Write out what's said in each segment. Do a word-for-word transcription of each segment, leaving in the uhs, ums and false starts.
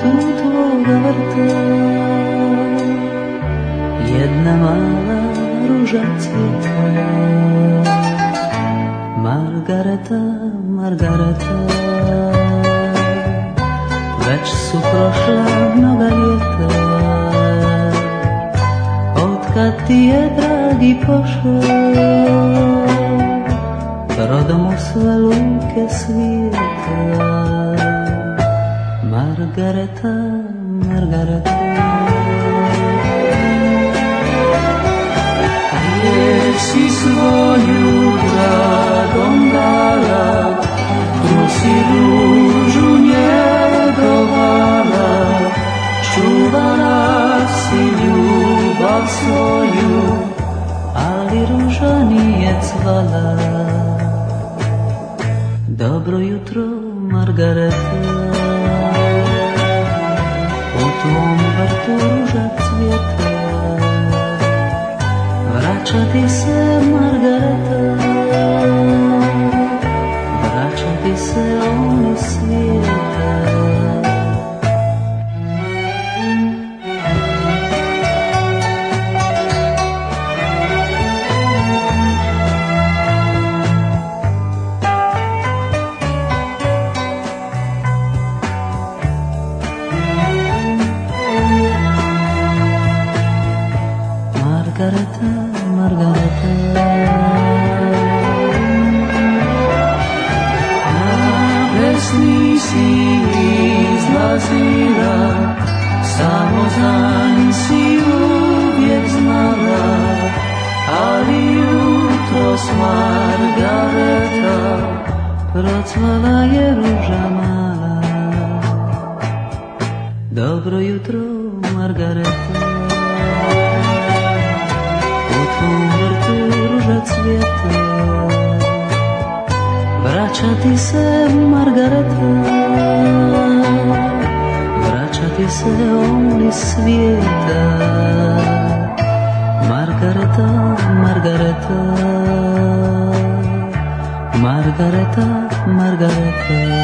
cvetu tvoga vrta jedna mala ruža cvjeta. Margareta, Margareta, već su prošla mnoga ljeta, otkad ti je dragi pošao, rodom u sve luke svijeta. Margareta, Margareta, gdje si svoju dragom dala, tu si ružu njegovala, čuvala si ljubav svoju, ali ruža nije cvala. Dobro jutro, Margareta, u tvom vrtu ruža cvjeta, vraća ti se Margareta, vraća ti se on iz svijeta. Margareta, Margareta, na pesmi si izlazila, samo za nj si uvijek znala, ali jutros Margareta procvala je ruža mala. Dobro jutro, Margareta, u tvom vrtu ruža cvjeta, vraća ti se Margareta, vraća ti se on iz svijeta. Margareta, Margareta, Margareta, Margareta.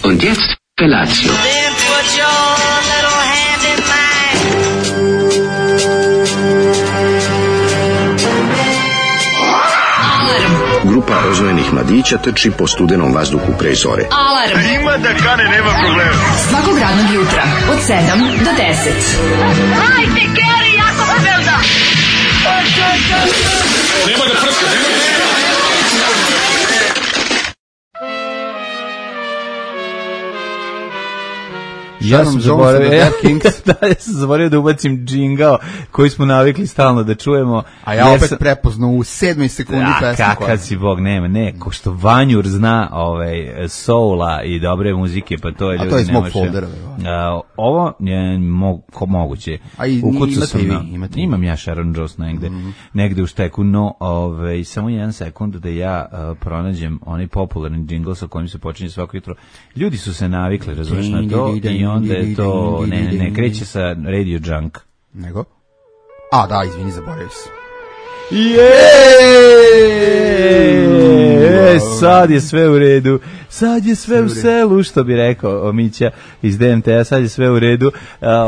Und jetzt Felatio. Then put your little hand in mine. Grupa rozvojenih mladića trči po studenom vazduhu pre zore. Alarm. Ima da kane, nema problema. Svakog radnog jutra od sedam do deset. Hajde, Geri, jako se velda. Nema da prska, nema da prska. Ja sam zaboravio, da, ja sam zaboravio da ubacim džingao koji smo navikli stalno da čujemo. A ja opet sam prepoznao u sedmoj sekundi pesmu. A kakav si Bog, nema, ne, ko što Vanjur zna ovaj, soula i dobre muzike, pa to je ljudi. A to je iz mog foldera. Ovo je mo, ko moguće. A i imate i vi, imate. Imam ja Sharon Jones negde, mm. negde u šteku, no ovaj, samo jedan sekund da ja uh, pronađem onaj popularni džingl sa kojim se počinje svako jutro. Ljudi su se navikli, razumeš, na to i onda je to, ne, ne, ne kreće sa Radio Junk. Nego? A, da, izvini, zaboravio sam. Jeee, sad je sve u redu, sad je sve u selu, što bi rekao Mića iz D M T-a, sad je sve u redu.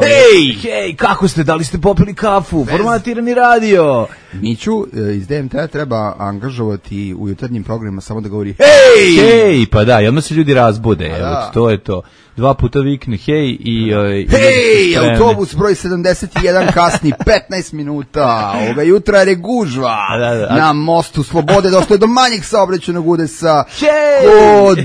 Hej, hej, kako ste, da li ste popili kafu, formatirani radio? Miću iz D M T-a treba angažovati u jutarnjim programima samo da govori hej, hej, pa da, i odmah se ljudi razbude, evo, to je to. Dva puta vikne hej i... Hej, autobus broj sedamdeset jedan kasni petnaest minuta, ovoga jutra je gužva da, da, na mostu Slobode, došlo je do manjeg saobraćajnog udesa hey! kod uh,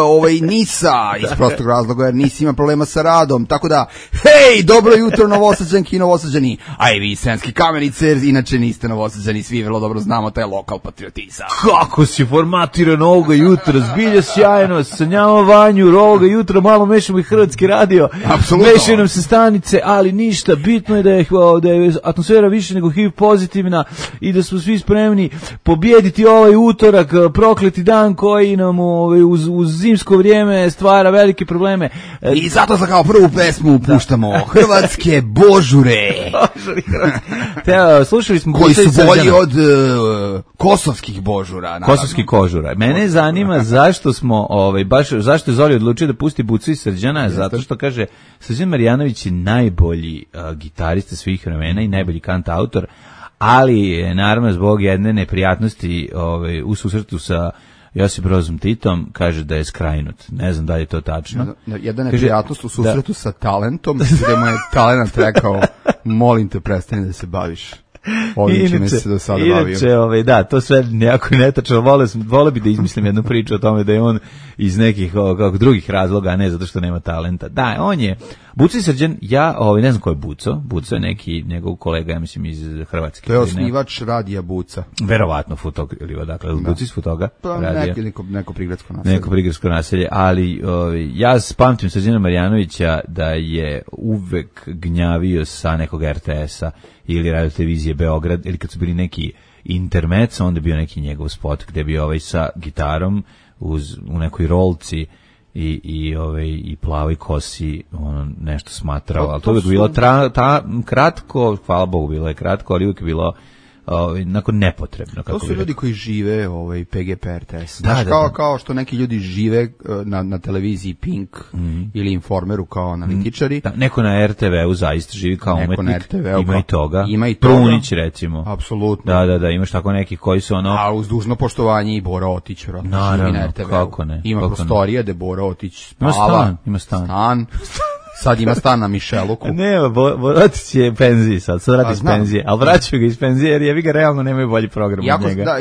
ovaj Nisa, iz prostog razloga jer Nis ima problema sa radom, tako da hej, dobro jutro Novosađanki i Novosađani, a i vi Sremske Kamenice, inače niste ste Novosađani, svi vrlo dobro znamo taj lokal patriotizam. Kako si formatiran ovoga jutra, zbilja sjajno, sanjamo Vanju, ovoga jutra malo mešamo i Hrvatski radio, apsolutno. Mešaju nam se stanice, ali ništa, bitno je da je, da je atmosfera više nego H I V pozitivna i da smo svi spremni pobijediti ovaj utorak, prokleti dan koji nam ovaj, uz, uz zimsko vrijeme stvara velike probleme. I zato za kao prvu pesmu puštamo Hrvatske božure. Te, slušali smo koji su bolji od uh, kosovskih božura. Naravno. Kosovskih kožura. Mene zanima zašto smo, ovaj, baš, zašto je Zoli odlučio da pusti Bucu i Srđana, zato što kaže, Srđan Marjanović je najbolji uh, gitarista svih vremena i najbolji kantautor, ali naravno zbog jedne neprijatnosti ovaj, u susretu sa Josip Brozom Titom kaže da je skrajnut. Ne znam da li je to tačno. Jedna neprijatnost u susretu da. sa talentom, gde mu je talent rekao, molim te, prestani da se baviš. Ovim čime se do sada bavio. Inače, ovaj, da, to sve nekako netačno. Vole, vole bi da izmislim jednu priču o tome da je on iz nekih o, kako, drugih razloga, a ne zato što nema talenta. Da, on je Buco i Srđan, ja ovaj, ne znam ko je Buco. Buco je neki njegov kolega, ja mislim, iz Hrvatske. To je osnivač radija Buca. Verovatno Futog, ili dakle, Buco iz Futoga. Pa neki, neko, neko prigradsko naselje. Neko prigradsko naselje, ali ovaj, ja pamtim Srđana Marjanovića da je uvek gnjavio sa nekog R T S-a ili radio televizije Beograd, ili kad su bili neki intermezzo, onda je bio neki njegov spot gde bi ovaj sa gitarom uz, u nekoj rolci i, i, ovaj, i plavoj kosi ono, nešto smatrao, ali to, to bi bilo tra, ta, kratko, hvala Bogu bilo je kratko, ali uvijek je bilo ovaj, nakon nepotrebno. Kako to su ljudi koji žive ovaj, P G P R T S. Da, Znaš, da, kao, da. kao što neki ljudi žive na, na televiziji Pink mm. ili Informeru kao analitičari. Da, neko na R T V-u zaista živi kao neko umetnik. Na R T V-u ima i toga. Ima i toga. Prunić, recimo. Apsolutno. Da, da, da, imaš tako nekih koji su ono... A uz dužno poštovanje i Bora Otić, vjerojatno, živi na R T V-u. Kako ne. Ima kako prostorije gde Bora Otić spava. Ima stan, ima stan. Stan. Sad ima stan na Mišeluku. Ne, Borotić je penziji sad, sad radi iz penzije, ali vraćaju ga iz penzije jer jevi ga realno nemaju bolji program jako, od njega. Da,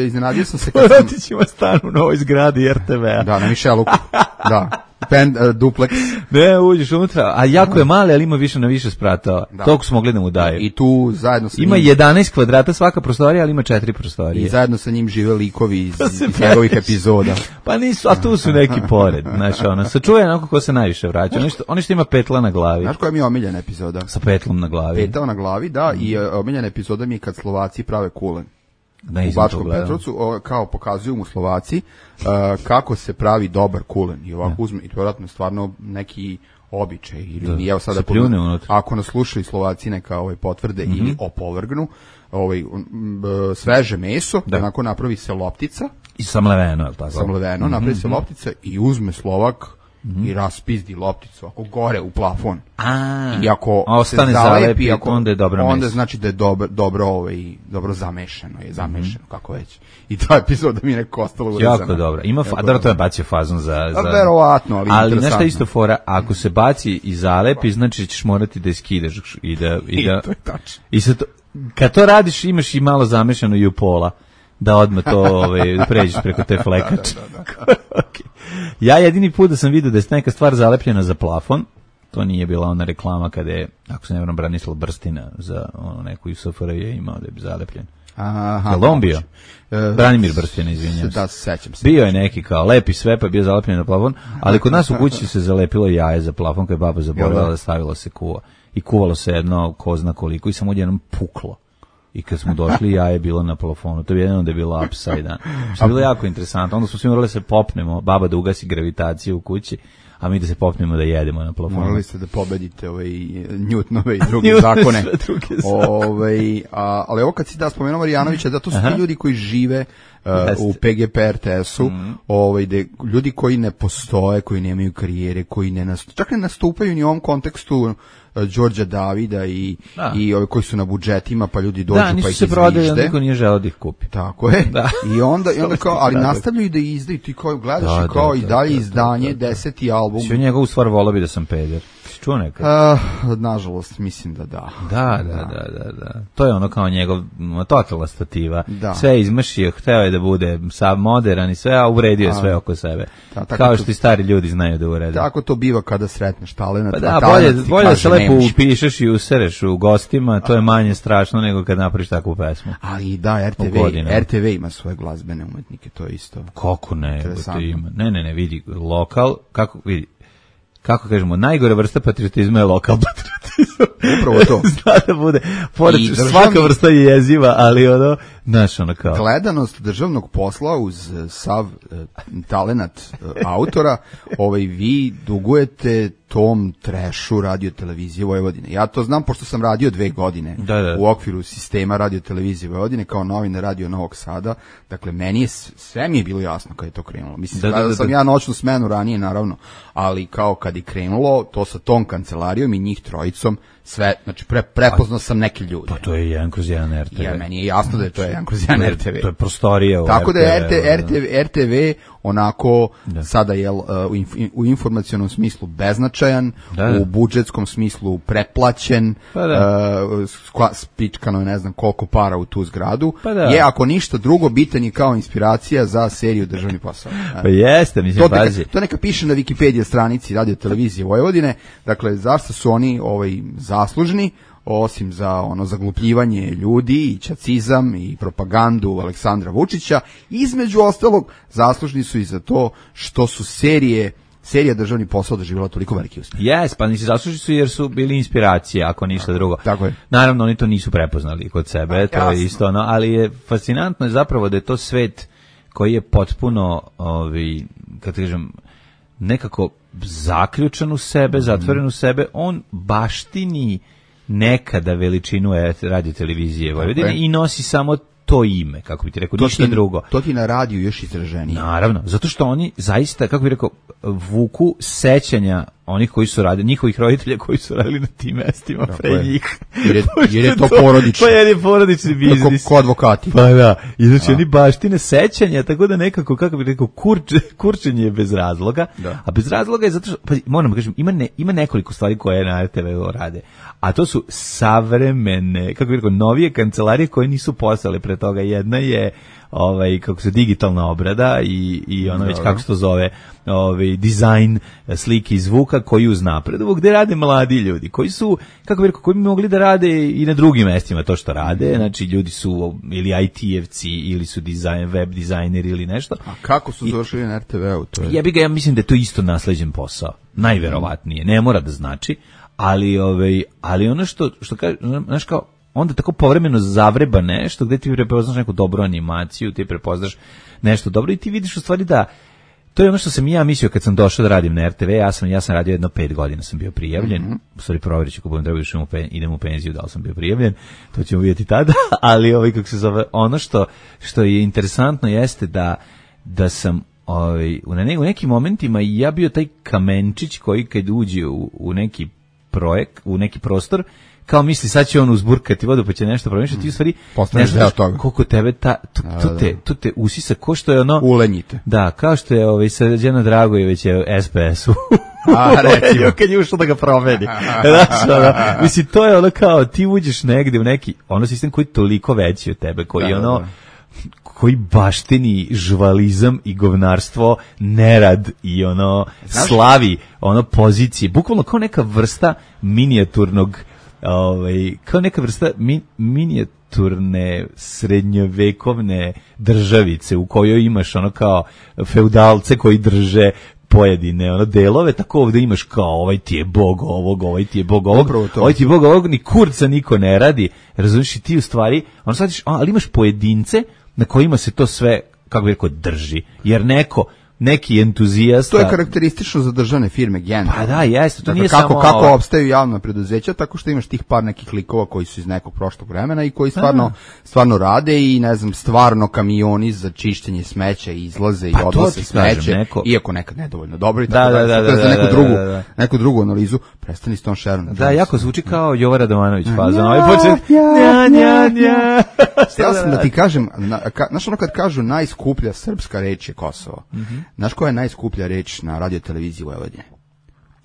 iznenadio sam se kad sam... Borotić ima stan u novoj zgradi R T V-a. Da, na Mišeluku, da. Pen, uh, duplex. Ne, uđeš unutra, a jako je mali, ali ima više na više spratova. Toliko su mogli da mu daju. I tu zajedno sa ima njim... jedanaest kvadrata svaka prostorija, ali ima četiri prostorije. I zajedno sa njim žive likovi iz, iz njegovih epizoda. Pa nisu, a tu su neki pored. Znaš, ono, sačuje onako ko se najviše vraća. Oni što, oni što ima petla na glavi. Znaš koja mi je omiljena epizoda? Sa petlom na glavi. Petao na glavi, da, mm. i uh, omiljena epizoda mi je kad Slovaci prave kulen. Da, u Bačkom Petrovcu, o, kao pokazuju mu Slovaci uh, kako se pravi dobar kulen. I ovako uzme, i to vjerojatno stvarno neki običaj. Ili mi, evo sada, pod, ako nas slušaju Slovaci neka ovaj, potvrde mm-hmm. ili opovrgnu, ovaj, um, sveže meso, da onako napravi se loptica. I samleveno, je li tako? Samleveno, mm-hmm. napravi se loptica i uzme Slovak mm-hmm. i raspizdi lopticu ako gore u plafon. A, i ako ostane se zalepi, zalepi, ako, onda je dobro onda meso. Znači da je dobro, dobro, ovaj, dobro zamešano, je zamešano, mm-hmm. kako već. I ta epizoda mi je neko ostalo urezana. Jako dobro. Ima fa- da to je bacio fazon za... za... Verovatno, ali, ali nešto isto fora, ako se baci i zalepi, znači ćeš morati da je skidaš i da... I, da, I to je tačno. I to, kad to radiš, imaš i malo zamešano i u pola. Da odmah to ovaj, pređeš preko te flekače. da, da, da. Okay. Ja jedini put da sam vidio da je neka stvar zalepljena za plafon, to nije bila ona reklama kada je, ako se ne vjerujem, Branislav Brstina za ono, neku S F R J je imao da je zalepljen. Aha, je li on bio? Uh, Branimir Brstina, izvinjam se. Da, sećam se. Bio je neki kao lepi sve, pa je bio zalepljen na plafon, ali kod nas u kući se zalepilo jaje za plafon, kada je baba zaboravila da stavila se kuva. I kuvalo se jedno, ko zna koliko, i samo odjednom puklo. I kad smo došli, jaje je bilo na plafonu. To je jedno da je bilo upside down. Što je bilo jako interesantno. Onda smo svi morali se popnemo, baba da ugasi gravitaciju u kući, a mi da se popnemo da jedemo na plafonu. Morali ste da pobedite ovaj Newtonove i druge zakone. ovaj, a, ali ovo kad si da spomenuo Marjanovića, da to su ti ljudi koji žive uh, u P G P R T S-u, mm-hmm. ovaj, de, ljudi koji ne postoje, koji nemaju karijere, koji ne nastupaju, čak ne nastupaju ni u ovom kontekstu Đorđa Davida i, i ovi koji su na budžetima, pa ljudi dođu da, pa ih izvište. Da, nisu se prodali, niko nije želeo da ih kupi. Tako je. Da. I onda, i onda kao, ali nastavljaju da izdaju, ti kao gledaš da, i kao da, i dalje da, izdanje, da, da, deseti album. Sve njegovu stvar volao bi da sam peder. si čuo nekad? Uh, nažalost, mislim da da. Da, da, da, da, da. To je ono kao njegov totalna stativa. Da. Sve izmršio, hteo je da bude sav modern i sve, a uvredio je sve oko sebe. Da, kao što to, i stari ljudi znaju da urede. Tako to biva kada sretneš talenat. Pa da, bolje, bolje da se lepo upišeš i usereš u gostima, to je manje strašno nego kad napraviš takvu pesmu. Ali da, R T V, R T V ima svoje glazbene umetnike, to je isto. Kako ne, to ima. Ne, ne, ne, vidi, lokal, kako, vidi, kako kažemo, najgore vrsta patriotizma je lokal patriotizam. Upravo to. Zna da bude, pored, državni, svaka vrsta je jeziva, ali ono, znaš, ono kao. Gledanost državnog posla uz sav uh, talenat uh, autora, ovaj, vi dugujete tom trešu radio televizije Vojvodine. Ja to znam pošto sam radio dve godine da, da. u okviru sistema radio televizije Vojvodine kao novinar radio Novog Sada. Dakle, meni je, sve mi je bilo jasno kad je to krenulo. Mislim, da, da, da, da sam ja noćnu smenu ranije, naravno, ali kao kad je krenulo, to sa tom kancelarijom i njih trojicom, sve, znači pre, prepoznao sam neke ljude. Pa to je jedan kroz jedan R T V. Ja, meni je jasno da je to jedan kroz jedan R T V. To je prostorija u tako R T V. Tako da je R T V, R T V onako da. sada je uh, u, inf, u informacionom smislu beznačajan, da, da. u budžetskom smislu preplaćen, pa da. uh, spičkano je ne znam koliko para u tu zgradu. Pa da. Je, ako ništa drugo, bitan je kao inspiracija za seriju Državni posao. Pa jeste, mislim, to neka, to neka piše na Wikipedia stranici Radio televizije Vojvodine. Dakle, zašto su oni ovaj zaslužni, osim za ono zaglupljivanje ljudi i ćacizam i propagandu Aleksandra Vučića, između ostalog zaslužni su i za to što su serije serija Državni posao doživjela toliko veliki uspjeh. Jes, pa nisi zaslužni su jer su bili inspiracije, ako ništa drugo. Tako je. Naravno, oni to nisu prepoznali kod sebe, a, to jasno. je isto ono, ali je fascinantno je zapravo da je to svet koji je potpuno, ovi, kad kažem, nekako zaključan u sebe, zatvoren u sebe, on baštini nekada veličinu radio televizije Vojvodine i nosi samo to ime, kako bi ti rekao, ništa ti, drugo. To ti na radiju još izraženije. Naravno, zato što oni zaista, kako bi rekao, vuku sećanja onih koji su radili, njihovih roditelja koji su radili na tim mestima tako pre je. njih. Jer je, jer je to porodično. Pa jer je porodični biznis. Ko, ko advokati. Pa da, i znači a. oni baštine sećanja, tako da nekako, kako bi rekao, kurče, kurčenje je bez razloga, da. a bez razloga je zato što, pa moram da kažem, ima, ne, ima nekoliko stvari koje na R T V rade, a to su savremene, kako bi rekao, novije kancelarije koje nisu postale pre toga. Jedna je ovaj kako se digitalna obrada i i ono već kako se to zove, ovaj dizajn slike i zvuka koji uznapreduju, gde rade mladi ljudi koji su, kako bih rekao, koji bi mogli da rade i na drugim mestima to što rade, znači ljudi su ili I T-evci ili su dizajn, web dizajneri ili nešto. A kako su došli na R T V-u? To je... Ja bih ga, ja mislim da je to isto nasleđen posao, najverovatnije, ne mora da znači, ali ovaj ali ono što što kaže, znaš kao onda tako povremeno zavreba nešto gde ti prepoznaš neku dobru animaciju, ti prepoznaš nešto dobro i ti vidiš u stvari da to je ono što sam ja mislio kad sam došao da radim na R T V, ja sam ja sam radio jedno pet godina, sam bio prijavljen, mm-hmm. u stvari provjeriću kako budem trebao išao idem u penziju da li sam bio prijavljen, to ćemo vidjeti tada, ali ovaj kako se zove, ono što što je interesantno jeste da da sam ovaj u, ne, u nekim momentima ja bio taj kamenčić koji kad uđe u, u neki projekt, u neki prostor, kao misli sad će on uzburkati vodu pa će nešto promišljati, ti u stvari ne znaš koliko tebe ta, tu, tu, te, tu te usisa, ko što je ono ulenjite. Da, kao što je ovaj, Srđana Dragojević je S P S-u a recimo kad je ušao da ga promeni. Znaš, ono, mislim, to je ono kao ti uđeš negde u neki ono sistem koji je toliko veći od tebe, koji da, ono da. koji baštini žvalizam i govnarstvo, nerad i ono znaš? Slavi ono pozicije, bukvalno kao neka vrsta minijaturnog ovaj kao neka vrsta mi, minijaturne srednjovekovne državice u kojoj imaš ono kao feudalce koji drže pojedine ono delove, tako ovde imaš kao ovaj ti je bog ovog, ovaj ti je bog ovog, ovaj ti je bog ovog, ni kurca niko ne radi, razumiješ, i ti u stvari ono sad, ali imaš pojedince na kojima se to sve, kako bih rekao, drži, jer neko neki entuzijasta. To je karakteristično za državne firme generalno. Pa da, jeste, to dakle, nije kako, samo kako ovo... opstaju javna preduzeća, tako što imaš tih par nekih likova koji su iz nekog prošlog vremena i koji stvarno, stvarno rade i ne znam, stvarno kamioni za čišćenje smeća izlaze pa i odnose smeće, neko... iako nekad nedovoljno dobro i da, tako da, da, da, da, da, da, neku drugu, da, da, da. neku drugu analizu, prestani s tom šerom. Da, jako zvuči kao Jovan Radovanović faza. Ovaj počet nja nja nja. Ja sam da ti kažem, znaš ono kad kažu najskuplja srpska reč je Kosovo. Znaš koja je najskuplja reč na radio televiziji Vojvodine?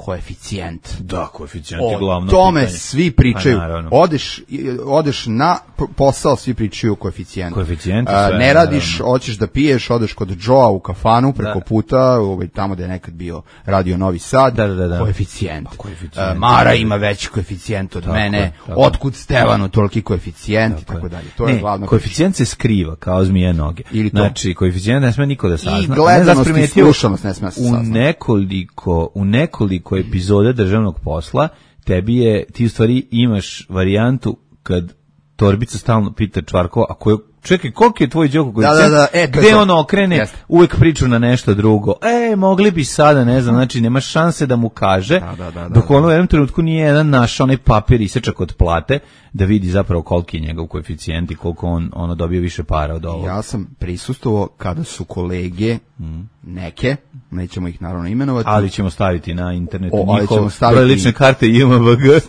koeficijent. Da, koeficijent je glavno pitanje. O tome pitanje. svi pričaju. Pa, odeš, odeš na posao, svi pričaju o koeficijentu. Koeficijent uh, ne radiš, naravno. Hoćeš da piješ, odeš kod Joea u kafanu preko da. puta, ovaj, tamo gde je nekad bio radio Novi Sad, da, da, da. koeficijent. Pa, koeficijent. Uh, Mara ima veći koeficijent od tako, mene, tako. Otkud Stevanu toliki koeficijent tako i tako dalje. To ne, je glavno. Koeficijent se skriva kao zmije noge. Znači, koeficijent ne sme niko da sazna. I gledanost i slušanost ne sme da se sazna. U nekoliko, u nekoliko epizoda državnog posla tebi je, ti u stvari imaš varijantu kad Torbica stalno pita Čvarkova, ako je, čekaj, koliko je tvoj Đoko koeficijent, da, da, da, e, gde ono okrene, Jeste. uvek priču na nešto drugo, e, mogli bi sada, ne znam, znači nemaš šanse da mu kaže, da, da, da, dok ono u jednom trenutku nije jedan naš onaj papir isečak od plate, da vidi zapravo koliki je njegov koeficijent i koliko on ono dobio više para od ovog. Ja sam prisustvovao kada su kolege mm. neke, nećemo ih naravno imenovati, ali ćemo staviti na internetu o, njihov broj lične karte I M B G,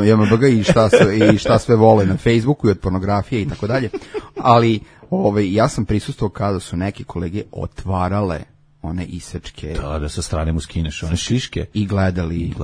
I M B G i šta sve, i šta sve vole na Facebooku i od pornografije i tako dalje. Ali ovaj ja sam prisustvovao kada su neke kolege otvarale one isečke. Da, da sa strane mu skineš one šiške. I gledali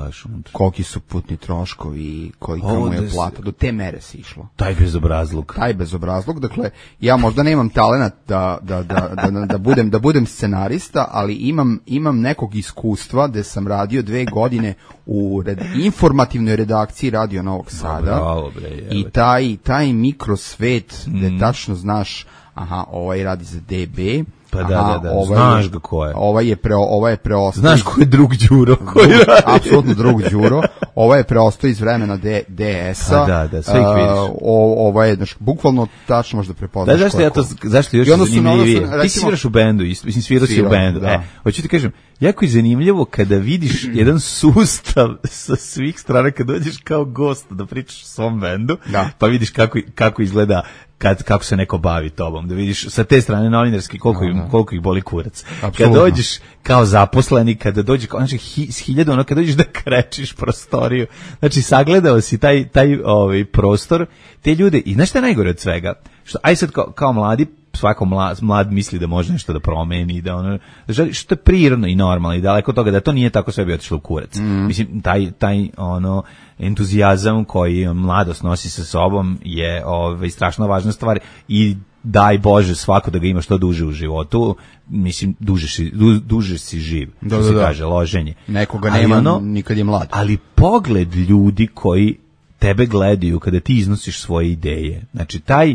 koliki su putni troškovi, kolika mu je plata. Do te mere se išlo. Taj bezobrazluk. Taj bezobrazluk. Dakle, ja možda nemam talenat da, da, da, da, da, budem, da budem scenarista, ali imam, imam nekog iskustva gde sam radio dve godine u red, informativnoj redakciji Radio Novog Sada. Bravo, bre, I taj, taj mikrosvet gde mm. tačno znaš, aha, ovaj radi za D B, pa da, da, da, ovaj znaš ga ko je. Ovaj je pre, ovaj je preostao. Znaš ko je drug Đuro koji radi. Apsolutno drug Đuro. Ovaj je preostao iz vremena D, DS-a. Pa da, da, sve ih vidiš. Uh, ovaj je, znaš, bukvalno tačno možda prepoznaš. Da, zašto ja to, zašto još zanimljivije? Ti si sviraš u bendu, mislim svirao si u bendu. Da. E, hoću ti kažem, jako je zanimljivo kada vidiš jedan sustav sa svih strana, kad dođeš kao gost da pričaš o svom bendu, da. Pa vidiš kako, kako izgleda kad kako se neko bavi tobom, da vidiš sa te strane novinarski koliko, no, no. koliko ih boli kurac. Absolutno. Kad dođeš kao zaposleni, kada dođeš kao znači hi, s hiljadu, ono kad dođeš da krečiš prostoriju, znači sagledao si taj taj ovaj prostor, te ljude i znaš šta je najgore od svega, što aj sad kao, kao mladi svako mlad, mlad misli da može nešto da promeni, da ono, da želi, što je prirodno i normalno i daleko od toga da to nije tako sve bi otišlo u kurac. Mm. Mislim, taj, taj ono, entuzijazam koji mladost nosi sa sobom je ovaj, strašno važna stvar i daj Bože svako da ga ima što duže u životu, mislim, duže si, du, duže si živ, da, što da, se da. kaže, loženje. Nekoga nema ono, nikad je mlad. Ali pogled ljudi koji tebe gledaju kada ti iznosiš svoje ideje, znači taj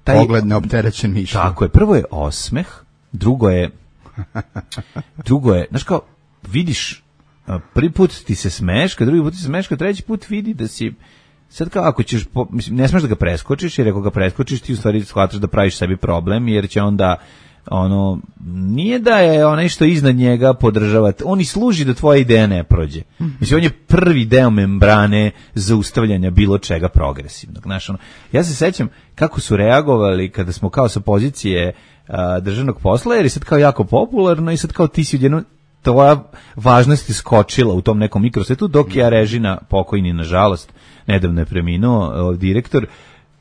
Taj, pogled neopterećen mišljem. Tako je, prvo je osmeh, drugo je, drugo je, znaš kao, vidiš, prvi put ti se smeš, kad drugi put ti se smeš, kad treći put vidi da si, sad kao ako ćeš, po, mislim, ne smeš da ga preskočiš, jer ako ga preskočiš ti u stvari shvataš da praviš sebi problem, jer će onda, ono, nije da je onaj što iznad njega podržavati, on i služi da tvoja ideja ne prođe. Mislim, on je prvi deo membrane zaustavljanja bilo čega progresivnog. Znaš, ono, ja se sećam kako su reagovali kada smo kao sa pozicije a, državnog posla, jer je sad kao jako popularno i sad kao ti si odjednom tvoja važnost je skočila u tom nekom mikrosvetu, dok je Arežina, pokojni nažalost, nedavno je preminuo direktor,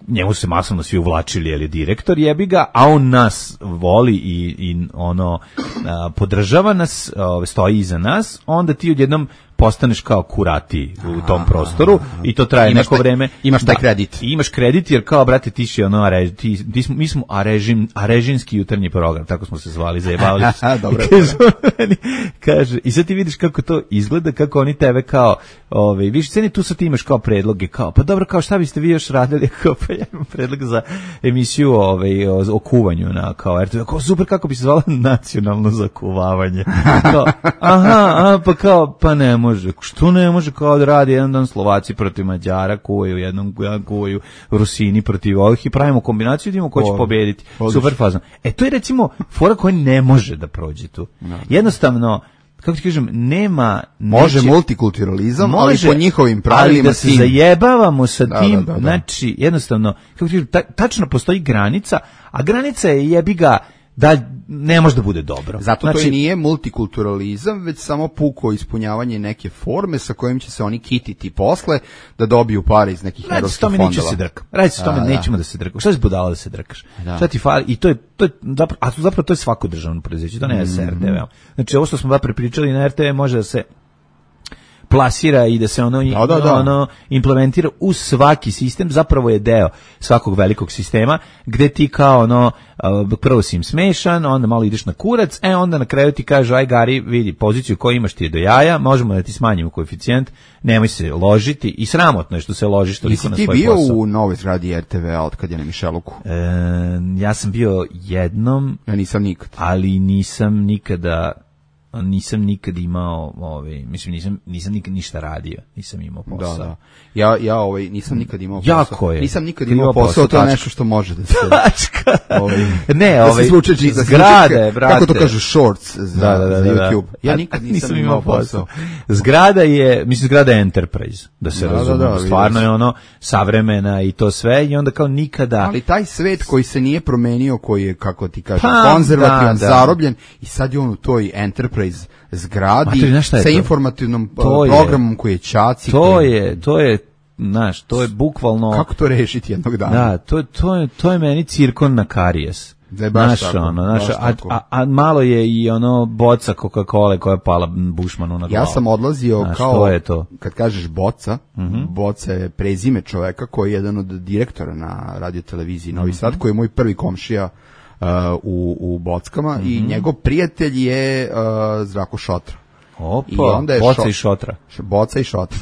njemu se masovno svi uvlačili, jer je direktor, jebi ga, a on nas voli i, i ono a, podržava nas, a, stoji iza nas, onda ti odjednom postaneš kao kurati u tom prostoru i to traje imaš neko taj, vreme. Imaš taj da, kredit. Imaš kredit jer kao, brate, ti si ono, are, ti, ti smo, mi smo arežin, arežinski jutarnji program, tako smo se zvali, zajebavali se. Dobro. Kaže, kaže, i sad ti vidiš kako to izgleda, kako oni tebe kao, ovaj, viš ceni, tu sad ti imaš kao predloge, kao, pa dobro, kao šta biste vi još radili, kao, pa ja imam predlog za emisiju ovaj, o, o kuvanju na, kao, er te ve, kao, super, kako bi se zvala nacionalno zakuvavanje. Kao, aha, a, pa kao, pa ne može. Što ne može kao da radi jedan dan Slovaci protiv Mađara, kuvaju jednom, kuvaju Rusini protiv ovih i pravimo kombinaciju da imamo ko će pobediti. Super fazno. E, to je recimo fora koja ne može da prođe tu. No. Jednostavno, kako ti kažem, nema... Može neće, multikulturalizam, može, ali po njihovim pravilima... Ali da se tim. zajebavamo sa da, tim, da, da, da. znači, jednostavno, kako ti kažem, ta, tačno postoji granica, a granica je jebi ga da ne može da bude dobro. Zato znači, to i nije multikulturalizam, već samo puko ispunjavanje neke forme sa kojim će se oni kititi posle da dobiju pare iz nekih europskih fondova. Radi se tome neću se drkam. Radi se tome nećemo da se drkam. Šta si budala da se drkaš? Da. Šta ti fali? I to je, to je zapravo, a zapravo to je svako državno preduzeće, to ne je mm-hmm. S R T V. Znači ovo što smo ba prepričali na R T V može da se plasira i da se ono, da, da, da. ono implementira u svaki sistem, zapravo je deo svakog velikog sistema, gde ti kao ono, prvo si im smešan, onda malo ideš na kurac, e onda na kraju ti kaže, aj Gari, vidi, poziciju koju imaš ti je do jaja, možemo da ti smanjimo koeficijent, nemoj se ložiti i sramotno je što se ložiš toliko na svoj posao. Jesi ti bio u novoj zgradi er te ve-a od kad je na Mišeluku? E, ja sam bio jednom, ja nisam nikad, ali nisam nikada nisam nikad imao, ovaj, mislim nisam nisam nikad ništa radio, nisam imao posao. Da, da. Ja ja ovaj nisam nikad imao posao. Jako je. Nisam nikad imao posao, posao to je nešto što može da se. ovaj, ne, ovaj zgrade, brate. Kako to kažu, shorts za, da, da, da, za YouTube. Da. Ja nikad nisam, nisam imao posao. Zgrada je, mislim zgrada je Enterprise, da se da, razume. Da, da, stvarno je ono savremena i to sve i onda kao nikada. Ali taj svet koji se nije promenio, koji je, kako ti kažeš, pa, konzervativan, da, da. zarobljen i sad je on u toj Enterprise zgradi Matri, sa informativnom to programom je, koji je čaci. To koji... je, to je, znaš, to je bukvalno... Kako to rešiti jednog dana? Da, to, to, je, to je meni cirkon na karijes. Da je baš naš, tako. Ono, naš, baš a, a, a malo je i ono boca Coca-Cola koja je pala Bušmanu na glavu. Ja sam odlazio znaš, kao, to je to. Kad kažeš boca, mm-hmm. boca je prezime čoveka koji je jedan od direktora na radioteleviziji Novi mm-hmm. Sad, koji je moj prvi komšija Uh, u, u Bockama mm-hmm. i njegov prijatelj je uh, Zdravko Šotra. Opa, I onda je Boca šo... i Šotra. Boca i Šotra.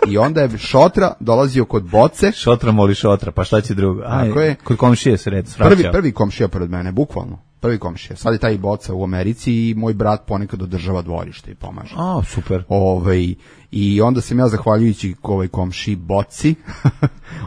I onda je Šotra dolazio kod Boce. Šotra moli Šotra, pa šta će drugo? Aj, je, kod komšije se red svraćao. Prvi, prvi komšija pored mene, bukvalno. Prvi komšija. Sad je taj Boca u Americi i moj brat ponekad održava dvorište i pomaže. A, super. Ovaj, i onda sam ja, zahvaljujući ovaj komši Boci,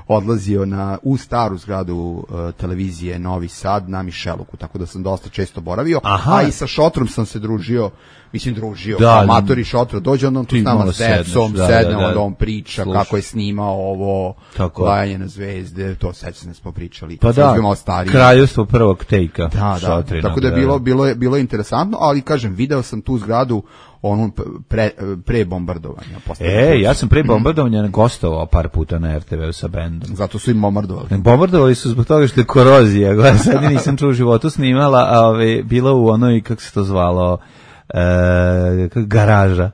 odlazio na, u staru zgradu uh, televizije Novi Sad na Mišeluku, tako da sam dosta često boravio. Aha. A i sa Šotrom sam se družio, mislim družio, da, amatori Šotra, dođe on tu s nama s decom, da, sedne, da, da, onda on priča slušaj. Kako je snimao ovo, Lajanje na zvezde, to sećam da smo pričali. Pa da, kraljevstvo prvog tejka. Da, da, tako da je bilo, bilo, je, bilo je interesantno, ali kažem, video sam tu zgradu onu pre, pre bombardovanja. E, ja sam pre bombardovanja gostovao par puta na er te ve sa bendom. Zato su im bombardovali. Bombardovali su zbog toga što je korozija. Gledaj, sad nisam čuo u životu snimala, a ove, bila u onoj, kako se to zvalo, e, garaža.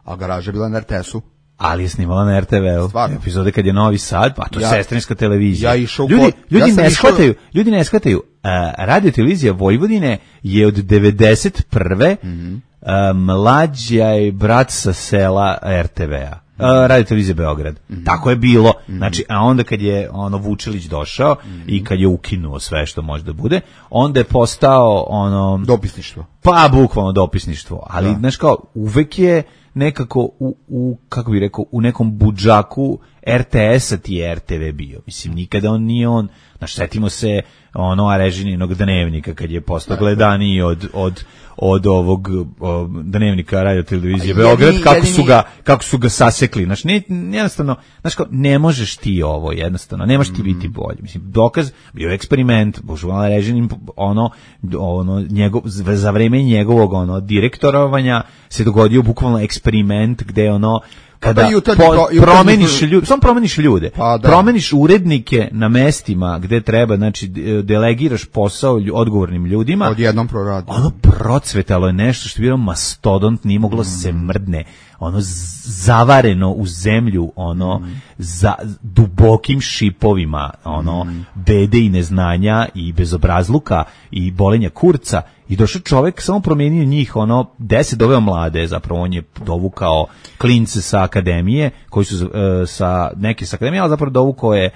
A garaža je bila na er te esu. Ali je snimala na er te ve-u. Epizode kad je Novi Sad, pa to je ja, sestrinska televizija. Ja išao ljudi, ljudi, ja ne išao... shvataju, ljudi ne shvataju, uh, radio televizija Vojvodine je od devedeset prve Mm-hmm. Uh, mlađa je brat sa sela er te ve-a. Uh, radio televizija Beograd. Mm-hmm. Tako je bilo. Mm-hmm. Znači, a onda kad je ono Vučilić došao mm-hmm. i kad je ukinuo sve što može da bude, onda je postao ono dopisništvo. Pa bukvalno dopisništvo, ali da. Znaš kao uvek je nekako u, u kako bih rekao, u nekom budžaku er te esa ti je er te ve bio. Mislim, nikada on nije on, znaš, setimo se ono Arežininog dnevnika kad je postao gledaniji od, od, od ovog o, dnevnika radio televizije Beograd, kako su ga, kako su ga sasekli. Znaš, ne, jednostavno, znaš kao, ne možeš ti ovo, jednostavno, nemaš ti biti bolji. Mislim, dokaz, bio eksperiment, božu, Arežinin, ono, ono, njegov, za vreme njegovog, ono, direktorovanja se dogodio bukvalno eksperiment gde, ono, kada pa jutarnji, po, promeniš ljude, samo promeniš ljude, pa, promeniš urednike na mestima gde treba, znači delegiraš posao odgovornim ljudima. Odjednom proradi. Ono procvetalo je nešto što je bilo mastodont, nije moglo mm. se mrdne, ono zavareno u zemlju, ono mm. za dubokim šipovima, ono mm. bede i neznanja i bezobrazluka i bolenja kurca. I došao čovjek, samo promijenio njih, ono, deset doveo mlade, zapravo on je dovukao klince sa akademije, koji su uh, sa, neke sa akademije, ali zapravo dovukao je,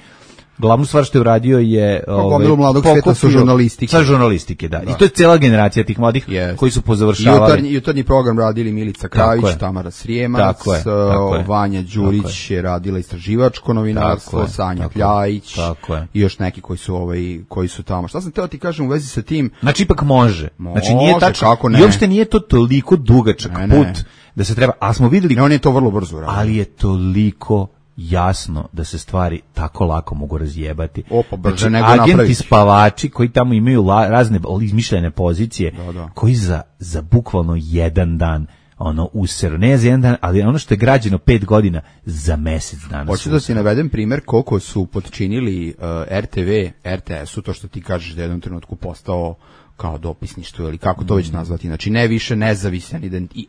glavnu stvar što je uradio je ovaj, mladog sveta sa žurnalistike. Sa žurnalistike, da. da. I to je cijela generacija tih mladih yes. koji su pozavršavali. Jutarnji, jutarnji program radili Milica Krajić, Tamara Srijemac, tako je, tako je. Vanja Đurić je. je radila istraživačko novinarstvo, Sanja Kljajić i još neki koji su ovaj koji su tamo. Šta sam teo ti kažem u vezi sa tim? Znači ipak može. može znači nije tačno. I uopšte nije to toliko dugačak ne, put ne. da se treba, a smo videli. Ne, on je to vrlo brzo radio. Ali je toliko jasno da se stvari tako lako mogu razjebati. Opa, brže znači, nego agenti napraviš. Spavači koji tamo imaju la, razne izmišljene pozicije, da, da. koji za, za bukvalno jedan dan ono user, ne za jedan dan, ali ono što je građeno pet godina za mjesec dana. Hoću da ti navedem primjer koliko su potčinili uh, er te ve, er te esu, to što ti kažeš da je u jednom trenutku postao kao dopisništvo ili kako to već nazvati, znači ne više nezavisan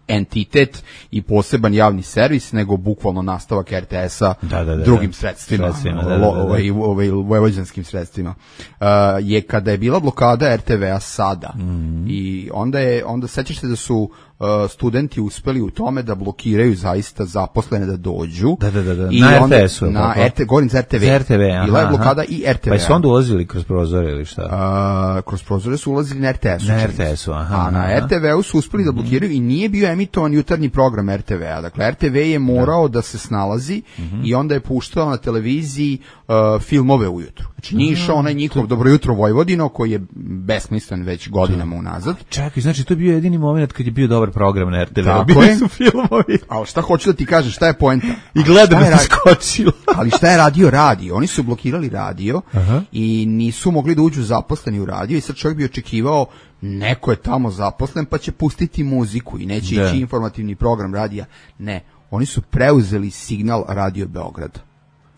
entitet i poseban javni servis, nego bukvalno nastavak er te es-a da, da, da, drugim da. sredstvima, sredstvima da, da, da, da. Ovaj, ovaj, vojvođanskim sredstvima. Uh, je kada je bila blokada er te ve-a sada mm. i onda je, onda sećaš se da su uh, studenti uspeli u tome da blokiraju zaista zaposlene da dođu. Da, da, da, da. I na onda, er te es-u. Na er te, govorim za er te ve. Za er te ve, aha, bila je blokada aha. i er te ve-a. Pa su onda ulazili kroz prozore ili šta? Uh, kroz prozore su ulazili na er te es-u. Na er te es-u, aha. A na er te ve-u su uspeli da blokiraju i nije bio emitovan jutarnji program er te ve-a. Dakle, er te ve je morao da, da se snalazi mm-hmm. i onda je puštao na televiziji uh, filmove ujutru. Znači, nije išao onaj njihov Dobro jutro Vojvodino, koji je besmislen već godinama unazad. Čekaj, znači, to je bio jedini moment kad je bio dobar program na er te ve. Tako je. Su filmovi. A šta hoću da ti kažem, šta je poenta? I gledam da se skočilo. Ali šta je radio radio? Oni su blokirali radio Aha. i nisu mogli da uđu zaposleni u radio i sad čovjek bi očekivao neko je tamo zaposlen pa će pustiti muziku i neće da. ići informativni program radija. Ne, oni su preuzeli signal Radio Beograda.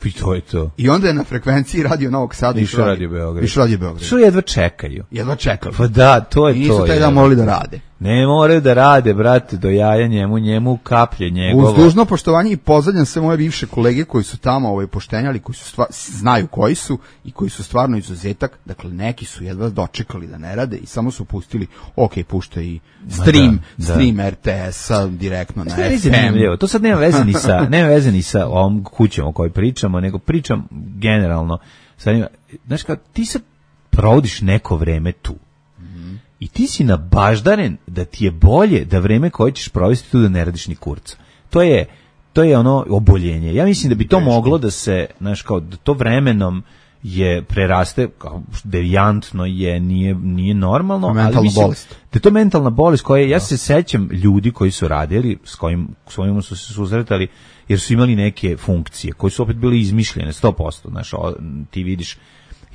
I to je to. I onda je na frekvenciji Radio Novog Sada išao Radio Beograd. Išao Radio Beograd. Što jedva čekaju. Jedva čekaju. Pa da, to je to. I nisu taj dan morali da rade. Ne moraju da rade, brate, do jaja njemu, njemu kaplje njegovo. Uz dužno poštovanje i pozdravljam sve moje bivše kolege koji su tamo ovaj, poštenjali, koji su stva, znaju koji su i koji su stvarno izuzetak. Dakle, neki su jedva dočekali da ne rade i samo su pustili, ok, pušta i stream, da, stream da. er te es-a direktno na ef em. To sad nema veze ni sa, nema veze ni sa ovom kućom o kojoj pričamo, nego pričam generalno. Sad, znaš kao, ti sad provodiš neko vreme tu. I ti si nabaždaren da ti je bolje da vreme koje ćeš provesti tu da ne radiš ni kurca. To je, to je ono oboljenje. Ja mislim da bi to Veški. moglo da se, znaš, kao da to vremenom je preraste, kao devijantno je, nije, nije normalno. Mentalna ali mislim, bolest. Da je to mentalna bolest koja, ja se sećam ljudi koji su radili, s kojim, s kojima su se susretali, jer su imali neke funkcije, koje su opet bile izmišljene, sto posto, znaš, o, ti vidiš,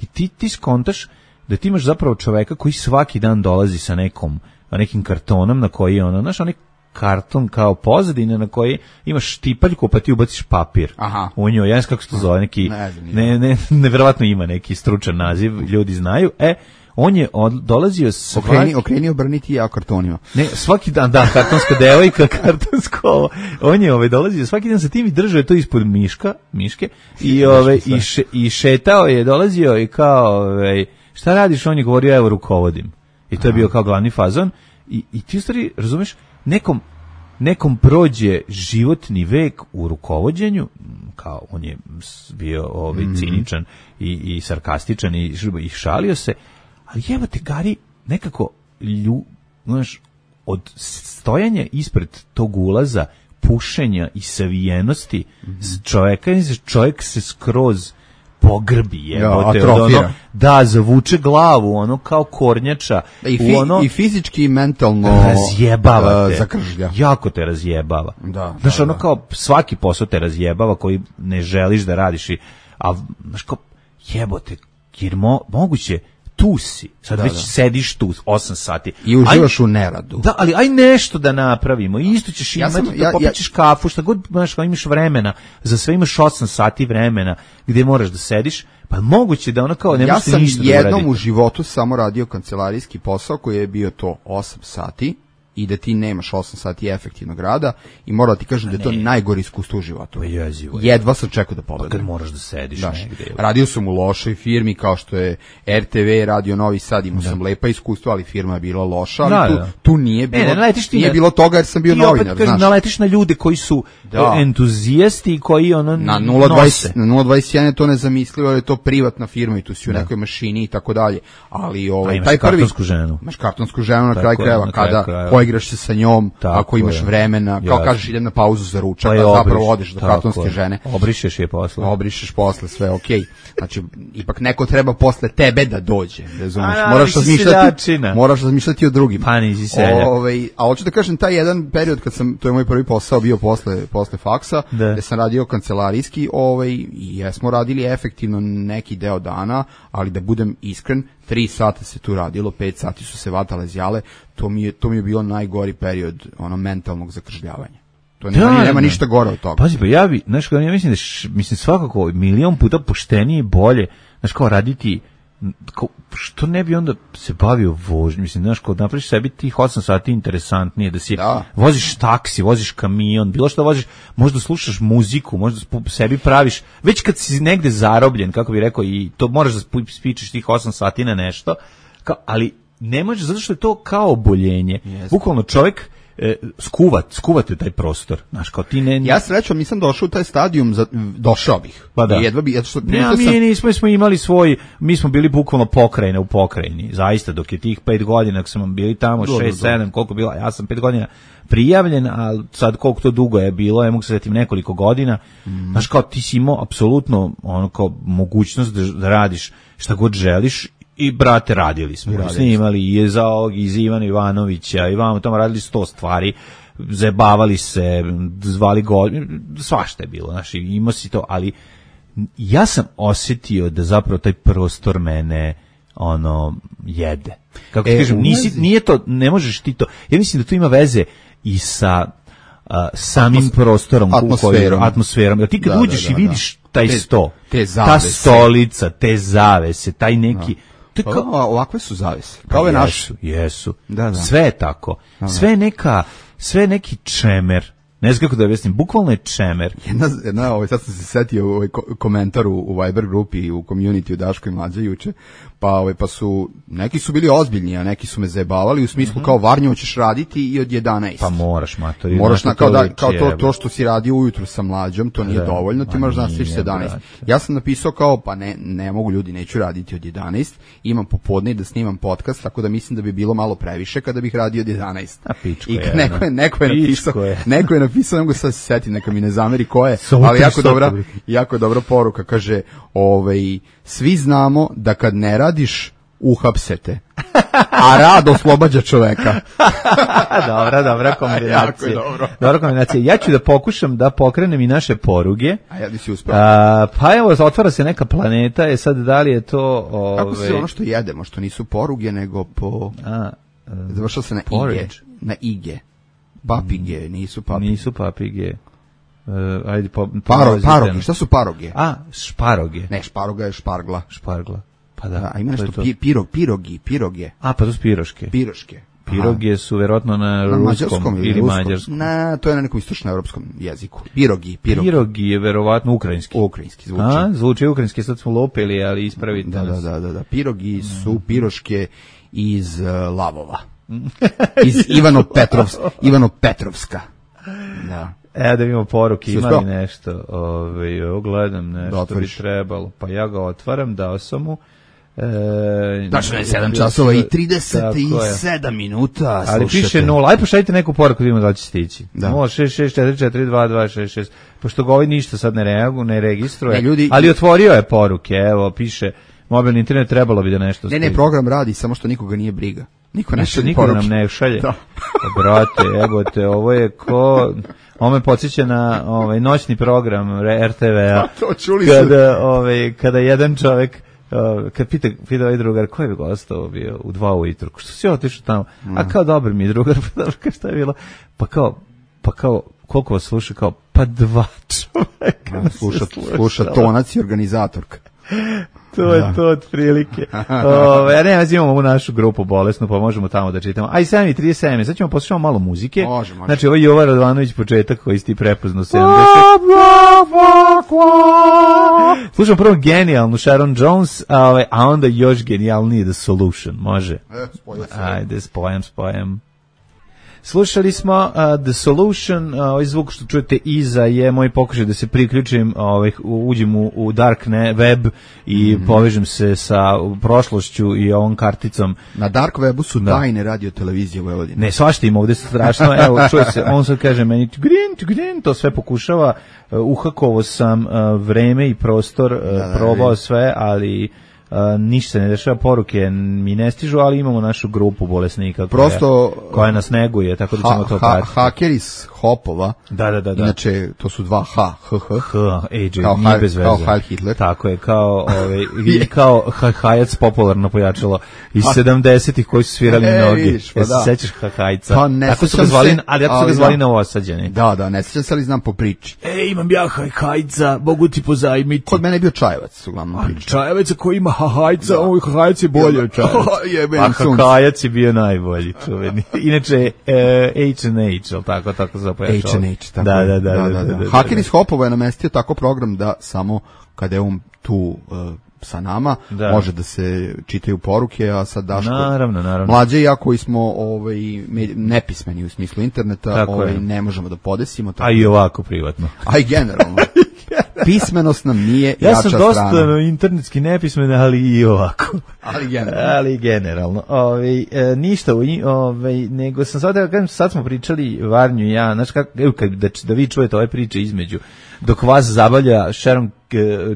i ti, ti skontaš da ti imaš zapravo čoveka koji svaki dan dolazi sa nekom, nekim kartonom na koji je ono, znaš, onaj karton kao pozadine na koji imaš štipaljku pa ti ubaciš papir. Aha. U njoj, ja ne znam kako se to zove, neki, ne, ne, nevjerovatno ima neki stručan naziv, ljudi znaju, e, on je od, dolazio svaki... Okreni, okreni obrniti ja kartonima. Ne, svaki dan, da, kartonska devojka, kartonsko ovo. On je ovaj, dolazio svaki dan sa tim i držao je to ispod miška, miške i, ovaj, i, še, i šetao je, dolazio i kao... Ovaj, šta radiš? On je govorio, evo rukovodim. I to je bio kao glavni fazon. I, i ti u stvari, razumeš, nekom, nekom prođe životni vek u rukovođenju, kao on je bio ovaj, ciničan i, i sarkastičan i, i šalio se, ali evo te, Gari, nekako, lju, znaš, od stojanja ispred tog ulaza, pušenja i savijenosti mm-hmm. čovjeka, čovjek se skroz pogrbi je, ja, ono, da, zavuče glavu, ono kao kornjača. I, fi, ono, i fizički i mentalno razjebava uh, te. Zakržlja. Jako te razjebava. Da, znaš, da, ono da. kao svaki posao te razjebava koji ne želiš da radiš. I, a, znaš, kao, jebote, jer mo, moguće, tu si, sad da, već da. sediš tu osam sati. I uživaš aj, u neradu. Da, ali aj nešto da napravimo. I isto ćeš ja imati, sam, ja, popićeš ja, kafu, šta god, znaš, kao imaš vremena, za sve imaš osam sati vremena gdje moraš da sediš, pa moguće da ono kao ne možeš ništa da uraditi. Ja sam jednom u životu samo radio kancelarijski posao koji je bio to osam sati i da ti nemaš osam sati efektivnog rada i moram ti kažem da je to najgore iskustvo u životu. Jezivo, jedva sam čekao da pobedam. Pa kad moraš da sediš Daš, negde. Radio sam u lošoj firmi kao što je er te ve, Radio Novi Sad, imao sam lepa iskustva, ali firma je bila loša, ali da, tu, da. tu nije bilo, e, ne, nije bilo toga jer sam bio novinar. Ti opet naletiš na ljude koji su da. entuzijasti i koji ono na nula dvadeset na nula dvadeset jedan je to nezamislivo, jer je to privatna firma i tu si u da. nekoj mašini i tako dalje. Ali ovaj, taj prvi... kartonsku ženu. Imaš kartonsku ženu na kraju krajeva, kada igraš se sa njom, tako ako imaš je. vremena, kao kažeš idem na pauzu za ručak, pa a zapravo odeš do kartonske je. žene. Obrišeš je posle. Obrišeš posle, sve okej. Okay. Znači, ipak neko treba posle tebe da dođe, razumiješ? Moraš razmišljati, moraš razmišljati o drugima. Pa nisi seljak. Ovaj, a hoću da kažem, taj jedan period kad sam, to je moj prvi posao bio posle, posle faksa, da. gde sam radio kancelarijski, ovaj, i jesmo radili efektivno neki deo dana, ali da budem iskren, tri sata se tu radilo, pet sati su se vatale zjale, to mi je, to mi je bio najgori period ono mentalnog zakržljavanja. To nema, da, nema ništa gore od toga. Pazi, pa ja bi, znaš, ja mislim da š, mislim svakako milion puta poštenije i bolje, znaš, kao raditi kao, što ne bi onda se bavio vožnjom, mislim, znaš, kao napraviš sebi tih osam sati interesantnije, da si da. voziš taksi, voziš kamion, bilo što voziš, možda slušaš muziku, možda sebi praviš, već kad si negde zarobljen, kako bi rekao, i to moraš da spičeš tih osam sati na nešto, kao, ali ne možeš, zato što je to kao oboljenje. Yes. Bukvalno čovjek E, skuvat, skuvate taj prostor, znaš, kao ti ne... Ja srećom nisam došao u taj stadijum, za, došao bih. Pa da. Jedva bi, što, ne, mi sam... nismo, smo imali svoj, mi smo bili bukvalno pokrajine u pokrajini, zaista, dok je tih pet godina, ako smo bili tamo, do, šest, do, do. sedam, koliko bila, ja sam pet godina prijavljen, a sad koliko to dugo je bilo, ja mogu se setim nekoliko godina, mm. znaš, kao ti si imao apsolutno ono kao mogućnost da, da radiš šta god želiš. I, brate, radili smo. Radili snimali i je za ovog, iz Ivana Ivanovića, i vamo tamo radili sto stvari, zabavali se, zvali god, svašta je bilo, znači, imao si to, ali ja sam osjetio da zapravo taj prostor mene, ono, jede. Kako ti e, kažem, nisi, nije to, ne možeš ti to, ja mislim da to ima veze i sa uh, samim Atmos, prostorom, atmosferom. atmosferom. Jer ti kad da, uđeš da, da, i vidiš da. taj te, sto, te ta stolica, te zavese, taj neki... Da. Kao, ovakve su zavese. Kao ove naše. Jesu. Da, da. Sve je tako. Da, da. Sve je neka, sve je neki čemer. Ne znam kako da objasnim, bukvalno je čemer. Jedna, jedna ovaj, sad sam se setio u ovaj komentar u, u Viber grupi i u community u Daško i Mlađa juče, pa, ovaj, pa su, neki su bili ozbiljni, a neki su me zajebavali u smislu mm-hmm. kao Varnjo ćeš raditi i od jedanaest. Pa moraš, matori. Moraš na, kao, da, kao to, to što si radio ujutru sa Mlađom, to nije da, dovoljno, ti moraš da nastaviš sedanaest. Ja sam napisao kao, pa ne, ne mogu ljudi, neću raditi od jedanaest, imam popodne da snimam podcast, tako da mislim da bi bilo malo previše kada bih radio od jedanaest. A pičko I je. Neko je, neko je napisao, je. neko je napisao, nego sad se setim, neka mi ne zameri ko je, ali jako dobra, jako dobra poruka, kaže, ovaj, svi znamo da kad ne radiš, uhapsete, a rad oslobađa čoveka. Dobra, dobra kombinacija. dobro. Dobra kombinacija. Ja ću da pokušam da pokrenem i naše poruge. A ja bi si uspeo. A, pa evo, otvara se neka planeta, je sad da li je to... Ove... Kako se ono što jedemo, što nisu poruge, nego po... A, um, završao se na porridge. Ige. Na ige. Papige, nisu papige. Nisu papige. Uh, ajde, po, Paro, paroge, šta su paroge? A, šparoge. Ne, šparoga je špargla. Špargla. Pa da. da a ima nešto pi, pirog, pirogi, piroge. A, pa to su piroške. Piroške. Piroge su verovatno na, na ruskom ili, ili mađarskom. Na, to je na nekom istočnoevropskom jeziku. Pirogi, pirogi. Pirogi je verovatno ukrajinski. Ukrajinski zvuči. A, zvuči ukrajinski, sad smo lopili, ali ispravite da, nas. Da, da, da, da. Pirogi su piroške iz uh, Lavova. Iz Ivano Petrovs, Ivano Petrovska. Da. E, da vidimo poruke, ima li nešto, ove, ovo gledam nešto da bi trebalo, pa ja ga otvaram, dao sam mu. E, Tačno je sedam časova i trideset sedam minuta. Ali slušate. Piše nula, aj pošaljite neku poruku, vidimo da će stići. nula šest šest četiri četiri dva dva šest šest, pošto ga ovaj ništa sad ne reagu, ne registruje, ne, ljudi, ali otvorio je poruke, evo, piše, mobilni internet trebalo bi da nešto stići. Ne, ne, program radi, samo što nikoga nije briga. Niko ne šalje niko nam ne šalje. Da. Brate, evo te, ovo je ko... Ovo me podsjeća na ovaj, noćni program R T V-a. To čuli kada, ovaj, kada jedan čovek, uh, kad pita, pita ovaj drugar, ko je gostao bio u dva ujutru? Što si otišao tamo? Mm. A kao dobar mi je drugar, pa dobro, kao šta je bilo? Pa kao, pa kao, koliko vas sluša? Kao, pa dva čoveka. No, sluša, sluša tonac i organizatorka. To je to od prilike. Ove, ja ne, imamo ovu našu grupu bolesnu, pa možemo tamo da čitamo. Aj, sedam i trideset sedam, sad ćemo poslušati malo muzike. Može, može. Znači, ovo je Jovan Radovanović početak koji si ti prepoznao sedamdeset. Slušamo prvo genijalnu Sharon Jones, a, a onda još genijalniji The Solution. Može? E, spojam se. Ajde, spojam, spojam. Slušali smo uh, The Solution, uh, ovaj zvuk što čujete iza je moj pokušaj da se priključim, ovaj, uđem u, u dark web i mm-hmm. povežem se sa prošlošću i ovom karticom. Na dark webu su da. tajne radio televizije Vojvodine. Ne, svašta ima ovde strašno, evo čuje se, on sad kaže meni grin, grin, to sve pokušava, uh, uhakovo sam uh, vreme i prostor, uh, da, da, probao sve, ali... Uh, ništa se ne dešava, poruke mi ne stižu, ali imamo našu grupu bolesnika Prosto, koja, koja nas neguje, tako da ćemo ha, to ha, pratiti. Hakeri iz Hopova, da, da, da, da. Inače, to su dva H, H, H, H, ej, kao, nije bez veze. Kao Heil Hitler. Tako je, kao, ove, i kao Hajac popularno pojačalo iz sedamdesetih koji su svirali e, noge. Vidiš, pa da. Se sećaš Hajca? Pa ne tako su ga zvali, se, ali tako su ga zvali na Osađeni. Da, da, ne sećam se, ali znam po priči. E, imam ja Hajca, mogu ti pozajmiti. Kod mene je bio Čajevac, uglavnom priči. Čajevac koji ima Hajca, oj, Hajca je bolje od čaja. A Hakajac je bio najbolji, čuveni. Inače, H and H, ali tako, tako se zapojačao. H and H, tako da, je. Da, da, da, da, da, da. Haker iz Hopova je namestio tako program da samo kada je on tu uh, sa nama, da. Može da se čitaju poruke, a sad Daško... Naravno, naravno. Mlađe i ja koji smo ovaj, nepismeni u smislu interneta, ovaj, ne možemo da podesimo. Tako. A i ovako privatno. A i generalno. Pismenost nam nije ja jača strana. Ja sam dosta no, internetski nepismen, ali i ovako. Ali generalno. Ali generalno. Ove, e, ništa, ove, nego sam sad, da kažem, sad smo pričali Varnju i ja, znaš kako, evo, kad, da, da vi čujete ove priče između, dok vas zabavlja Sharon uh,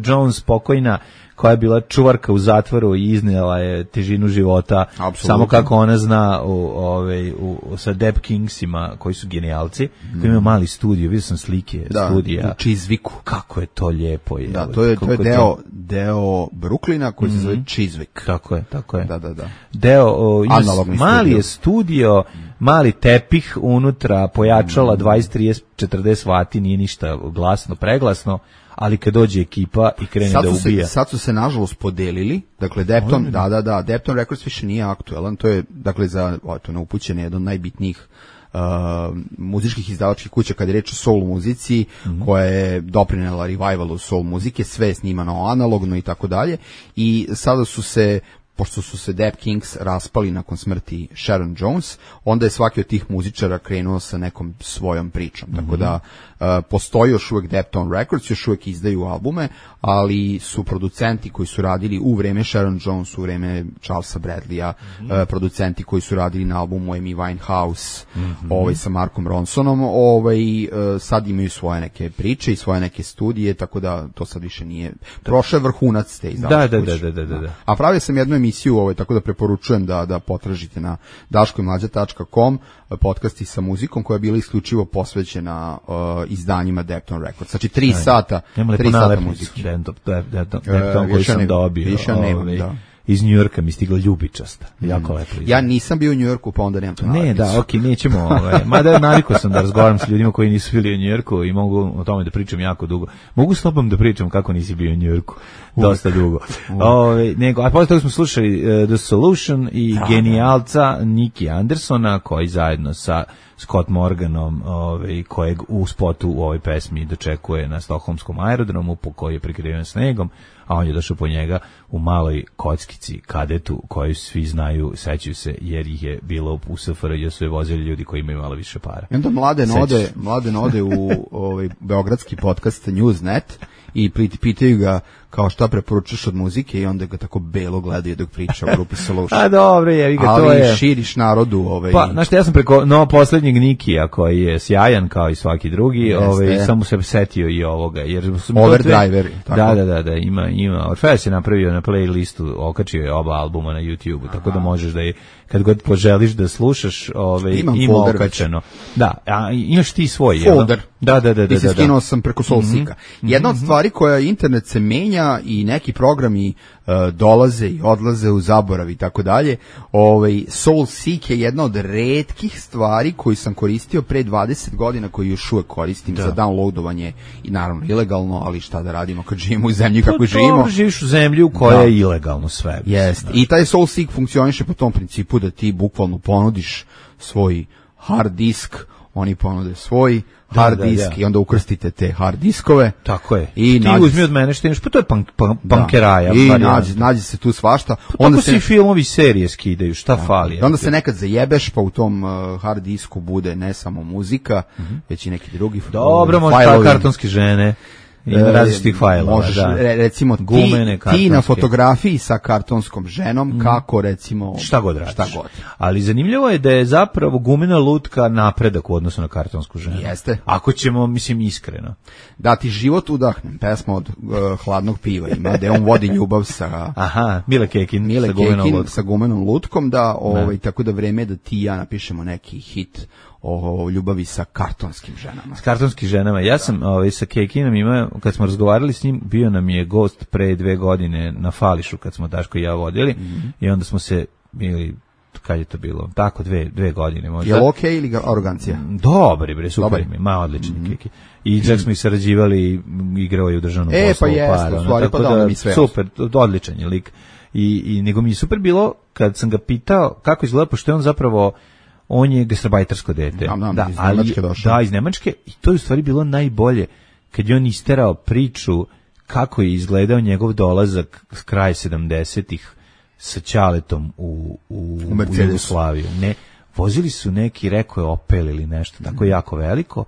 Jones pokojna, koja je bila čuvarka u zatvoru i iznijela je težinu života. Absolutno. Samo kako ona zna u, ove, u, sa Deb Kingsima, koji su genijalci, mm. koji imaju mali studio, vidio sam slike da, studija. U Chiswicku. Kako je to lijepo. Je, da, to je, to je deo, to... deo Brooklyna koji mm. se zove Chiswick. Tako je, tako je. Da, da, da. Deo, o, ima, mali studio. Je studio, mali tepih unutra, pojačala mm. dvadeset, trideset, četrdeset vati, nije ništa glasno, preglasno, ali kad dođe ekipa i krene sad da ubija. Se, sad su se nažalost podelili, dakle Depton, da, da, da, Depton Records više nije aktuelan, to je, dakle, za, o, to neupućene, jedan od najbitnijih uh, muzičkih izdavačkih kuća kad je reč o soul muzici, mm-hmm. koja je doprinela revivalu soul muzike, sve je snimano analogno i tako dalje, i sada su se, pošto su se Deb Kings raspali nakon smrti Sharon Jones, onda je svaki od tih muzičara krenuo sa nekom svojom pričom. Mm-hmm. Tako da uh, postoji još uvijek Depton Records, još uvijek izdaju albume, ali su producenti koji su radili u vreme Sharon Jones, u vreme Charlesa Bradleya, mm-hmm. uh, producenti koji su radili na albumu Amy Winehouse, mm-hmm. ovaj, sa Markom Ronsonom, ovaj, uh, sad imaju svoje neke priče i svoje neke studije, tako da to sad više nije... Prošao je vrhunac te izdavačke da, kuće. da, da, da, da, da. A pravio sam jednu emisiju, ovaj, tako da preporučujem da, da potražite na daško i mlađa tačka com podcasti sa muzikom koja je bila isključivo posvećena uh, izdanjima Depton Records. Znači tri Aj, sata, tri sata muzike. Depton, Depton, Depton koji sam dobio. Više nemam, da. Iz Njujorka mi stigla ljubičasta. Jako mm. lepo. Ja nisam bio u Njujorku, pa onda nemam to nalepnicu. Ne, da, okej, okay, nećemo. Ovaj, mada navikao sam da razgovaram s ljudima koji nisu bili u Njujorku i mogu o tome da pričam jako dugo. Mogu s tobom da pričam kako nisi bio u Njujorku. Dosta dugo. Ove, nego, a posle toga smo slušali uh, The Solution i da, genijalca Nicky Andersona, koji zajedno sa Scott Morganom, ovaj, kojeg u spotu u ovoj pesmi dočekuje na stokholmskom aerodromu, po koji je prikriven snegom, a on je došao po njega u maloj kockici kadetu koju svi znaju, sećaju se, jer ih je bilo u S F R J, su je vozili ljudi koji imaju malo više para. I onda Mladen ode, Mladen ode u ovaj, beogradski podcast Newsnet i pitaju ga kao šta preporučaš od muzike i onda ga tako belo gledaju dok priča u grupi Solution. A dobro je, ga to je. Ali širiš narodu. Ovaj... Pa, znaš, ja sam preko no, posljednjeg Nikija koji je sjajan kao i svaki drugi, ovaj, samo se setio i ovoga. Jer Overdriver. Da, da, da, da, ima, ima. Orfeus je napravio na playlistu, okačio je oba albuma na YouTube, tako da možeš da je, kad god poželiš da slušaš, ovaj, Imam ima folder okačeno. Da, a imaš ti svoj, folder. Jel? Da, da, da, da. I se da, skinuo da. sam preko Soulseeka. Mm-hmm. Jedna od stvari koja internet se menja i neki programi uh, dolaze i odlaze u zaborav i tako dalje. Ovaj Soulseek je jedna od retkih stvari koju sam koristio pre dvadeset godina, koju još uvek koristim da. Za downloadovanje i naravno ilegalno, ali šta da radimo kad živimo u zemlji kako to, živimo. To živiš u zemlji u kojoj da. Je ilegalno sve. Jeste. I taj Soulseek funkcioniše po tom principu da ti bukvalno ponudiš svoj hard disk, oni ponude svoj hard da, disk da, da. I onda ukrstite te hard diskove. Tako je. I ti nađi... uzmi od mene što imaš, pa to je punk, punk, punkeraja. I nađi, nađi se tu svašta. Pa onda se i filmovi serije skidaju, šta da. Fali? Onda se nekad zajebeš, pa u tom uh, hard disku bude ne samo muzika, mm-hmm. već i neki drugi dobro, možda ta kartonske žene. Ima različitih fajlova, možeš, da. Recimo Gumene, ti, ti na fotografiji sa kartonskom ženom, mm. kako recimo... Šta god radiš. Šta god. Ali zanimljivo je da je zapravo gumena lutka napredak u odnosu na kartonsku ženu. Jeste. Ako ćemo, mislim, iskreno. Da ti život udahnem, pesma od uh, Hladnog piva ima, da on vodi ljubav sa... Aha, Mile Kekin, Mile sa, Kekin gumenom lutkom. sa gumenom lutkom, da, ovaj, tako da vreme da ti i ja napišemo neki hit o ljubavi sa kartonskim ženama. S kartonskim ženama. Ja sam ovaj, sa Kekinom imao, kad smo razgovarali s njim, bio nam je gost pre dve godine na Fališu, kad smo Daško i ja vodili, mm-hmm. i onda smo se, ili kad je to bilo, tako dve, dve godine možda. Je li okej okay ili arogancija? Dobri, bre, super mi, ma odlični mm-hmm. keki. I čak smo i sarađivali, igrao je u državnom e, poslu. E, pa jeste, u stvari, pa da, mi sve. Super, odličan je lik. I, i nego mi je super bilo, kad sam ga pitao kako izgleda, pošto je on zapravo, on je gastarbajtersko dete. Nam, nam, da, iz Nemačke došao. Da, iz Nemačke, i to je u stvari bilo najbolje, kad je on isterao priču kako je izgledao njegov dolazak s kraja sedamdesetih sa ćaletom u, u, u, u Jugoslaviju. Ne, vozili su neki, rekao je Opel ili nešto, tako jako veliko,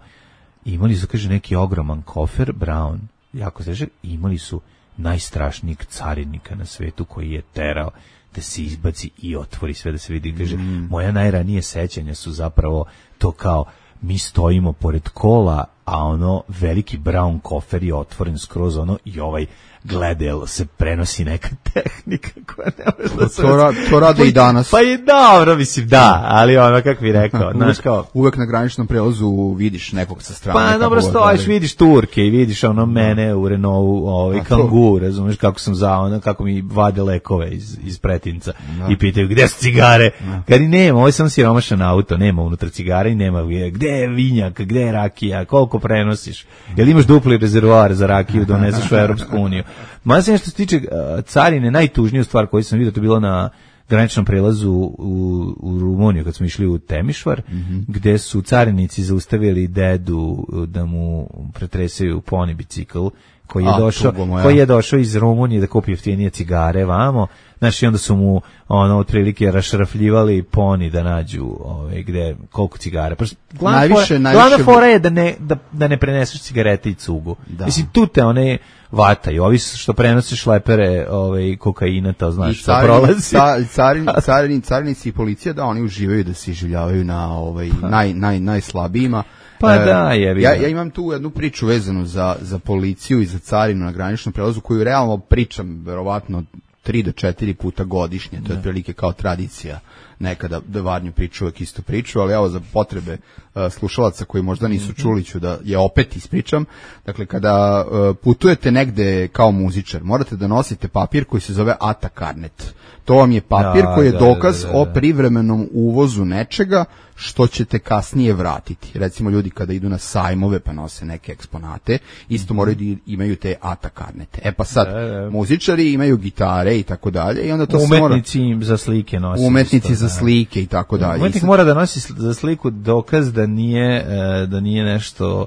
i imali su, kaže, neki ogroman kofer, Brown, jako težak, i imali su najstrašnijeg carinika na svetu koji je terao da se izbaci i otvori sve da se vidi. Kaže, mm. moja najranije sećanja su zapravo to kao, mi stojimo pored kola, a ono, veliki brown kofer je otvoren skroz ono i ovaj gleda, jel se prenosi neka tehnika koja ne može da se... To, ra, to rade pa, i danas. Pa je dobro, mislim, da, ali ono, kako bi rekao, znaš kao... Uvek na graničnom prelazu vidiš nekog sa strane. Pa dobro stojiš, ali... vidiš Turke i vidiš ono mene u Renaultu, ovaj, Kangoo, razumeš kako sam za ono, kako mi vade lekove iz, iz pretinca da. I pitaju gde su cigare, da. Kad i nema, ovo je sam siromašan auto, nema unutra cigara i nema, gde je vinjak, gde je rakija, koliko prenosiš, jel imaš dupli rezervoar za rakiju, doneseš u Europsku uniju. Mada se nešto se tiče uh, carine, najtužniju stvar koju sam vidio, to je bilo na graničnom prelazu u, u Rumuniju, kad smo išli u Temišvar, mm-hmm. gde su carinici zaustavili dedu da mu pretresaju poni bicikl, koji je, A, došao, koji je došao iz Rumunije da kupi jeftinije cigare vamo, znači onda su mu ono otprilike rašrafljivali poni da nađu ove, gde, koliko cigare. Glavna najviše, fora, najviše... glavna fora je da ne, da, da ne preneseš cigarete i cugu. Da. Mislim, tu te one vataju, ovi što prenose šlepere ove, kokaina, to znaš što prolazi. Carini, carini, carini, carinici i policija, da, oni uživaju da se iživljavaju na ovaj, naj, naj, najslabijima. Pa e, da, je ja, ja imam tu jednu priču vezanu za, za policiju i za carinu na graničnom prelazu, koju realno pričam verovatno tri do četiri puta godišnje, to je otprilike kao tradicija nekada da Varnju priču uvek istu priču, ali evo za potrebe uh, slušalaca koji možda nisu čuli ću da je opet ispričam. Dakle, kada uh, putujete negde kao muzičar, morate da nosite papir koji se zove A T A karnet. To vam je papir da, koji je da, dokaz da, da, da. o privremenom uvozu nečega što ćete kasnije vratiti. Recimo ljudi kada idu na sajmove pa nose neke eksponate, isto moraju da imaju te A T A karnete. E pa sad, da, da. muzičari imaju gitare i tako dalje i onda to se mora... Umetnici za slike nosi. Umetnici isto, za slike i tako dalje. Umetnik sad... mora da nosi za sliku dokaz da nije, da nije nešto...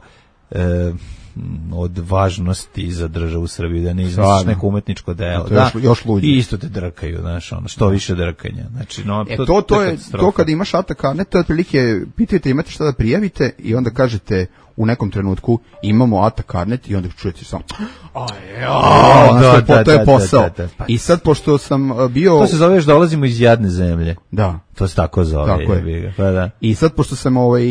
E, od važnosti za državu Srbiju, da ne iznosiš neko umetničko delo. Da, još, još luđe. I isto te drkaju, znaš, ono, što više drkanja. Znači, no, e, to, to, to je, to kada imaš A T A karnet, to je otprilike, pitajte imate šta da prijavite i onda kažete u nekom trenutku imamo A T A karnet i onda čujete samo to je posao. Da, da, da, pa. I sad, pošto sam bio... To se zoveš dolazimo iz jadne zemlje. Da. To se tako zove. Tako je. Pa da. I sad, pošto sam ovaj,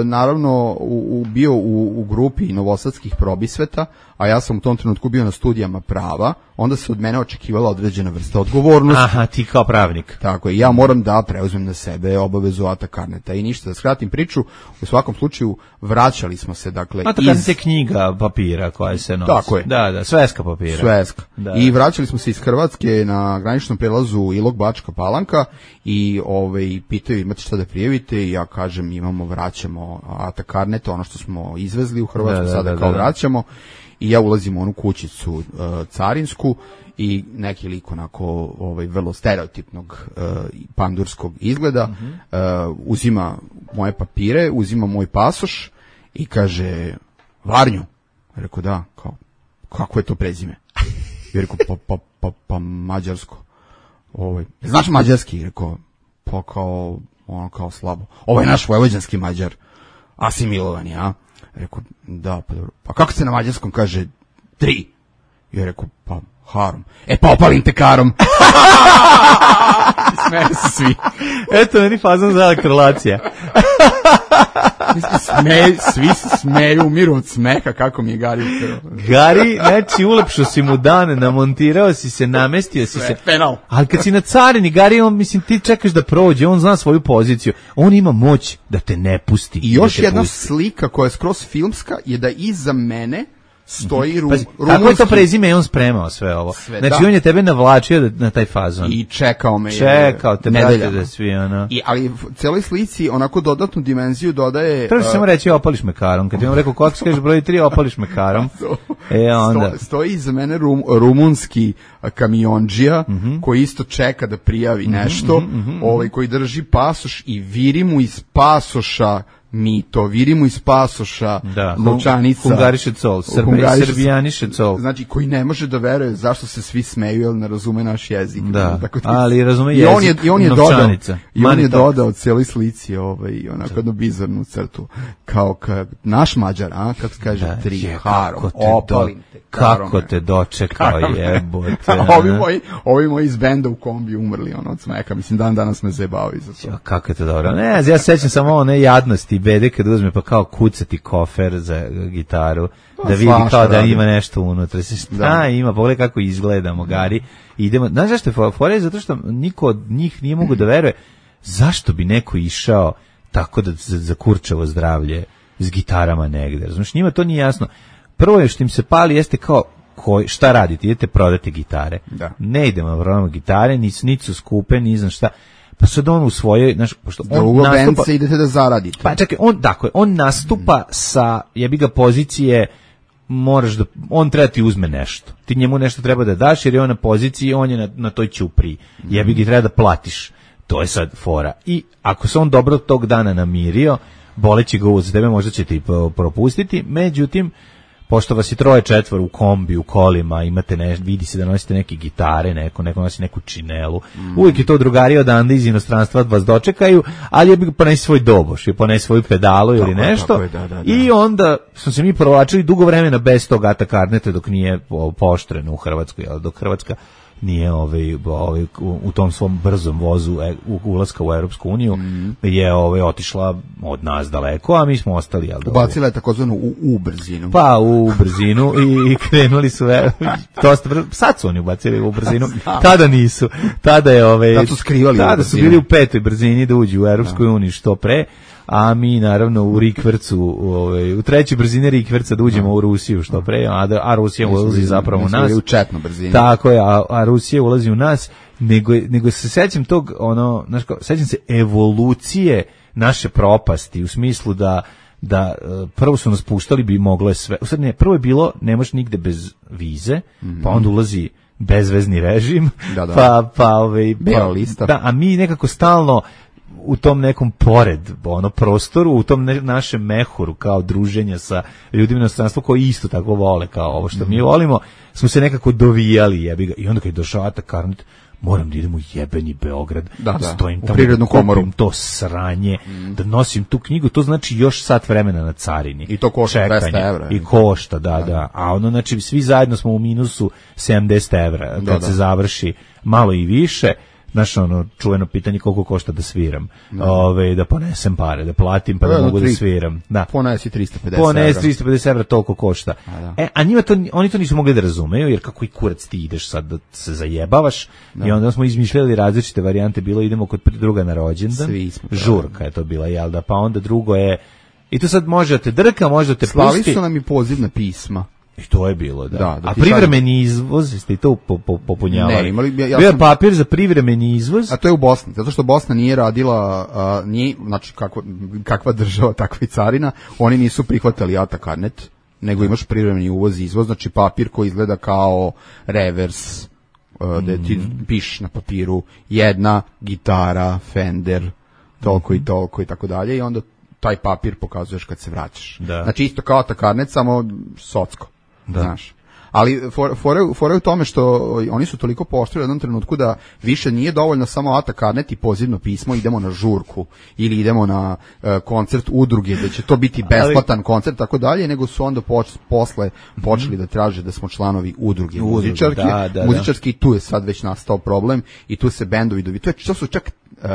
naravno u, u, bio u, u grupi novosadskih probisveta, a ja sam u tom trenutku bio na studijama prava, onda se od mene očekivala određena vrsta odgovornosti. Aha, ti kao pravnik. Tako je, ja moram da preuzmem na sebe obavezu A T A karneta i ništa, da skratim priču, u svakom slučaju vraćali smo se, dakle... A to iz... je knjiga papira koja se nosi. Tako je. Da, da, sveska papira. Sveska. Da. I vraćali smo se iz Hrvatske na graničnom prelazu Ilok-Bačka Palanka i ovaj, pitaju imate šta da prijavite i ja kažem imamo, vraćamo A T A karnet, ono što smo izvezli u Hrvatsku, da, da, sada da, kao da, da. vraćamo. I ja ulazim u onu kućicu uh, carinsku i neki lik onako ovaj, vrlo stereotipnog uh, pandurskog izgleda uh-huh. uh, uzima moje papire, uzima moj pasoš i kaže Varnju. Rekao da, kao, kako je to prezime? I rekao pa, pa, pa, pa mađarsko. Ovaj, znaš mađarski? Rekao pa kao, ono kao slabo. Ovo je naš vojvođanski Mađar, asimilovan je, a? Rekao, da, pa dobro. Pa kako se na mađarskom kaže tri? I je rekao, pa harom. E pa opalim te karom. Smeju se svi. Eto, meni fazan za elektrolacija. Smeju, svi se smeju, umiru od smeha, kako mi je Gari upravo. Gari, znači, ulepšao si mu dan, namontirao si se, namestio si se. Penal. Ali kad si na carini, Gari, on, mislim, ti čekaš da prođe, on zna svoju poziciju. On ima moć da te ne pusti. I još da jedna pusti. slika koja je skroz filmska je da iza mene stoji rum, Pazi, rumunski... Kako je to prezime, on spremao sve ovo. Sve, znači, da. On je tebe navlačio na taj fazon. I čekao me. Čekao te, brate, da svi, ono... I, ali celoj slici onako dodatnu dimenziju dodaje... Treba uh, samo reći opališ me karom. Kad ti vam rekao kako kažeš broj tri, opališ me karom. E, onda... Sto, stoji iza mene rum, rumunski kamionđija, mm-hmm. koji isto čeka da prijavi nešto, mm-hmm, mm-hmm. ovaj, koji drži pasoš i viri mu iz pasoša mito, viri mu iz pasoša da, novčanica. Hungariše col, srbijaniše col. Znači, koji ne može da veruje zašto se svi smeju, jer ne razume naš jezik. Da, tako da, ali razume jezik, i on je, i on je novčanica. Dodao, I on je dodao cijeloj slici ovaj, onako jednu bizarnu crtu. Kao kad naš Mađar, a, kako se kaže, da, tri, je, harom, opalim te. Kako te dočekao, jebote. ovi, moji, ovi moji iz benda u kombi umrli ono, od smeka. Mislim, dan danas me zajebavaju za to. Ja, kako je to dobro. Ne, ja sećam samo one jadnosti bede kad uzme pa kao kucati kofer za gitaru, pa, da vidi kao da radi. Ima nešto unutra. Se šta da. Ima, pogledaj kako izgledamo, Gari. Idemo. Znaš zašto je fora? Zato što niko od njih nije mogu da veruje zašto bi neko išao tako da za, za kurčevo zdravlje s gitarama negde. Znaš, njima to nije jasno. Prvo je što im se pali jeste kao koji, šta radite, idete prodati gitare. Da. Ne idemo na prodamo gitare, nisu, nisu skupe, ni znam šta. Pa sad on u svojoj, znaš, pošto on drugo nastupa... se idete da zaradite. Pa čekaj, on, dakle, on nastupa mm. sa, jebi ga, pozicije, moraš da, on treba ti uzme nešto. Ti njemu nešto treba da daš, jer je on na poziciji, on je na, na toj ćupriji. Mm. Jebi ga, treba da platiš. To je sad fora. I ako se on dobro tog dana namirio, boleći ga uz tebe, možda će ti propustiti, međutim, pošto vas je troje četvor u kombi, u kolima, imate ne, vidi se da nosite neke gitare, neko, neko nosi neku činelu, mm. uvijek je to drugari odande iz inostranstva vas dočekaju, ali je bi ponesi svoj doboš, je ponesi svoju pedalu ili tako, nešto, tako je, da, da, da. I onda smo se mi provlačili dugo vremena bez tog Ata Karneta dok nije pooštreno u Hrvatskoj, ali dok Hrvatska nije ovaj, ovaj, u tom svom brzom vozu u, ulaska u Europsku uniju mm. je ovaj, otišla od nas daleko, a mi smo ostali. Jel, ubacila je takozvanu u, u brzinu. Pa u brzinu i krenuli su dosta brzo. Sad su oni ubacili u brzinu, tada nisu. Tada je ovaj, tada su skrivali tada su bili u petoj brzini da uđu u Europskoj uniji što pre. A mi naravno u rikvercu, u, ovaj, u trećoj brzini rikverca da uđemo no. u Rusiju što pre, a, da, a Rusija mi ulazi zapravo u nas. U četnu brzinu. Tako je, a, a Rusija ulazi u nas, nego, nego se sećam tog, ono, znaš, sećam se evolucije naše propasti, u smislu da da prvo su nas puštali, bi moglo je sve. U sad ne, prvo je bilo, ne možeš nigde bez vize, mm-hmm. pa onda ulazi bezvezni režim, da, da. pa, pa, ovaj, pa, lista. Da, a mi nekako stalno u tom nekom pored ono prostoru, u tom ne, našem mehuru kao druženja sa ljudima na stranstvu koji isto tako vole kao ovo što mm. mi volimo, smo se nekako dovijali, jebi ga. I onda kad je došao Ata Karnet, moram da idem u jebeni Beograd, da, da. stojim u tamo, Privrednu komoru, to sranje, mm. da nosim tu knjigu, to znači još sat vremena na carini. I to košta dvesta evra. I košta, da, da, da. A ono, znači, svi zajedno smo u minusu sedamdeset evra, kad da, da. se završi malo i više. Znaš, ono, čuveno pitanje koliko košta da sviram. Da, Ove, da ponesem pare, da platim pa da, da mogu tri, da sviram. Da. Ponesi tristo pedeset evra. Ponesi tristo pedeset evra, toliko košta. A, da. E, a njima to, oni to nisu mogli da razumeju, jer kako i kurac ti ideš sad da se zajebavaš. Da. I onda smo izmišljali različite varijante, bilo idemo kod druga na rođendan. Žurka je to bila, jel da? Pa onda drugo je, i to sad može da te drka, može da te Slali pusti. Slali su nam i pozivna pisma. I to je bilo, da. da, da a privremeni izvoz, ste i to popunjavali? Ne, imali, ja, ja bio sam... papir za privremeni izvoz? A to je u Bosni, zato što Bosna nije radila, a, nije, znači kakva, kakva država, takva i carina, oni nisu prihvatali Ata Karnet, nego imaš privremeni uvoz i izvoz, znači papir koji izgleda kao revers, a, da ti mm. pišeš na papiru jedna gitara, Fender, toliko mm. i toliko i tako dalje, i onda taj papir pokazuješ kad se vraćaš. Da. Znači isto kao Ata Karnet, samo socko. Da. Znaš. Ali fore for, u tome što oni su toliko pooštrili u jednom trenutku da više nije dovoljno samo Ata Karnet i pozivno pismo, idemo na žurku ili idemo na uh, koncert udruge da će to biti besplatan ali, koncert tako dalje, nego su onda poč, posle počeli da traže da smo članovi udruge, udruge muzičarke, da, da, muzičarski i tu je sad već nastao problem i tu se bendovi dovi. To je to su čak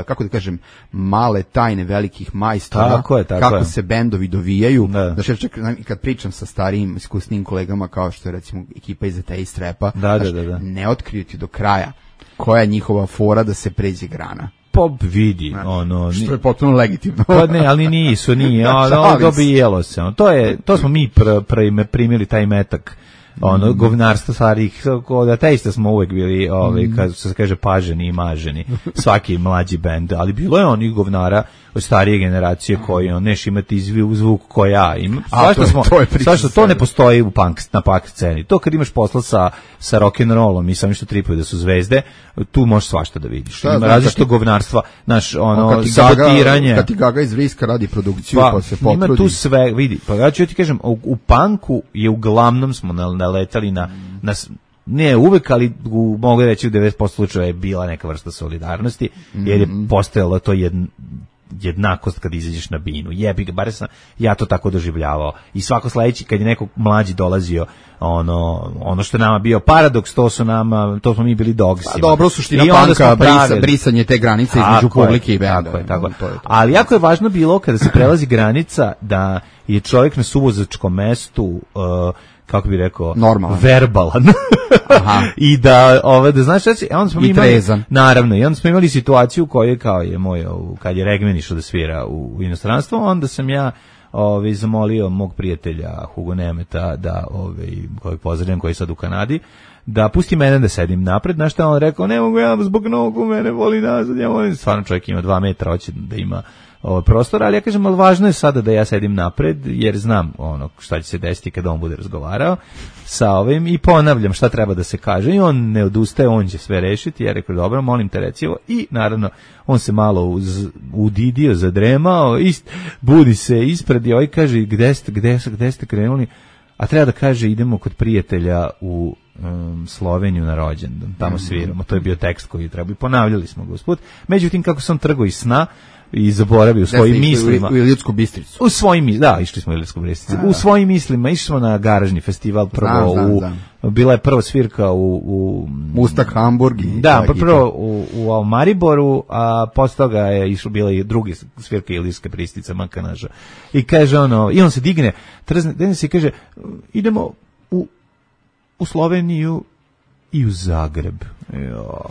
kako da kažem, male tajne velikih majstora, tako je, tako kako je. se bendovi dovijaju. Da. Znači, čak kad pričam sa starijim, iskusnim kolegama, kao što je recimo ekipa iz Ateist Rapa, da, da, da, da. ne otkriju ti do kraja koja je njihova fora da se pređe grana. Pa vidi, ono... Što je potpuno legitimno. Pa ne, ali nisu, nije, ono, dobijelo se. Ono, to, je, to smo mi pr, pr, primili taj metak, ono, mm. govnarstvo starih, kod ateista smo uvek bili, ovaj, mm. kad se kaže, paženi i maženi, svaki mlađi bend, ali bilo je onih govnara od starije generacije koji, on, neš imati izviv zvuk koji ja imam. Svašta smo, svašta, to ne postoji u punk, na punk sceni. To kad imaš posla sa, sa rock'n'rollom i sami što tripuju da su zvezde, tu možeš svašta da vidiš. Šta, ima različito ti... govnarstva, naš, ono, sabotiranje. Kad ti Gaga iz Vriska radi produkciju, pa, pa se potrudi. Ima tu sve, vidi, pa ja ću ti kažem, u, u punku je uglavnom smo naletali na, na ne uvek, ali u, mogu reći u devedeset posto slučajeva je bila neka vrsta solidarnosti, jer je postojalo to jedno jednakost kad izađeš na binu. Jebi ga, bare sam ja to tako doživljavao. I svako sledeći kad je neko mlađi dolazio, ono ono što je nama bio paradoks, to su nama, to smo mi bili dogsima. Pa dobro, suština panka, brisa, brisanje te granice između publike i benda. Tako je, tako. To je to. Ali jako je važno bilo kada se prelazi granica da je čovjek na suvozačkom mestu uh, kako bi rekao, normalan, verbalan. Aha. I da, ove, da znaš, reći, onda smo I imali, trezan. Naravno, i onda smo imali situaciju u kojoj, kao je moj, kad je Regmen išao da svira u, u inostranstvo, onda sam ja ove, zamolio mog prijatelja Hugo Nemeta, da, ove, kojeg pozdravljam, koji je sad u Kanadi, da pusti mene da sedim napred. Znaš šta on rekao, ne mogu ja zbog nogu, mene voli nazad, ja volim, stvarno čovjek ima dva metra, hoće da ima ovaj prostor, ali ja kažem, ali važno je sada da ja sedim napred, jer znam ono šta će se desiti kada on bude razgovarao sa ovim i ponavljam šta treba da se kaže i on ne odustaje, on će sve rešiti. Ja rekao, dobro, molim te reci ovo. I naravno, on se malo uz, udidio, zadremao, ist, budi se ispred i ovaj kaže, gde ste, gde, gde ste krenuli? A treba da kaže, idemo kod prijatelja u um, Sloveniju na rođendan, tamo sviramo. To je bio tekst koji treba i ponavljali smo ga usput. Međutim, kako sam trgao iz sna, i zaboravio u svojim mislima. U Ilitsku Bistricu. U svojim, da, išli smo u Ilitsku Bistricu. U svojim mislima išli smo na garažni festival, prvo znam, u, znam. bila je prva svirka u... u Mustak, Hamburg. I da, prvo u, u Mariboru, a posle toga je išlo, bila i drugi svirka Ilitske Bistrice, Makanaža. I kaže ono, i on se digne, trzne se i kaže, idemo u, u Sloveniju i u Zagreb. Jo,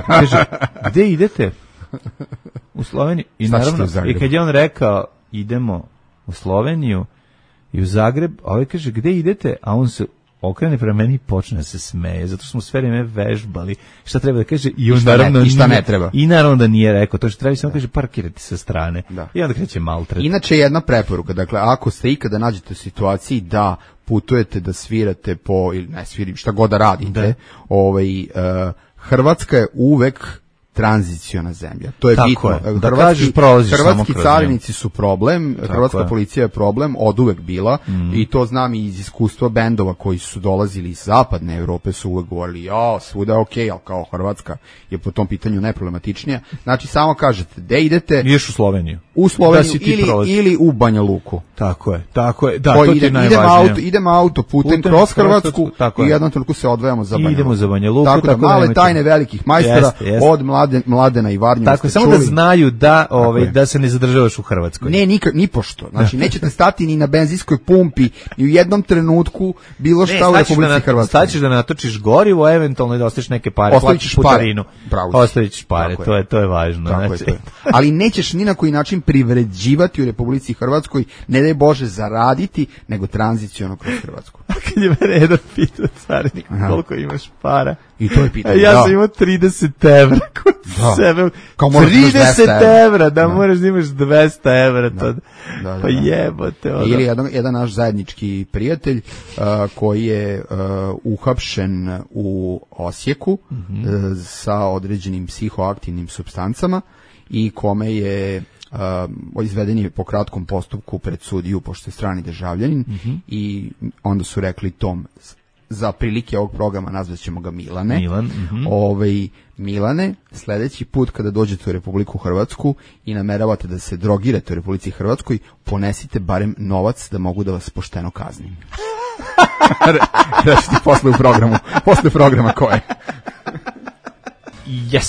kaže, gde idete? U Sloveniju. I naravno, i kad je on rekao idemo u Sloveniju i u Zagreb, a ovaj kaže gde idete, a on se okrene prema meni i počne da se smeje, zato što smo sve vreme vežbali šta treba da kaže i on I naravno ne, i šta ne treba. I naravno da nije rekao, to što treba samo kaže parkirati sa strane. Da. I onda kreće maltret. Inače jedna preporuka, dakle ako ste ikada nađete u situaciji da putujete da svirate po ili ne svirim šta god da radite, da. Ovaj uh, Hrvatska je uvek tranziciona zemlja. To je tako bitno. Je. Da hrvatski hrvatski carinici nju. su problem, tako hrvatska je. Policija je problem, oduvek bila mm. i to znam i iz iskustva bendova koji su dolazili iz zapadne Evrope su uvek govorili, ja, svuda je okej, okay, ali kao Hrvatska je po tom pitanju neproblematičnija. Znači, samo kažete, gde idete? Ideš u Sloveniju. U Sloveniju da ili, ili u Banja Luku. Tako je, tako je. Da, to, to ide, ti je idemo auto, idemo auto putem kroz Hrvatsku i jednom trenutku se odvajamo za Banja Luku. Idemo za Banja Luku. Tako, tako da male da tajne velikih majstora jest, jest. Od mlade, Mladena i Varnjeva. Tako, samo čuli. Da znaju da, ovaj, da se ne zadržavaš u Hrvatskoj. Ne, ni, ni pošto. Znači, nećete stati ni na benzinskoj pumpi, ni u jednom trenutku bilo šta ne, u Republici da Hrvatskoj. Staćeš da natočiš gorivo, eventualno da ostaviš neke pare, platiš putarinu. Ostaviš pare, to je, to je važno. Tako znači. Je, to je. Ali nećeš ni na koji način privređivati u Republici Hrvatskoj, ne daj Bože zaraditi, nego tranziciono kroz Hrvatsku. A kad je mene jedan pitao carinik, koliko imaš para? I to je pitanje. Ja sam imao trideset evra kod da. Sebe. trideset evra, da, da moraš da imaš dvesta evra. Da. Da, da, pa jebote. Ono. Ili jedan, jedan naš zajednički prijatelj uh, koji je uh, uhapšen u Osijeku mm-hmm. uh, sa određenim psihoaktivnim supstancama i kome je Uh, izveden je po kratkom postupku pred sudiju, pošto je strani državljanin mm-hmm. i onda su rekli tom za prilike ovog programa nazvaćemo ga Milane. Milan, mm-hmm. Ovaj, Milane, sledeći put kada dođete u Republiku Hrvatsku i nameravate da se drogirate u Republici Hrvatskoj, ponesite barem novac da mogu da vas pošteno kaznim. Reći ti posle u programu, posle programa koje. Yes,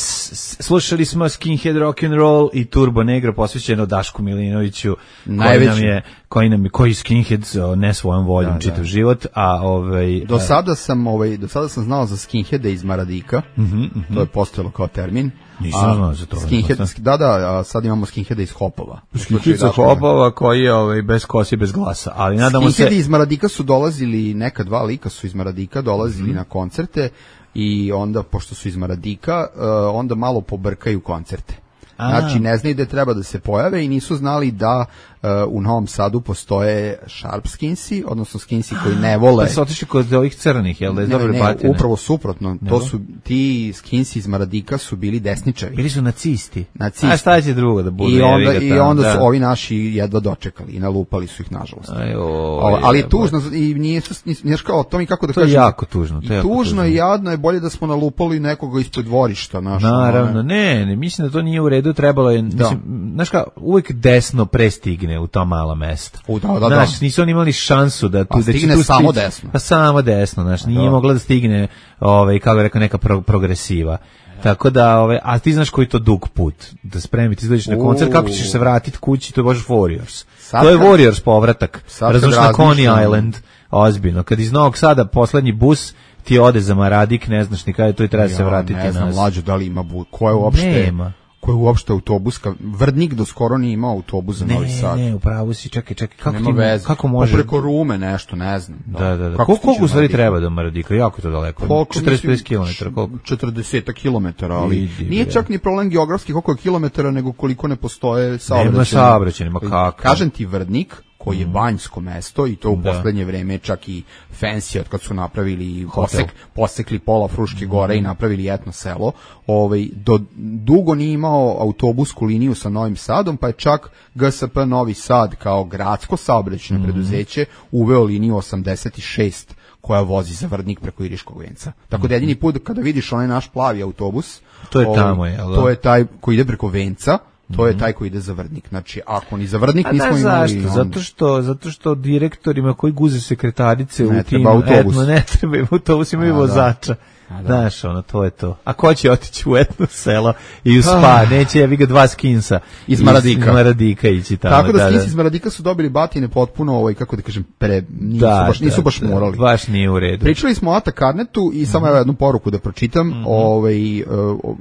slušali smo Skinhead Rock and Roll i Turbo Negro posvećeno Dašku Milinoviću, koji nam je, koji nam je, koji Skinhead ne svojom voljom da, čitav da. život, a ovaj do sada sam ovaj do sada sam znao za Skinheade iz Maradika. Mm-hmm, mm-hmm. To je postojalo kao termin. Nisam znao za to. Skinhead, da, da, a sad imamo Skinheada iz Hopova. Skinhead iz Hopova koji je ovaj bez kosi, bez glasa, ali nadamo se. Skinheadi iz Maradika su dolazili, neka dva lika su iz Maradika dolazili mm-hmm. na koncerte. I onda, pošto su iz Maradika, uh, onda malo pobrkaju koncerte. A. Znači, ne znaju da treba da se pojave i nisu znali da uh, u Novom Sadu postoje sharp skinsi, odnosno skinsi koji ne vole... Da se otišli kod ovih crnih, jel da je dobro batine? Ne, upravo suprotno. Ne to su, ti skinsi iz Maradika su bili desničari. Bili su nacisti. Nacisti. A šta će drugo da bude? I onda, i onda su da. ovi naši jedva dočekali i nalupali su ih, nažalost. Aj, o, o, ali je tužno, i nije su, nije kao, to mi kako da to kažem... To je jako tužno. To je i jako tužno tužno. i jadno je, bolje da smo nalupali nekoga ispred dvorišta. Naš, naravno, ne, ne, mislim da to nije u redu, trebalo je, da. mislim, znaš kao, uvijek desno prestigne u ta mala mesta. U, da, da, znaš, da. nisu oni imali šansu da tu... Pa stigne da tu samo stić, desno. Pa samo desno, znaš, nije da. mogla da stigne, ovaj, kako je rekao, neka pro, progresiva. Tako da, ovaj, a ti znaš koji to dug put, da spremiti, izgledaš na koncert, kako ćeš se vratiti kući, to je baš Warriors. Sad to je kad, Warriors povratak, razumiješ, na Coney Island, ozbiljno. Kad iz Novog Sada poslednji bus ti ode za Maradik, ne znaš ni kada to i treba ja, se vratiti nazad. Ne znam, mlađo, da li ima bus, ko je uopšte... Nema. Ko je uopšte autobus, Vrdnik do skoro nije imao autobus za Novi Sad. Ne, ne, upravo si, čekaj, čekaj, kako nema ti, veze. kako može? Pa preko Rume nešto, ne znam. Da, da, da. Kako koliko u stvari treba do Maradika? Jako je to daleko. Koliko, četrdeset pet kilometara, koliko? četrdeset kilometara, ali Vidi, nije čak ni problem geografski koliko je kilometara, nego koliko ne postoje saobraćaj. Nema saobraćaj, nema kako. Kažem ti, Vrdnik, koji je banjsko mesto i to u da. poslednje vreme čak i fancy od kad su napravili posek, posekli pola Fruške gore mm. i napravili etno selo, ovaj, do, dugo nije imao autobusku liniju sa Novim Sadom, pa je čak G S P Novi Sad kao gradsko saobraćajno mm. preduzeće uveo liniju osamdeset šest koja vozi za Vrdnik preko Iriškog venca. Tako da jedini put kada vidiš onaj naš plavi autobus, to je ovaj, tamo je, to je taj koji ide preko venca. To je taj koji ide za Vrdnik. Znači, ako ni za Vrdnik nismo da, imali... Zašto? On... Zato što, zato što direktorima koji guze sekretarice ne u tim... Autobus. Etno, ne treba im autobus, imaju vozača. Da. Znaš, ono, to je to. A ko će otići u etno selo i u spa? Ah. Neće, ja vi ga dva skinsa. Iz Maradika. Iz Maradika ići tamo. Tako da, da skinsi iz Maradika su dobili batine potpuno, ovaj, kako da kažem, pre, nisu, da, baš, nisu da, baš morali. Da, baš nije u redu. Pričali smo o Ata Karnetu i samo mm-hmm. jednu poruku da pročitam. Mm-hmm. Ovaj, uh,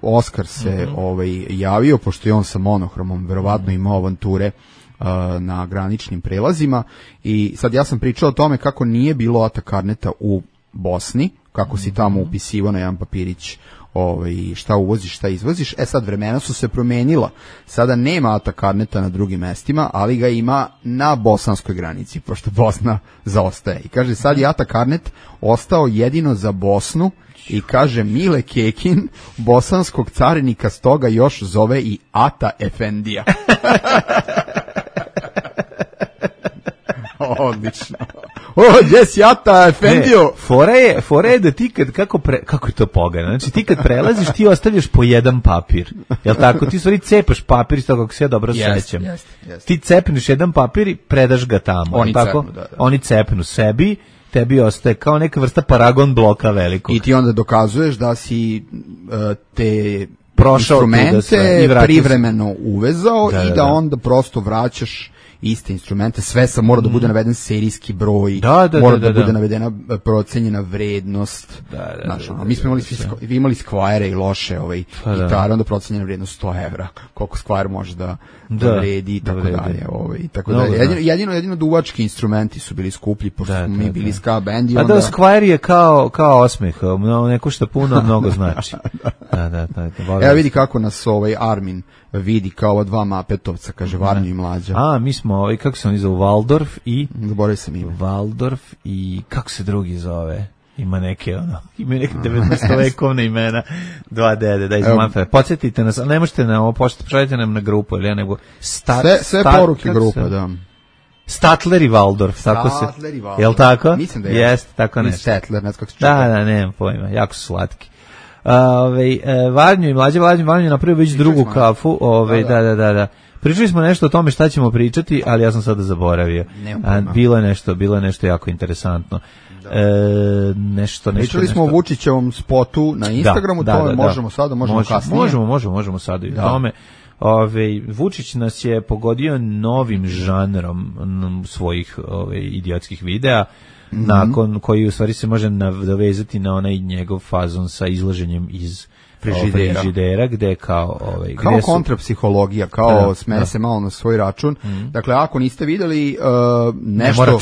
Oskar se mm-hmm. ovaj, javio, pošto je on sa monohromom verovatno imao avanture uh, na graničnim prelazima. I sad ja sam pričao o tome kako nije bilo Ata Karneta u Bosni, kako si tamo upisivo na jedan papirić ovaj, šta uvoziš, šta izvoziš. E sad, vremena su se promenila. Sada nema Ata Karneta na drugim mestima, ali ga ima na bosanskoj granici, pošto Bosna zaostaje. I kaže, sad je Ata Karnet ostao jedino za Bosnu i kaže, Mile Kekin, bosanskog carinika stoga još zove i Ata Efendija. Odlično. O, gdje si Ata Efendio? Fora je, fora je da ti kad, kako, pre, kako je to pogano, znači ti kad prelaziš ti ostavljaš po jedan papir, jel tako, ti stvari cepaš papir iz toga kako se ja dobro yes, sećam, yes, yes. Ti cepneš jedan papir i predaš ga tamo, oni tako? Cepnu, da, da. Oni cepnu sebi, tebi ostaje kao neka vrsta paragon bloka velikog. I ti onda dokazuješ da si uh, te prošao instrumente da privremeno uvezao da, i da, da onda prosto vraćaš iste instrumente, sve sa mora da bude naveden serijski broj, da, da, mora da, da, da bude da. navedena procenjena vrednost. Da, da, znaš, da, da, mi smo imali, da, da. vi imali Squire i loše ovaj, pa, gitare, da. onda procenjena vrednost sto evra, koliko Squire može da, da, da vredi i tako da dalje. Ovaj, tako da, jedino, jedino, jedino duvački instrumenti su bili skuplji, pošto da, smo mi da, bili da. ska band i onda... onda... A da, Squire je kao, kao osmeh, ne košta puno, mnogo znači. Da, da, da. da Evo vidi kako nas ovaj Armin vidi kao ova dva mapetovca, kaže Varnju i Mlađa. A, mi smo, ovaj, kako se oni zove, Waldorf i... Zaboravio sam ime. Waldorf i, kako se drugi zove? Ima neke, ono, ima neke devetnaestovekovne imena, dva dede, da izmanjate. Podsjetite nas, ali ne možete na ovo, pošaljite nam na grupu, ili ja, nego... Stat, sve sve stat, poruke grupe, da. Statler i Waldorf, tako se... Statler i Waldorf. Jel' tako? Mislim da je. Jeste, tako nešto. Statler, ne znam kako se čuva. Da, da, nemam pojma, jako su slatki. Ove, Varnju i Mlađe, Varnju, Varnju je napravio već drugu kafu, ove, da, da, da, da. Pričali smo nešto o tome šta ćemo pričati, ali ja sam sada zaboravio. A, bilo je nešto, bilo je nešto jako interesantno. E, nešto, nešto, Pričali smo nešto. o Vučićevom spotu na Instagramu, da, to da, da, možemo da. sada, možemo možemo, kasnije. Možemo, možemo, možemo sada i o tome. Ove, Vučić nas je pogodio novim žanrom m, svojih ove, idiotskih videa, mm-hmm. nakon koji u stvari se može nadovezati na onaj njegov fazon sa izlaženjem iz frižidera, frižidera gde kao ovaj kao gde su... kontrapsihologija, kao da, smeje da. se malo na svoj račun. Mm. Dakle, ako niste videli uh, nešto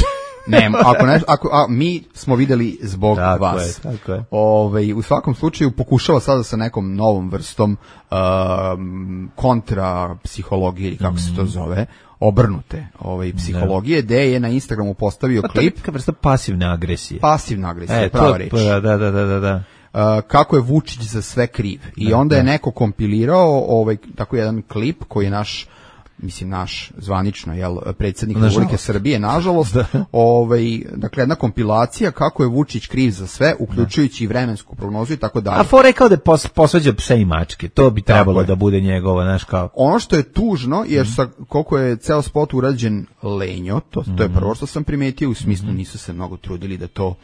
ne, ne ako ne, ako a, mi smo videli zbog tako vas. Je, tako je. Ovaj u svakom slučaju pokušava sada sa nekom novom vrstom uh, kontrapsihologije ili kako mm. se to zove, obrnute ovaj psihologije, gde je na Instagramu postavio pa klip neka vrsta pasivne agresije. Pasivna agresija, e, prava to, reč. Da, da, da, da, da. Uh, kako je Vučić za sve kriv. I da, onda je da. neko kompilirao ovaj tako jedan klip koji je naš, mislim naš zvanično, jel, predsjednik Republike Srbije, nažalost, da. ovaj, dakle jedna kompilacija kako je Vučić kriv za sve, uključujući i vremensku prognozu i tako dalje. A for rekao da je pos, posvađa pse i mačke, to bi trebalo da bude njegovo, znaš kao. Ono što je tužno, jer sa, koliko je ceo spot urađen lenjo, to, to je prvo što sam primetio, u smislu nisu se mnogo trudili da to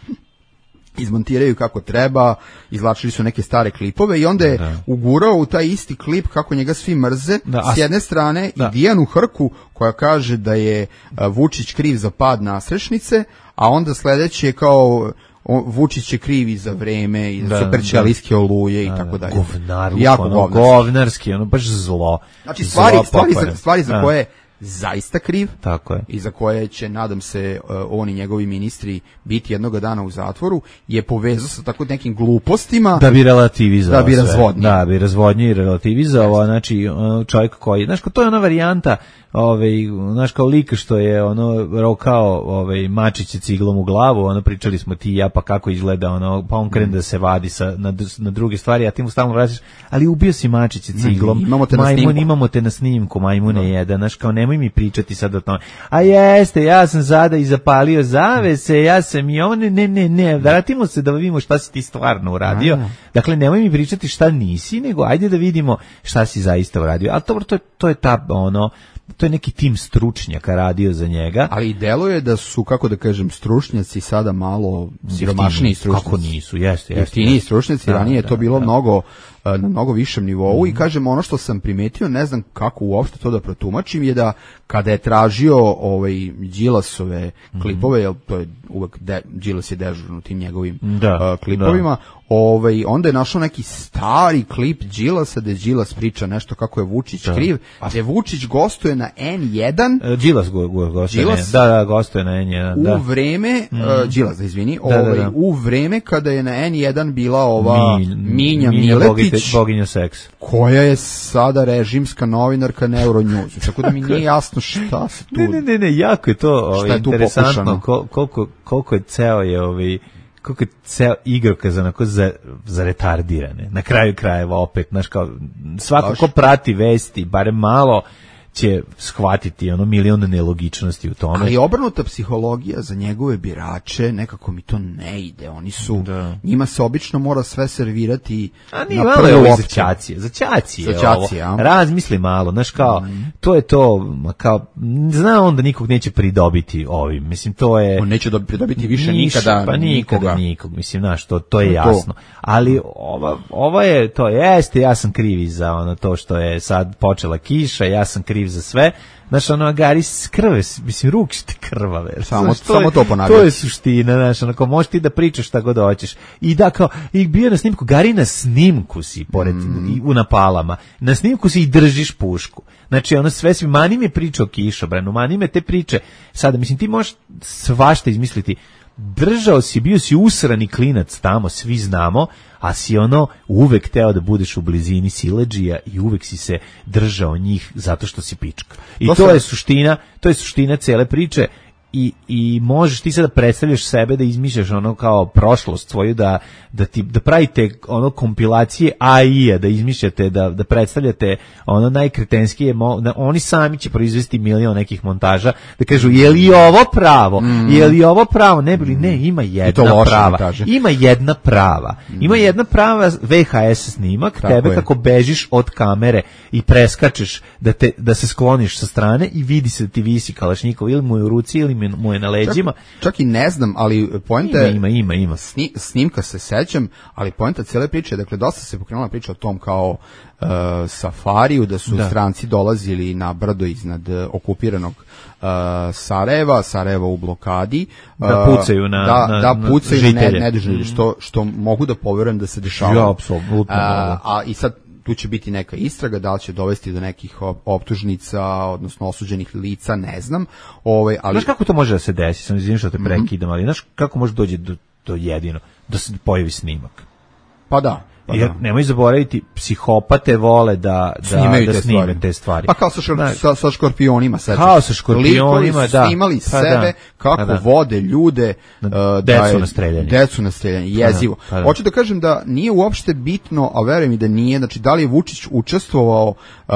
izmontiraju kako treba, izvlačili su neke stare klipove i onda je da. ugurao u taj isti klip kako njega svi mrze, da, s jedne strane da. i Dijanu Hrku koja kaže da je Vučić kriv za pad nasrešnice, a onda sledeće je kao Vučić je kriv i za vreme i za da, superćelijske da. oluje i da, tako dalje. Govnar, jako ono, govnarski, ono baš zlo. Znači stvari, stvari, za, stvari za da. koje zaista kriv. Tako je. I za koje će, nadam se, uh, on i njegovi ministri biti jednoga dana u zatvoru, je povezao sa tako nekim glupostima. Da bi relativizao. Da bi razvodnio. Da bi razvodnio i relativizao. Znači, čovjek koji, znaš, to je ona varijanta, ovaj, znaš, kao lik što je ono rokao ovaj, mačiće ciglom u glavu, ono pričali smo ti i ja, pa kako izgleda, ono, pa on krene mm. da se vadi sa, na, na druge stvari, a ti mu stalno vraćaš, ali ubio si mačiće ciglom. Imamo te majmun, na snimku. Imamo te na snimku, majmune no. jedan, znaš, kao nemoj mi pričati sad o tome. A jeste, ja sam sada i zapalio zavese, ja sam i ovo, ne, ne, ne, ne, vratimo se da vidimo šta si ti stvarno uradio. A. Dakle, nemoj mi pričati šta nisi, nego ajde da vidimo šta si zaista uradio. Ali to, to, je, to je ta, ono, to je neki tim stručnjaka radio za njega. Ali deluje da su, kako da kažem, stručnjaci sada malo siromašniji stručnjaci. Kako nisu, jeste, jeste. Jeftiniji stručnjaci, da, ranije je to bilo da. mnogo na mnogo višem nivou mm. i kažem ono što sam primetio, ne znam kako uopšte to da protumačim, je da kada je tražio ovaj Đilasove mm. klipove, jer to je uvek de, Đilas je dežurno tim njegovim da, uh, klipovima, da. ovaj onda je našao neki stari klip Đilasa gde Đilas priča nešto kako je Vučić da. kriv, a gde Vučić gostuje na en jedan. Đilas go, go, gostuje. Đilas, da, da, gostuje na en jedan. Da. U vreme mm. uh, Đilas, da izvini, da, ovaj da, da. u vreme kada je na en jedan bila ova Mi, Minja, Minja Miletić, boginja seksa, koja je sada režimska novinarka na Euronews. Tako da mi nije jasno šta se tu... Ne, ne, ne, ne jako je to ovaj, interesantno kol, koliko, koliko je ceo je ovaj, koliko je ceo igrokaz onako za, za retardirane. Na kraju krajeva opet, znaš, kao svako ko prati vesti, barem malo će shvatiti ono milion nelogičnosti u tome. Ali obrnuta psihologija za njegove birače, nekako mi to ne ide. Oni su, da. njima se obično mora sve servirati a nije na prvo ovo za ćacije. Za ćacije, za ćacije ovo. Razmisli malo, znaš kao, mm. to je to, kao, zna on da nikog neće pridobiti ovim. Mislim, to je... On neće pridobiti više Niš, nikada pa nikoga. nikada nikog, mislim, znaš, to, to je jasno. To. Ali ova, ova je, to jeste, ja sam krivi za ono to što je sad počela kiša, ja sam kriv za sve. Znaš, ono, Gari, krve, mislim, ruke ti krvave. Samo, znaš, to, samo je, to ponavljati. To je suština, znaš, onako, možeš ti da pričaš šta god hoćeš. I da, kao, i bio na snimku, Gari, na snimku si, pored, mm. i u napalama, na snimku si i držiš pušku. Znači, ono, sve svi, mani me priča o kišobranu, mani me te priče. Sada, mislim, ti možeš svašta izmisliti. Držao si, bio si usrani klinac tamo, svi znamo, a si ono uvek teo da budeš u blizini siledžija i uvek si se držao njih zato što si pička. I to, to je suština, to je suština cele priče. i, i možeš ti sad da predstavljaš sebe, da izmišljaš ono kao prošlost svoju, da, da, ti, da pravite ono kompilacije A I-a, da izmišljate, da, da predstavljate ono najkretenskije, da oni sami će proizvesti milion nekih montaža, da kažu je li ovo pravo, mm. je li ovo pravo, ne bili, ne, ima jedna prava, ima jedna prava, mm. ima jedna prava V H S snimak, tako tebe je. Kako bežiš od kamere i preskačeš da, te, da se skloniš sa strane i vidi se da ti visi kalašnjikov ili mu je u ruci ili mu je na leđima. Čak, čak i ne znam, ali poenta je... Ima, ima, ima. Sni, snimka se sećam, ali poenta cijele priče, dakle, dosta se pokrenula priča o tom kao uh, safariju, da su da. stranci dolazili na brdo iznad uh, okupiranog uh, Sarajeva, Sarajeva u blokadi. Uh, da pucaju na, da, na, da pucaju na ne, nedužne, mm. što, što mogu da poverujem da se dešava. Ja, apsolutno. Uh, a i sad tu će biti neka istraga, da li će dovesti do nekih optužnica, odnosno osuđenih lica, ne znam. Ovaj, ali... Znaš kako to može da se desi? Sam izvinim što te prekidam, ali znaš kako može doći do, do jedino, da se pojavi snimak? Pa da. Pa jer da. Nemoj zaboraviti, psihopate vole da, da, Snimaju da te snime stvari. te stvari. Pa kao sa, šor, sa, sa škorpionima. Sećaš. Kao sa škorpionima, Likovi su da. snimali pa sebe, da. kako pa da. vode ljude. Uh, decu da je, na streljanje. Decu na streljanje, jezivo. Pa da. Pa da. Hoću da kažem da nije uopšte bitno, a verujem i da nije, znači da li je Vučić učestvovao uh,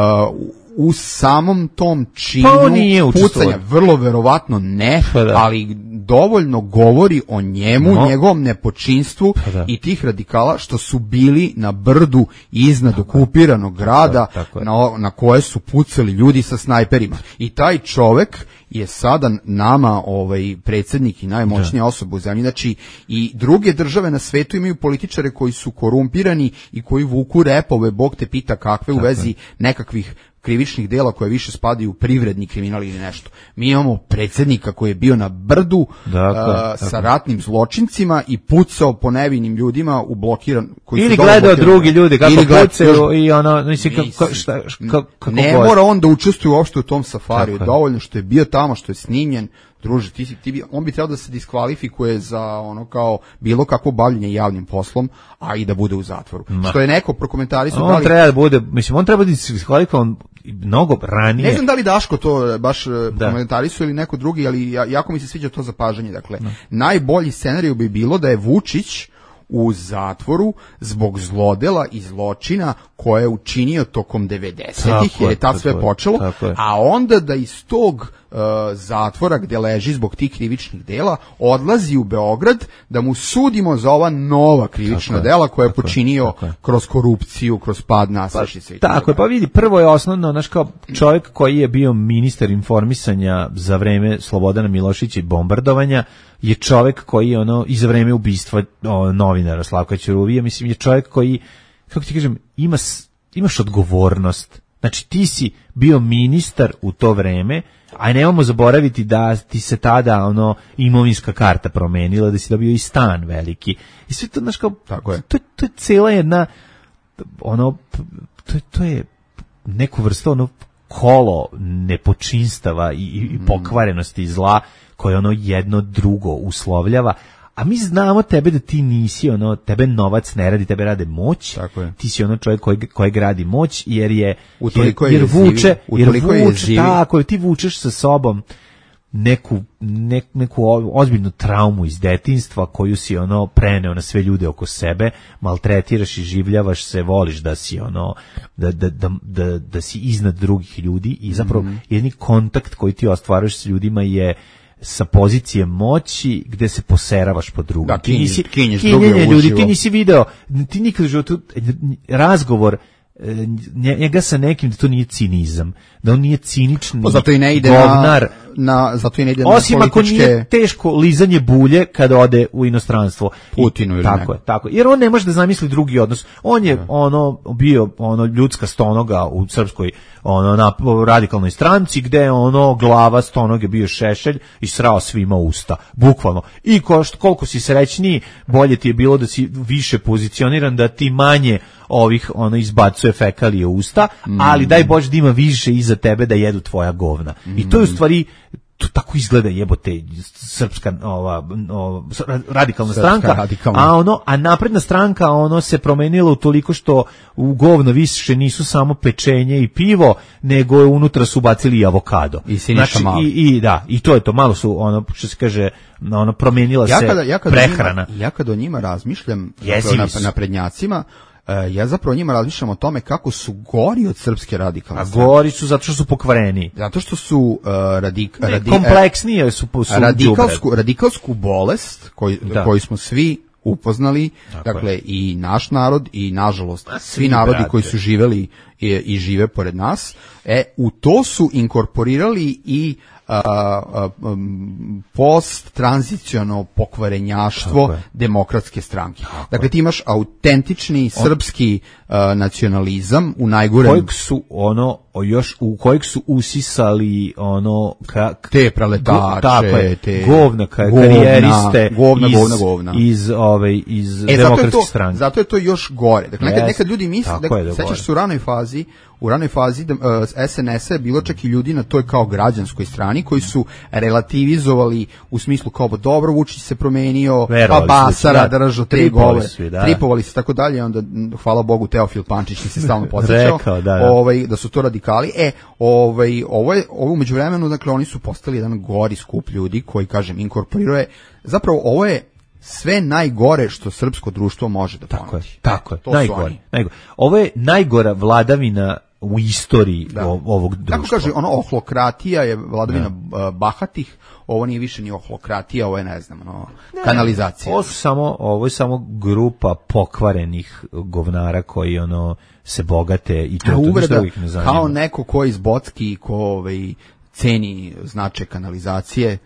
u samom tom činu pa pucanja, vrlo verovatno ne, pa da. ali dovoljno govori o njemu, no. njegovom nepočinstvu pa da. i tih radikala što su bili na brdu iznad tako okupiranog grada tako, tako na, na koje su pucali ljudi sa snajperima. I taj čovek je sada nama ovaj predsjednik i najmoćnija osoba u zemlji. Znači i druge države na svetu imaju političare koji su korumpirani i koji vuku repove, Bog te pita kakve, u vezi nekakvih krivičnih dela koje više spadaju u privredni kriminal ili nešto. Mi imamo predsjednika koji je bio na brdu dakle, a, sa dakle. ratnim zločincima i pucao po nevinim ljudima u blokiran koji ili su gledao drugi ljudi kako pucaju i ono mislim kako šta kako ne god. Mora on da učestvuje uopšte u tom safariju, dovoljno što je bio tamo, što je snimljen. Druže, ti, ti bi, on bi trebao da se diskvalifikuje za ono kao bilo kakvo bavljenje javnim poslom, a i da bude u zatvoru. Ma. Što je neko prokomentarisao. On da li, treba da bude, mislim, on treba da se diskvalifikovan mnogo ranije. Ne znam da li Daško to baš da. komentarisao ili neko drugi, ali jako mi se sviđa to zapažanje. Dakle, da. najbolji scenarij bi bilo da je Vučić u zatvoru zbog zlodela i zločina koje je učinio tokom devedesetih, jer je tad sve počelo, a onda da iz tog uh, zatvora gde leži zbog tih krivičnih dela odlazi u Beograd da mu sudimo za ova nova krivična tako dela koje je počinio je, kroz korupciju, kroz pad nasilja. Pa, tako je, pa vidi, prvo je osnovno, znaš, kao čovjek koji je bio ministar informisanja za vreme Slobodana Milošića i bombardovanja, je čovjek koji ono i za vreme ubistva o, novinara Slavka Ćuruvije, mislim je čovjek koji, kako ti kažem, ima, imaš odgovornost. Znači ti si bio ministar u to vreme, a nemamo zaboraviti da ti se tada ono imovinska karta promenila, da si dobio i stan veliki. I sve to, znaš, kao, tako je. To, to je cijela jedna ono, to, to je neku vrstu ono kolo nepočinstava i, i pokvarenosti i zla koje ono jedno drugo uslovljava, a mi znamo tebe da ti nisi ono, tebe novac ne radi, tebe rade moć, ti si ono čovjek koji, koji gradi moć, jer je, jer, jer vuče, jer vuče, tako, ti vučeš sa sobom neku, ne, neku ozbiljnu traumu iz detinjstva koju si ono preneo na sve ljude oko sebe, maltretiraš i življavaš se, voliš da si ono da, da, da, da, da si iznad drugih ljudi i zapravo mm-hmm. jedni kontakt koji ti ostvaruješ s ljudima je sa pozicije moći gde se poseravaš po drugom. Da, ti nisi kinješ druge ljudi, ti nisi video, ti nikad u životu razgovor njega sa nekim da to nije cinizam, da on nije cinični, pa zato i ne ide govnar, na, na zato i ne ide osim na ako političke... nije teško lizanje bulje kada ode u inostranstvo. Putinu ili tako neko. je, tako je. Jer on ne može da zamisli drugi odnos. On je ne. ono bio ono ljudska stonoga u srpskoj ono na radikalnoj stranci gde ono glava stonoge bio Šešelj i srao svima usta, bukvalno. I ko, koliko si srećniji, bolje ti je bilo da si više pozicioniran, da ti manje ovih ono izbacuje fekalije u usta, mm. ali daj Bože da ima više iza tebe da jedu tvoja govna. Mm. I to je u stvari to tako izgleda jebote srpska ova, ova radikalna Srpska stranka, radikalna. a ono a napredna stranka ono se promenilo utoliko što u govno više nisu samo pečenje i pivo, nego je unutra su bacili i avokado. I Siniša znači, Mali. i, i da, i to je to, malo su ono što se kaže, ono promenila ja se kada, ja kada prehrana. Njima, ja kada o njima razmišljam Jezivi na, su. na prednjacima, uh, ja zapravo o njima razmišljam o tome kako su gori od srpske radikalne A stranke. gori su zato što su pokvareni. Zato što su uh, radik, Ne, radi, kompleksnije su, su radikalsku, radikalsku bolest koju, Da. koju smo svi upoznali, Tako dakle i naš narod i nažalost A, svi svi, narodi brate. koji su živeli i, i žive pored nas, e, u to su inkorporirali i a, a, um, post-tranziciono pokvarenjaštvo Tako je. demokratske stranke. Dakle, ti imaš autentični srpski a, nacionalizam u najgorem kojeg su ono o, još u kojeg su usisali ono ka, te preletače, go, tako je, te govna, ka, govna, karijeriste govna, iz, govna, govna. iz ove iz E, zato je, demokratske to, stranke. zato je to još gore. Dakle, nekad, Jest. nekad ljudi misle, Tako je da, da sećaš gore. se u ranoj fazi, u ranoj fazi da, uh, S N S-a je bilo čak i ljudi na toj kao građanskoj strani koji su relativizovali u smislu kao, dobro, Vučić se promenio, Verovali pa su, Basara da. držao tri Tripovali gole, su, da. tripovali se tako dalje, onda, m, hvala Bogu, Teofil Pančić mi se stalno podsjećao, Rekao, da, da. ovaj, da su to radikali. E, ovaj, ovo je, ovo umeđu vremenu, dakle, oni su postali jedan gori skup ljudi koji, kažem, inkorporiruje, zapravo ovo je sve najgore što srpsko društvo može da Tako je, ponudi. tako je, To su najgore, oni. najgore. Ovo je najgora vladavina u istoriji Da. o- ovog društva. Tako kaže, ono, ohlokratija je vladavina uh, bahatih, ovo nije više ni ohlokratija, ovo je, ne znam, ono, kanalizacija. Ovo su samo, ovo je samo grupa pokvarenih govnara koji ono se bogate i to, A to ništa uvreda, drugih ne zanima. kao neko ko iz Bocki, ko ovaj, ceni značaj kanalizacije,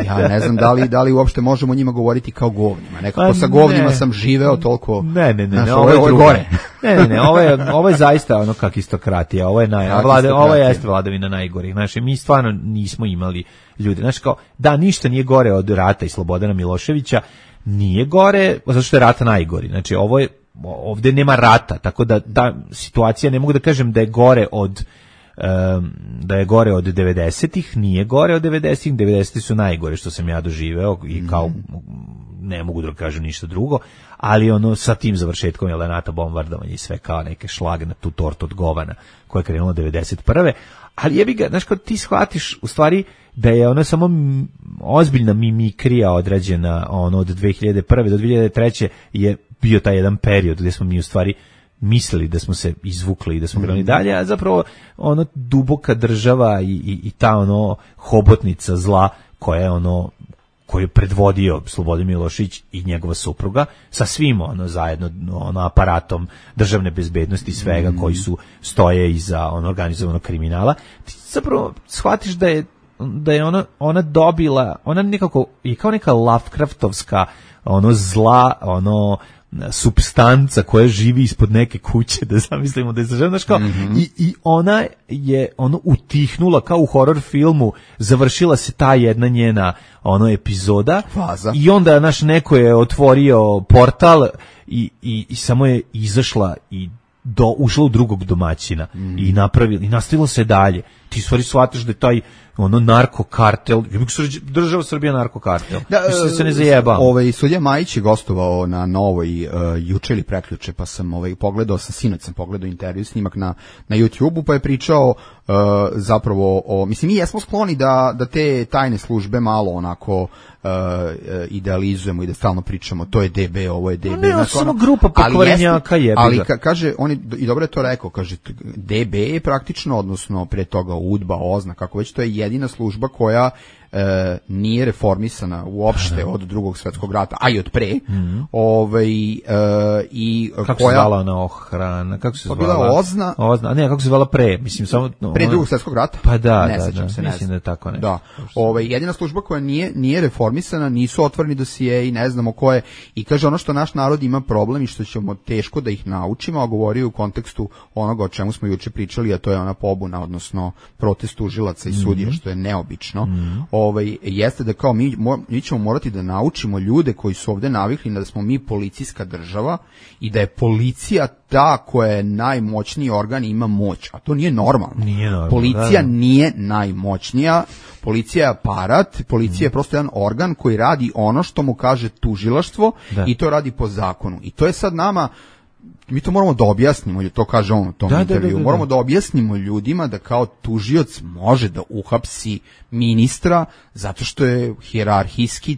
ja ne znam da li, da li uopšte možemo njima govoriti kao govnima. Nekako Pa sa ne. govnima sam živeo toliko... Ne, ne, ne, znaš, ne, ovo je, ovo je drugo. gore. Ne, ne, ne, ovo je, ovo je zaista ono kakistokratija, ovo je naj, Kakistokratija. vlada, ovo jeste vladavina najgorih. Znači, mi stvarno nismo imali ljude. Znači, kao, da, ništa nije gore od rata i Slobodana Miloševića, nije gore, zato što je rata najgori. Znači, ovo je, ovde nema rata, tako da ta situacija, ne mogu da kažem da je gore od um, da je gore od devedesetih, nije gore od devedesetih, devedeseti su najgore što sam ja doživeo i kao ne mogu da kažem ništa drugo, ali ono sa tim završetkom je NATO bombardovanje i sve kao neke šlag na tu tortu od govana koja je krenula devedeset prve. Ali jebi ga, znaš, kad ti shvatiš u stvari da je ono samo m, ozbiljna mimikrija odrađena ono od dve hiljade prve do dve hiljade treće je bio taj jedan period gdje smo mi u stvari mislili da smo se izvukli i da smo krenuli dalje, a zapravo ono duboka država i, i, i ta ono hobotnica zla koja je ono koju je predvodio Slobodan Milošević i njegova supruga sa svim ono zajedno ono aparatom državne bezbednosti i svega koji su stoje iza ono organizovanog kriminala, ti zapravo shvatiš da je da je ona ona dobila, ona nekako je kao neka Lovecraftovska ono zla, ono supstanca koja živi ispod neke kuće, da zamislimo da je znaš kao, mm-hmm. i, i ona je ono utihnula kao u horror filmu, završila se ta jedna njena ono epizoda Faza. I onda naš neko je otvorio portal i, i, i samo je izašla i do, ušla u drugog domaćina mm. i napravila i nastavilo se dalje. Ti stvari shvataš da je taj ono narkokartel, država Srbija narkokartel. Da, Mislim da se ne zajebam. Ovaj sudija Majić je gostovao na Novoj uh, juče ili prekjuče, pa sam ovaj pogledao, sam sinoć sam pogledao intervju snimak na na YouTubeu, pa je pričao uh, zapravo o, mislim mi jesmo skloni da da te tajne službe malo onako uh, idealizujemo i da stalno pričamo to je D B, ovo je D B, ne, znači, samo grupa pokvarenjaka je. Ali ka, kaže on je, i dobro je to rekao, kaže D B je praktično, odnosno pre toga UDBA, OZNA, kako već, to je jedina služba koja e, nije reformisana uopšte od drugog svetskog rata, a i od pre. Mm-hmm. Ovaj e, i kako koja se zvala ona ohrana, kako se pa zvala? bila OZNA. OZNA, ne, kako se zvala pre, mislim samo no, pre drugog svetskog rata. Pa da, ne da, sećam da, se, ne mislim da je tako nešto. Da. Ovaj jedina služba koja nije nije reformisana, nisu otvoreni dosije i ne znamo ko je. I kaže ono što naš narod ima problem i što ćemo teško da ih naučimo, a govori u kontekstu onoga o čemu smo juče pričali, a to je ona pobuna, odnosno protest tužilaca i sudija, mm-hmm. što je neobično. Mm-hmm. Ovaj jeste da kao mi, mi ćemo morati da naučimo ljude koji su ovde navikli da smo mi policijska država i da je policija ta koja je najmoćniji organ i ima moć, a to nije normalno. Nije normalno, policija da. nije najmoćnija, Policija je aparat, policija je prosto jedan organ koji radi ono što mu kaže tužilaštvo Da. i to radi po zakonu. I to je sad nama, mi to moramo da objasnimo, to kaže on u tom Da, da, intervju, da, da, da. moramo da objasnimo ljudima da kao tužioc može da uhapsi ministra zato što je hijerarhijski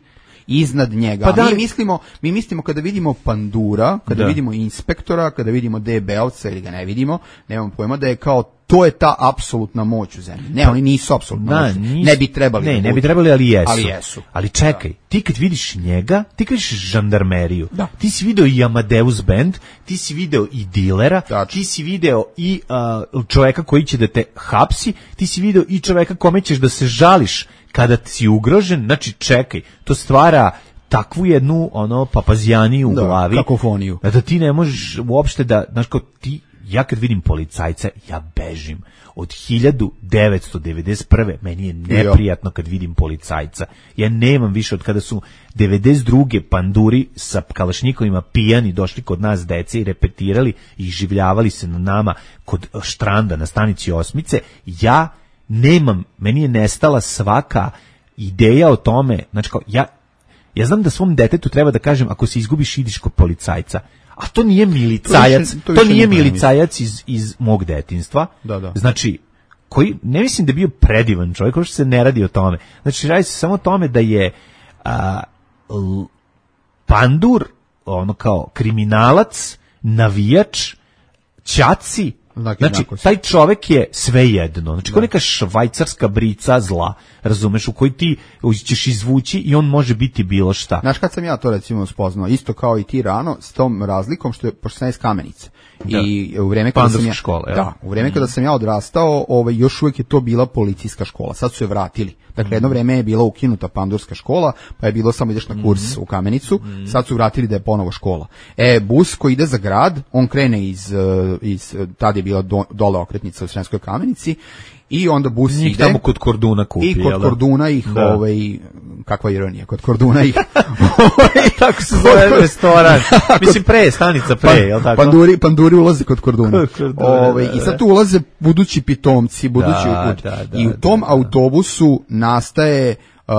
iznad njega. Pa A da mi li- mislimo, mi mislimo kada vidimo pandura, kada Da. vidimo inspektora, kada vidimo D B-ovca ili ga ne vidimo, nemamo pojma da je kao to je ta apsolutna moć u zemlji. Ne, oni nisu apsolutna Da, moć. nis- Ne bi trebali. Ne, da ne bi budu. trebali, ali jesu. Ali jesu. Ali čekaj, ti kad vidiš njega, ti kad vidiš žandarmeriju, Da. ti si video i Amadeus Band, ti si video i dilera, Tačno. ti si video i uh, čoveka koji će da te hapsi, ti si video i čoveka kome ćeš da se žališ kada si ugrožen. Znači, čekaj, to stvara takvu jednu ono papazijaniju u Da, glavi. kakofoniju. Da, da ti ne možeš uopšte da, znaš kao ti, ja kad vidim policajca, ja bežim. Od hiljadu devetsto devedeset prve meni je neprijatno kad vidim policajca. Ja nemam više od kada su devedeset druge panduri sa kalašnjikovima pijani došli kod nas dece i repetirali i življavali se na nama kod štranda na stanici Osmice. Ja nemam, meni je nestala svaka ideja o tome, znači kao, ja Ja znam da svom detetu treba da kažem ako se izgubiš ideš kod policajca. A to nije milicajac, To više- to, to više nije ne milicajac iz, iz mog detinjstva. Da, da. Znači, koji, ne mislim da je bio predivan čovjek, uopšte se ne radi o tome. Znači, radi se samo o tome da je a, l- pandur, ono kao kriminalac, navijač, ćaci, Znak znači, jednakosti. taj čovek je svejedno. Znači, kao neka švajcarska brica zla, razumeš, u kojoj ti ćeš izvući i on može biti bilo šta. Znaš kad sam ja to recimo spoznao, isto kao i ti rano, s tom razlikom što je, pošto sam ja iz Kamenice. Da. I u vreme kada sam Pandurska ja, škola, jel? da, u vreme kada sam ja odrastao, ovaj, još uvijek je to bila policijska škola. Sad su je vratili. Dakle, jedno vreme je bila ukinuta pandurska škola, pa je bilo samo ideš na kurs u Kamenicu, sad su vratili da je ponovo škola. E, bus koji ide za grad, on krene iz, eh, iz tad je bila do, dole okretnica u Sremskoj Kamenici, i onda bus Njih ide tamo kod Korduna kupi, i kod jel da? Korduna ih, Da. ovaj, kakva ironija, kod Korduna ih Tako se zove restoran. Mislim, pre, stanica pre, jel tako? Panduri, panduri ulaze kod Korduna. Kod Korduna, Ovaj, da, I da. sad tu ulaze budući pitomci, budući Da, uput. da, da, I u tom da, da. autobusu nastaje uh,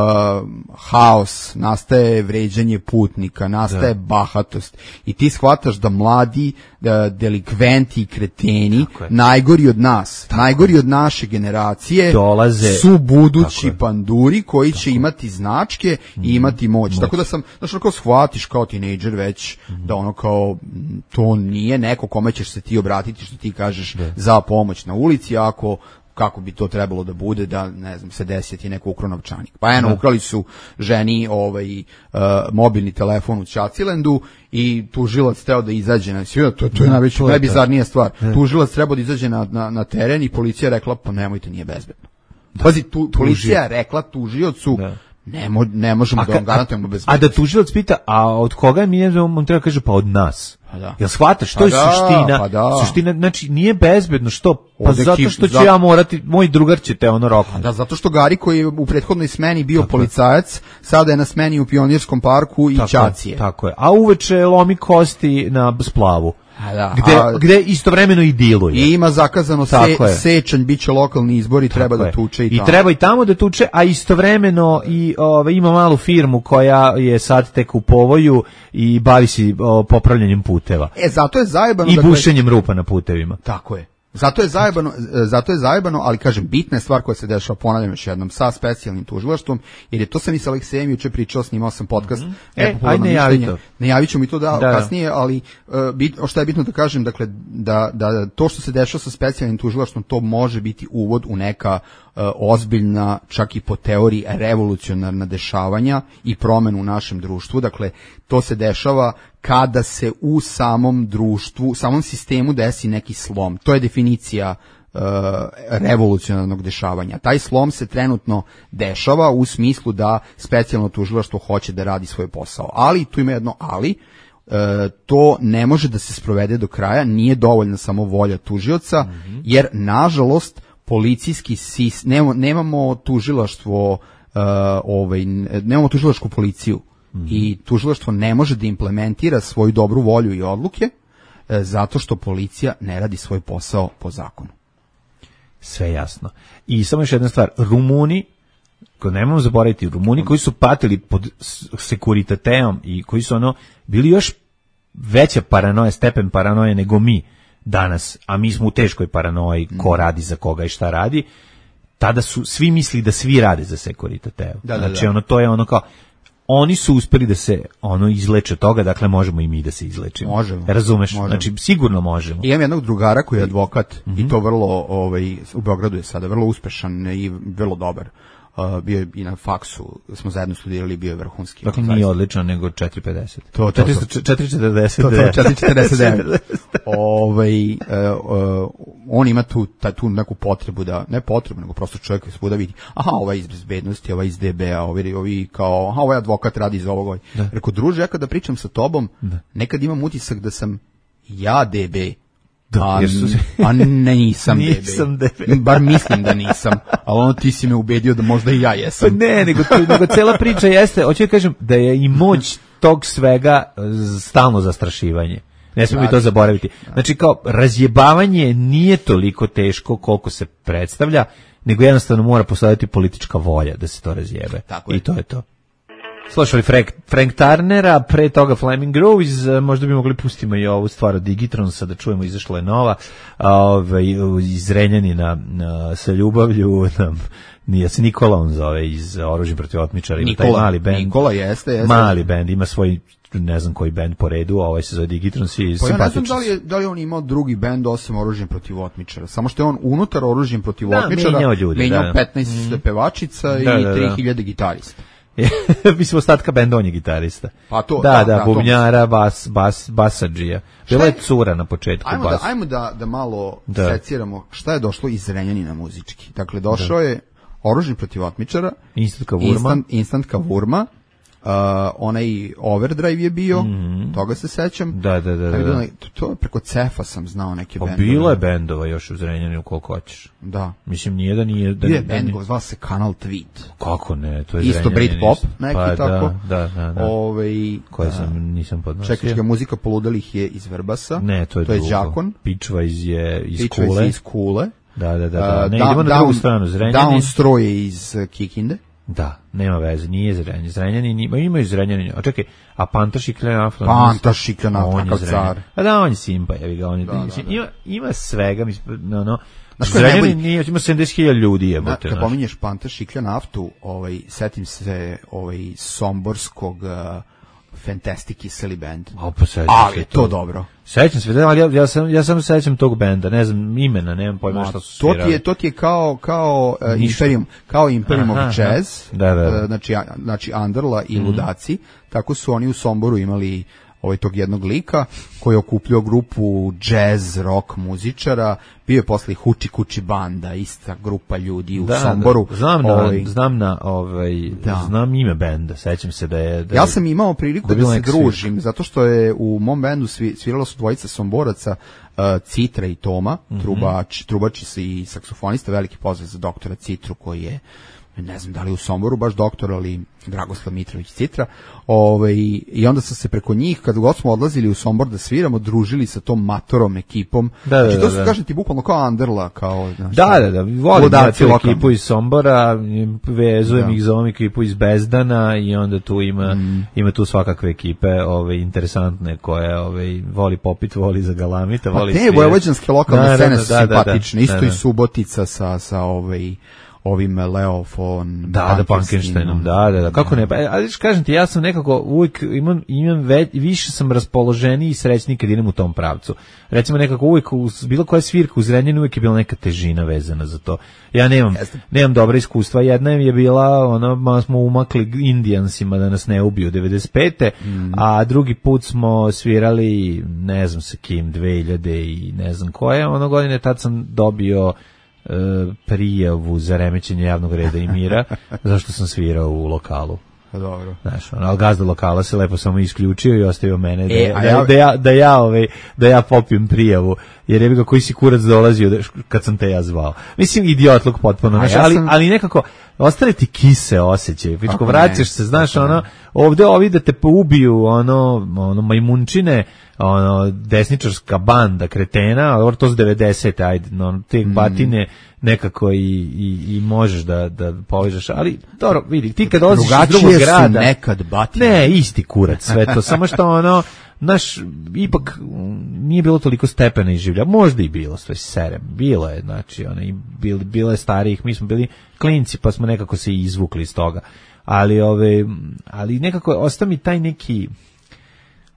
haos, nastaje vređanje putnika, nastaje bahatost. I ti shvataš da mladi da delikventi i kreteni, Tako je. najgori od nas, najgori od naše generacije, Dolaze- su budući Tako je. panduri koji će imati značke i imati moć. Tako da sam, znaš, ono kao shvatiš kao tinejdžer već da ono kao m, to nije neko kome ćeš se ti obratiti što ti kažeš za pomoć na ulici, ako kako bi to trebalo da bude, da ne znam, se desi ti neko ukro novčanik. Pa eno, ukrali su ženi ovaj, uh, mobilni telefon u Čacilendu i tužilac teo da izađe na sve, to, to je najveća, to je najbizarnija stvar. Tužilac trebao da izađe na, na, na teren i policija je rekla, pa nemojte, nije bezbedno. Pazi, tu, policija je rekla tužiocu, Da. ne, mo, ne možemo da ka- vam garantujemo bezbednost. a da tužilac pita, a od koga mi je, on treba kaže, pa od nas. Pa da. Jel shvataš, to Pa je da, suština, pa da. suština, znači nije bezbedno, što? Pa Ovdje zato ki- što ću za- ja morati, moj drugar će te ono roknuti. Da, zato što Gari koji je u prethodnoj smeni bio policajac, sada je na smeni u Pionirskom parku i Tako je, Ćacije. Tako je. A uveče lomi kosti na splavu. A da, Gde, a- gde istovremeno i diluje. I ima zakazano se, Tako je. sečanj, bit će lokalni izbori, treba Tako da je. tuče i, I tamo. treba i tamo da tuče, a istovremeno i ove, ima malu firmu koja je sad tek u povoju i bavi se o, popravljanjem puteva. E, zato je zajebano. I dakle, bušenjem rupa na putevima. Tako je. Zato je zajebano, e, zato je zajebano, ali kažem, bitna je stvar koja se dešava, ponavljam još jednom, sa specijalnim tužilaštvom, jer je to sam i sa Aleksejem juče pričao, snimao sam podcast. Mm-hmm. E, Nepopularno ajde, javi mišljenje. to. Ne javit ćemo i to da, Da, da. kasnije, ali uh, bit, što je bitno da kažem, dakle, da, da to što se dešava sa specijalnim tužilaštvom, to može biti uvod u neka uh, ozbiljna, čak i po teoriji, revolucionarna dešavanja i promenu u našem društvu. Dakle, to se dešava kada se u samom društvu, samom sistemu desi neki slom. To je definicija uh, revolucionarnog dešavanja. Taj slom se trenutno dešava u smislu da specijalno tužilaštvo hoće da radi svoj posao. Ali, tu ima jedno ali, uh, to ne može da se sprovede do kraja, nije dovoljna samo volja tužioca, mm-hmm. jer nažalost policijski sistem, nemamo, nemamo tužilaštvo, uh, ovaj, nemamo tužilačku policiju. Mm-hmm. I tužilaštvo ne može da implementira svoju dobru volju i odluke e, zato što policija ne radi svoj posao po zakonu. Sve jasno. I samo još jedna stvar, Rumuni ko nemamo zaboraviti, Rumuni koji su patili pod sekuritateom i koji su ono bili još veća paranoja, stepen paranoje nego mi danas, a mi smo u teškoj paranoji ko radi za koga i šta radi, tada su svi mislili da svi rade za sekuritateo. Da, da, znači da. ono to je ono kao oni su uspeli da se ono izleče toga, dakle možemo i mi da se izlečimo. Možemo. Razumeš? Možemo. Znači sigurno možemo. I imam jednog drugara koji je advokat mm-hmm. i to vrlo, ovaj, u Beogradu je sada vrlo uspešan i vrlo dobar. Uh, bio je i na faksu, smo zajedno studirali, bio je vrhunski. Dakle nije odlično, nego četiri pedeset. To, to, to. četiri četrdeset. To, to, četiri četrdeset devet. Ovaj, uh, uh, on ima tu, ta, tu neku potrebu da, ne potrebu, nego prosto čovjek koji svuda vidi, aha, ovaj iz bezbednosti, ovaj iz D B-a, ovi, ovi kao, aha, ovaj advokat radi za ovog. Ovaj. Rekao, druže, ja kada pričam sa tobom, da. Nekad imam utisak da sam ja D B, Da, a, su... a ne nisam, nisam D B. Bar mislim da nisam, ali ono ti si me ubedio da možda i ja jesam. Pa ne, nego, nego cela priča jeste, hoću da kažem da je i moć tog svega stalno zastrašivanje. Ne smemo mi to zaboraviti. Znači kao razjebavanje nije toliko teško koliko se predstavlja, nego jednostavno mora postojati politička volja da se to razjebe. Tako I to je to. Slušali Frank, Frank Turnera, pre toga Flaming Groves, možda bi mogli pustimo i ovu stvar od Digitronsa da čujemo, izašla je nova, ove, iz Renjanina na, sa ljubavlju, nam, nije se Nikola on zove iz Oružja protiv otmičara, ima taj mali bend. Nikola jeste, jeste. Mali bend, ima svoj, ne znam koji bend po redu, ovaj se zove Digitrons i pa simpatičan. Ja ne znam da li, je, da li on imao drugi bend osim Oružjem protiv otmičara, samo što je on unutar Oružjem protiv da, otmičara menjao, ljudi, menjao da. petnaest mm. pevačica da, i da, tri hiljade gitarista. Mislim, ostatka benda, on je gitarista. Pa to, da, da, da, da bubnjara, bas, bas, basadžija. Bila je cura na početku. Ajmo, bas. da, ajmo da, da malo da. seciramo šta je došlo iz Renjanina muzički. Dakle, došao da. je Oružje protiv otmičara, Instant Kavurma, Instant, Instant Kavurma, Uh, onaj Overdrive je bio, mm-hmm. toga se sećam. Da, da, da. da, da. To, to preko Cefa sam znao neke bendove. Bilo je bendova još u Zrenjaninu koliko hoćeš. Da. Mislim, nije da nije... Da, Bio je da, bend, da, zvala se Kanal Tweet. Kako ne, to je isto Britpop, neki pa, tako. Da, da, da. da. Ove, koje sam, nisam podnosio. Čekačka muzika poludalih je iz Vrbasa. Ne, to je, to je Đakon. Pičva iz, je, iz Pičva Kule. iz Kule. Da, da, da. da. Uh, ne, da, idemo na drugu stranu. Zrenjanin. Downstroj je iz Kikinde. Da, nema veze, nije Zrenjanin. Zrenjanin ima, ima i Zrenjanin. A čekaj, a Panta Šikljana? Panta Šikljana, kakav car. A da, on je Simpa, jevi ga, on je, da, da, da. Ima, ima svega, mislim, no, no. Zrenjanin nije, ima sedamdeset hiljada ljudi, jebote. Kad pominješ Panta Šiklja naftu, ovaj, setim se ovaj, somborskog uh, Fantastic Kiseli band. O, pa ali to dobro. Sećam se, ali ja, ja sam ja sam sećam tog benda, ne znam imena, nemam pojma šta su svirali. To ti je to ti je kao kao uh, Imperium, kao Imperium aha, of Jazz. Da, da, da. Uh, znači znači Anderla i mm. Ludaci, tako su oni u Somboru imali ovaj tog jednog lika koji je okupljao grupu jazz rock muzičara, bio je posle Huči Kuči banda, ista grupa ljudi u da, Somboru. Da, znam na, ovaj, znam na ovaj da. znam ime benda, sećam se da je da ja sam imao priliku da, da, da se družim svir. Zato što je u mom bendu svi, sviralo su dvojica Somboraca, uh, Citra i Toma, mm-hmm. trubač, trubači i saksofonista, veliki pozdrav za doktora Citru koji je, ne znam da li u Somboru baš doktor, ali Dragoslav Mitrović Citra. Ovaj, i onda sam se preko njih, kad god smo odlazili u Sombor da sviramo, družili sa tom matorom ekipom. Da, znači, da, to su, da. kažem ti, bukvalno kao Anderla. Kao, znaš, da, da, da, volim da tu ekipu iz Sombora, vezujem da. ih za ovom ekipu iz Bezdana i onda tu ima, mm. ima tu svakakve ekipe ove, interesantne koje ove, voli popit, voli za galamita, voli pa te vojvođanske lokalne da, scene da, su da, simpatične. Da, da, isto da, da. i Subotica sa, sa ovaj... ovim Leo von da, da, Pankensteinom, da, da, da, kako ne, ali kažem ti, ja sam nekako uvijek imam, imam već, više sam raspoloženiji i srećniji kad idem u tom pravcu. Recimo nekako uvijek, uz bilo koja svirka u Zrenjaninu uvijek je bila neka težina vezana za to. Ja nemam, Jeste. nemam dobra iskustva, jedna je bila, ono, malo smo umakli Indijansima da nas ne ubiju devedeset pete Mm. a drugi put smo svirali, ne znam sa kim, dve hiljade i ne znam koje, ono godine tad sam dobio prijavu za remećenje javnog reda i mira, zašto sam svirao u lokalu. Dobro. Znaš, ono, ali gazda lokala se lepo samo isključio i ostavio mene da, e, da, ja... da, ja, da, ja, ovaj, da ja popijem prijavu, jer je ga koji si kurac dolazio kad sam te ja zvao. Mislim, idiotluk potpuno, znaš, ja ali, sam... ali nekako ostali ti kise osjećaj, pičko, vraćaš se, znaš, ono, ovde ovi da te ubiju, ono, ono, majmunčine, ono desničarska banda kretena, ali to su devedesete, ajde, no, te mm. batine nekako i, i, i možeš da, da povežeš, ali dobro, vidi, ti kad dolaziš iz drugog grada... Drugačije su nekad batine. Ne, isti kurac, sve to, samo što ono, naš, ipak nije bilo toliko stepena izživlja, možda i bilo, sve serem, bilo je, znači, ono, i bil, bilo je starijih, mi smo bili klinci, pa smo nekako se izvukli iz toga, ali, ove, ali nekako osta mi taj neki...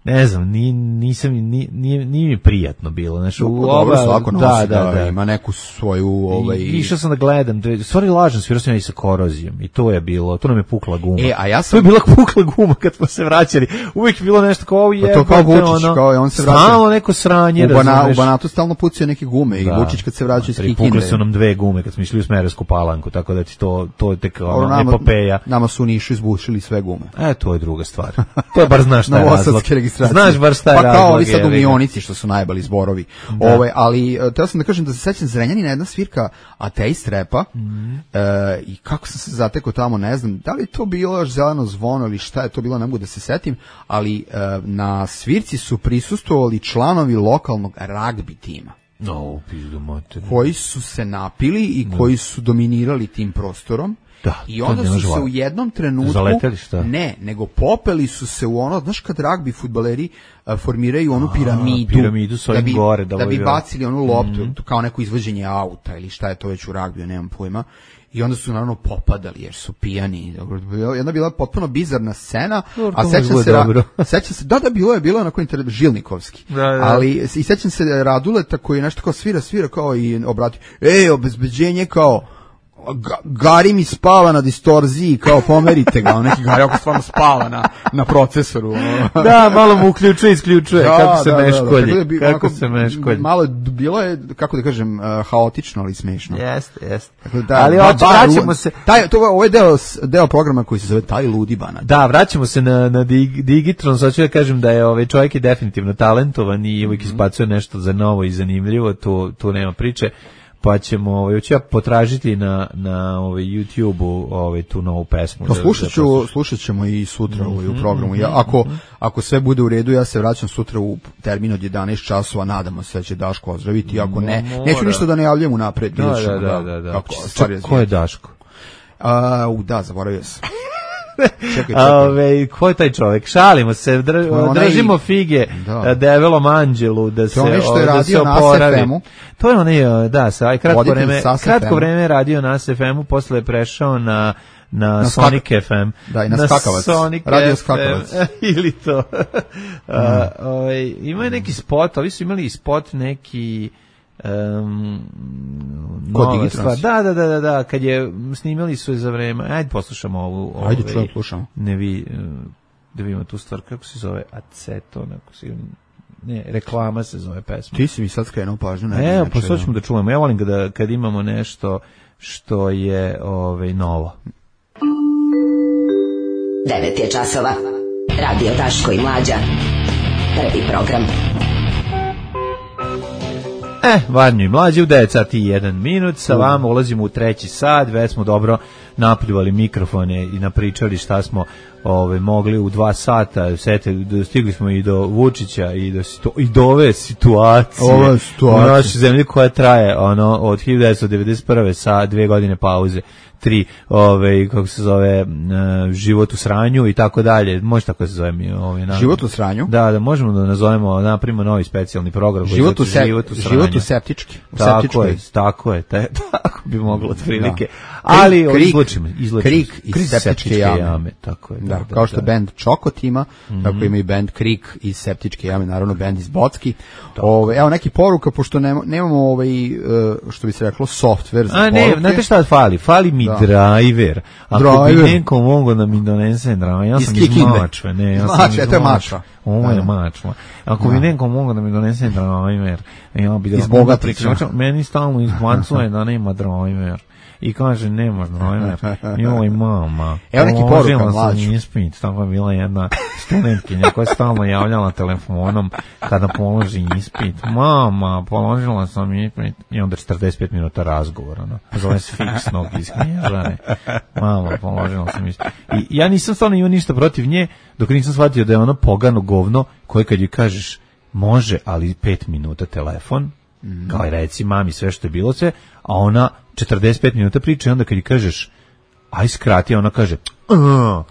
Ne znam, ni, nisam, ni, nije, nije mi prijatno bilo. Znači, u dobro, svako nosi, da, da, da, ima neku svoju... Ovaj... I, išao sam da gledam, stvari lažem, svirao sam ja i sa korozijom i to je bilo, to nam je pukla guma. E, a ja sam... To je bila pukla guma kad smo se vraćali. Uvijek je bilo nešto kao je... Pa to kao Vučić, ono, kao je on se vraća. Stalno neko sranje, u, bana, u Banatu stalno pucaju neke gume da. I Vučić kad se vraća iz Kikinde. Pukle su nam dve gume kad smo išli u Smederevsku Palanku, tako da ti to, to je tek ono, nama, epopeja. Nama su u Nišu izbušili sve gume. E, to je druga stvar. To je bar znaš šta je razlog. Znaš bar šta pa kao ovi sad u Mionici što su najbali zborovi. Da. Ove, ali teo sam da kažem da se sećam Zrenjanina jedna svirka Ateist repa mm. e, i kako sam se zatekao tamo, ne znam, da li to bilo još Zeleno zvono ili šta je to bilo, ne mogu da se setim, ali e, na svirci su prisustvovali članovi lokalnog ragbi tima. No, koji su se napili i no. koji su dominirali tim prostorom. Da, i onda su se u jednom trenutku zaleteli šta? Ne, nego popeli su se u ono, znaš kad ragbi fudbaleri uh, formiraju onu piramidu, A, piramidu da bi, gore, da, da bi bacili onu loptu, mm-hmm. kao neko izvođenje auta ili šta je to već u ragbiju, nemam pojma. I onda su naravno popadali jer su pijani. Jedna bila potpuno bizarna scena, Dobro, a sećam se, ra- sećam se, da da bilo je bilo onako inter- Žilnikovski. Da, da. Ali i sećam se Raduleta koji je nešto kao svira, svira kao i obrati. Ej, obezbeđenje kao Ga, Gari mi spava na distorziji, kao pomerite ga, neki Gari ako stvarno spava na, na procesoru. Da, malo mu uključuje, isključuje, da, kako se da, meškolji, da, da, kako onako, se meškolji. Malo bilo je, kako da kažem, uh, haotično, ali smešno. Jeste, jeste. Da, ali ba, oče, vraćamo se... Taj, to, ovo je deo, deo programa koji se zove Taj ludi banat. Da, vraćamo se na, na dig, Digitron, sad ću da kažem da je ovaj čovjek je definitivno talentovan i uvijek izbacuje nešto za novo i zanimljivo, tu, tu nema priče. Pa ćemo, ovaj, ću ja potražiti na, na ovaj, YouTube-u ovaj, tu novu pesmu. No, slušat, ću, slušat ćemo i sutra mm-hmm, ovaj, u programu. Ja, ako, ako sve bude u redu, ja se vraćam sutra u termin od jedanaest časova, nadamo se da će Daško ozdraviti. Ako ne, Mora. neću ništa da najavljam unapred. Da, da, da, da, da. Kako Čak, ko je Daško? A, u, da, zaboravio sam. Čekaj, čekaj. Ove, ko je taj čovjek? Šalimo se, dr, držimo fige da. Develom Anđelu da se, o, da radio se oporavi. Na to je onaj, da, sa, kratko vreme, kratko vreme radio na S F M-u, posle je prešao na na, na Sonic skak... F M. Da, i na, na skakavac. Sonic radio F M, skakavac. Ili to. mm. A, ovaj, ima neki spot, ovi su imali spot neki Um, nova stvar. Da, da, da, da, da, kad je snimali su je za vreme. Ajde poslušamo ovu. Ove, Ajde čujem, slušamo. Ne vi, da vidimo tu stvar, kako se zove Aceton, ako se, ne, reklama se zove pesma. Ti si mi sad skrenuo pažnju. Evo, pa sad ćemo da čujemo. Ja volim da kad imamo nešto što je ovaj, novo. devet je časova. Radio Daško i Mlađa. Prvi program. E, Varnju i Mlađe u devet sati i jedan minut, sa vama ulazimo u treći sat, već smo dobro napljuvali mikrofone i napričali šta smo ove, mogli u dva sata, sete, stigli smo i do Vučića i do, i do ove situacije, ove situacije u našoj zemlji koja traje ono, od hiljadu devetsto devedeset prve sa dve godine pauze, tri, ove, kako se zove, uh, život u sranju i tako dalje, može tako se zove mi ovaj, život u sranju? Da, da, možemo da nazovemo, napravimo novi specijalni program. Život u, se, život u sranju. Život u septički. U tako je, tako je, te, tako bi moglo otprilike. Ali krik, izlučimo, izlučimo. Krik iz septičke, septičke jame. jame. Tako je. Da, da, kao što da. Band Čokot ima, mm-hmm. tako ima i band Krik iz septičke jame, naravno band iz Bocki. Ove, evo neki poruka, pošto nemamo, nemamo ovaj, što bi se reklo, software za A, ne, poruke. znate šta fali? Fali mi da. driver. Ako driver. Bi neko mogo da mi donese driver, ja sam iz, iz Mačve. Ne, ja sam Mačve, to je Mačva. Ovo je Mačva. Ako bi neko mogo da mi donese driver, ja bi da iz Bogatića. Meni stalno izbacuje da nema driver. I kaže, nema driver. Joj, mama. Evo neki poruka, Mlađu. Ispit, tako je bila jedna studentkinja koja je stalno javljala telefonom kada položi ispit. Mama, položila sam ispit. I onda četrdeset pet minuta razgovora. No. Zove se fiksnog isknježane. Mama, položila sam ispit. I ja nisam stvarno imao ništa protiv nje, dok nisam shvatio da je ono pogano govno koje kad joj kažeš može, ali pet minuta telefon, mm. kao i reci mami sve što je bilo sve, a ona četrdeset pet minuta priča i onda kad ji kažeš aj skrati, ona kaže uh,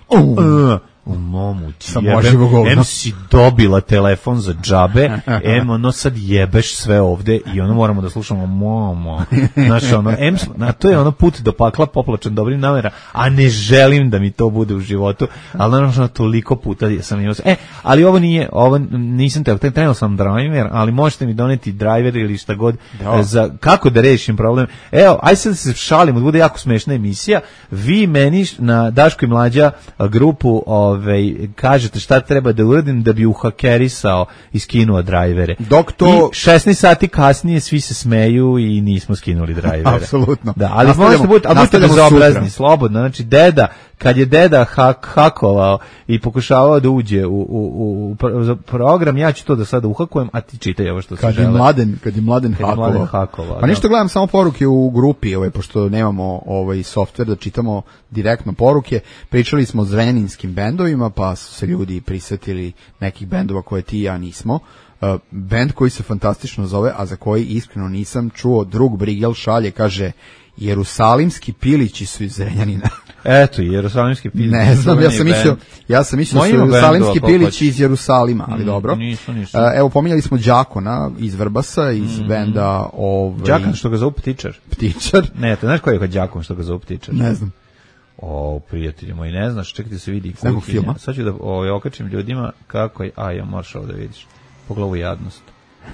uh, u momu ti jebem, em si dobila telefon za džabe, em ono sad jebeš sve ovde i ono moramo da slušamo momo, znači ono, em, na, to je ono put do pakla poplačan dobrim namera, a ne želim da mi to bude u životu, ali naravno toliko puta sam imao, e, ali ovo nije, ovo nisam te, trenutno sam driver, ali možete mi doneti driver ili šta god, da. Za, kako da rešim problem, evo, aj sad se šalimo, da bude jako smešna emisija, vi meni na Daško i Mlađa grupu, Ove, kažete šta treba da uradim da bi uhakerisao i skinuo drajvere. Dok to... I šesnaest sati kasnije svi se smeju i nismo skinuli drajvere. Apsolutno. Da, ali možete biti, a budite bezobrazni, slobodno. Znači, deda, kad je deda hak, hakovao i pokušavao da uđe u, u, u program, ja ću to da sada uhakujem, a ti čitaj ovo što se kad žele. Je mladen, kad je mladen kad hakovao. Je mladen hakovao pa ništa, gledam samo poruke u grupi, ovaj, pošto nemamo ovaj softver da čitamo direktno poruke. Pričali smo o zrenjaninskim bendovima, pa su se ljudi prisetili nekih bendova koje ti i ja nismo. Uh, bend koji se fantastično zove, a za koji iskreno nisam čuo, drug Brigel šalje, kaže Jerusalimski pilići su iz Zrenjanina. Eto, Jerusalimski pilići. Ne znam, ja sam mislio, ja sam mislio da su Jerusalimski pilići iz Jerusalima, ali mm, dobro. Nisu, nisu. Uh, evo, pominjali smo Đakona iz Vrbasa, iz mm. benda... Ovaj... Đakan, što ga zovu Ptičar. Ptičar. Ne, to znaš koji je kod Đakon što ga zovu Ptičar? Ne znam. O, prijatelji moji, ne znaš, čekaj da se vidi kuhinja. Sad ću da o, okačim ljudima kako je, a ja moraš ovo da vidiš, pogledu jadnost.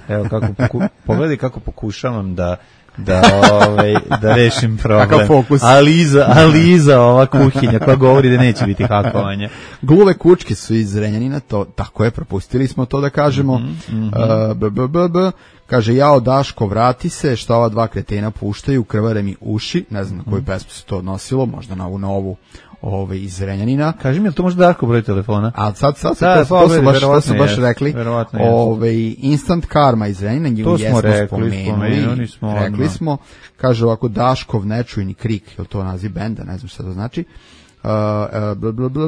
Evo kako, poku, pogledaj kako pokušavam da da ovaj da rešim problem. Aliza, Aliza ova kuhinja koja govori da neće biti hakovanja. Gluve kučke su iz Zrenjanina, to tako je, propustili smo to da kažemo. Mm-hmm. Uh, b, b, b, b. Kaže, jao Daško, vrati se, šta ova dva kretena puštaju, krvare mi uši, ne znam na koju pesmu se to odnosilo, možda na ovu novu ove iz Zrenjanina. Kaži mi, je li to možda Darko broj telefona? A sad, sad, sad, sad to, to su baš, to su baš rekli. Ove, Instant Karma iz Zrenjanina, nju jesmo rekli, spomenuli, smo, rekli no. smo, kaže ovako, Daškov nečujni krik, je li to naziv benda, ne znam šta to znači. Uh, bla, bla, bla,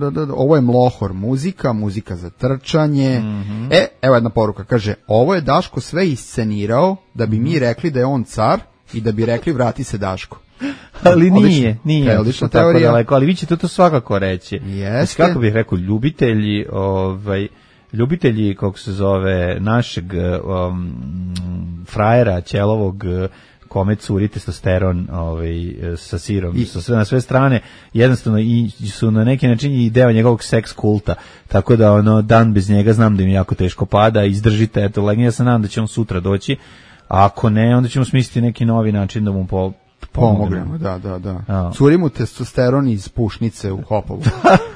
bla, ovo je Mlohor muzika, muzika za trčanje. Mm-hmm. E, evo jedna poruka, kaže, ovo je Daško sve iscenirao da bi mi rekli da je on car i da bi rekli vrati se Daško. Ali nije, nije, odlična teorija. Daleko, ali vi ćete to svakako reći. Jeste. Kako bih rekao, ljubitelji, ovaj, ljubitelji, kako se zove, našeg um, frajera, ćelovog, kome curi testosteron ovaj, sa sirom, I, sa sve, na sve strane, jednostavno i su na neki način i deo njegovog seks kulta, tako da ono, dan bez njega znam da im jako teško pada, izdržite, eto, legnje, ja se nadam da će on sutra doći, a ako ne, onda ćemo smisliti neki novi način da mu po pomognemo, da, da, da. A. Curi mu testosteron iz pušnice u Hopovu.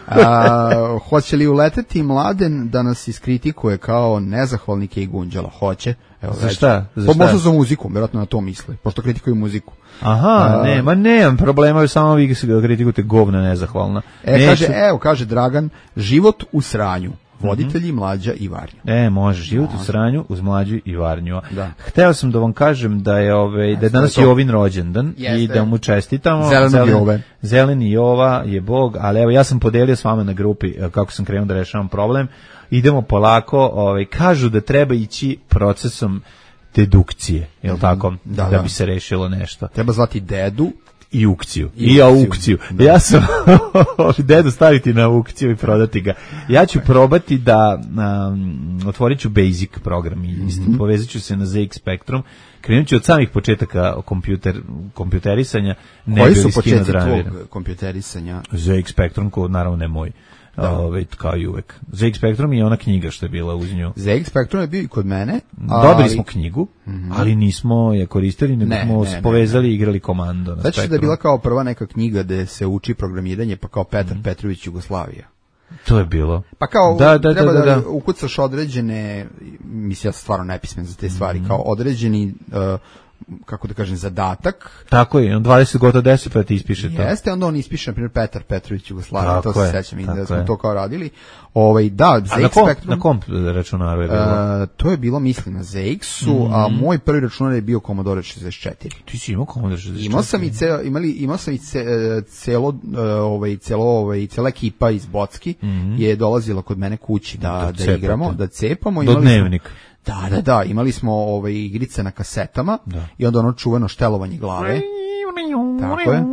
A, hoće li uleteti Mladen da nas iskritikuje kao nezahvalnike i gunđala? Hoće. Evo, za šta? Za pa možda za muziku, vjerojatno na to misle, pošto kritikuju muziku. Aha, A, ne, ma nemam problema, samo vi kritikujete govna nezahvalna. E, Neću... kaže, evo, kaže Dragan, život u sranju. Voditelji, Mlađa i Varnju. E, može, život u sranju uz Mlađu i Varnju. Da. Hteo sam da vam kažem da je ovaj da je danas Jovin rođendan i da mu čestitamo. Zeleni Jove. Zeleni Jova je bog, ali evo ja sam podelio s vama na grupi kako sam krenuo da rešavam problem. Idemo polako, ovaj kažu da treba ići procesom dedukcije, je l' tako? Da, da, da bi se rešilo nešto. Treba zvati dedu i aukciju. I, I aukciju. Da. Ja sam dedu staviti na aukciju i prodati ga. Ja ću probati da um, otvorit ću Basic program i mm-hmm. povezat ću se na Z X Spectrum. Krenut ću od samih početaka kompjuter, kompjuterisanja. Ne Koji su početci tvog kompjuterisanja? Z X Spectrum, ko naravno ne moj. Da. Ove, kao i uvek. Z X Spectrum je ona knjiga što je bila uz nju. Z X Spectrum je bio i kod mene. Ali... Dobili smo knjigu, mm-hmm. ali nismo je koristili, nego ne, smo ne, povezali i igrali komando na znači Spektrum. Da je bila kao prva neka knjiga gde se uči programiranje, pa kao Petar mm-hmm. Petrović Jugoslavija. To je bilo. Pa kao da, da, treba da, da, da. da ukucaš određene, mislim ja sam stvarno nepismen za te stvari, mm-hmm. kao određeni uh, kako da kažem, zadatak. Tako je, on dvadeset gotovo deset puta ispiše to. Jeste, onda on ispiše, na primjer, Petar Petrović Jugoslavija, to se je, sećam, da smo je. to kao radili. Ovaj, da, a na kom, na kom računaru je bilo? Uh, to je bilo, mislim, na Z X-u, mm. a moj prvi računar je bio Commodore šezdeset četiri. Ti si imao Commodore šezdeset četiri? Imao sam i, ce, imali, imao sam i ce, celo, uh, ovaj, celo, ovaj, cela ekipa iz Bocki mm. je dolazila kod mene kući da, da, da igramo, da cepamo. Do dnevnika. Da, da, da, imali smo ove igrice na kasetama da. I onda ono čuveno štelovanje glave. Tako je.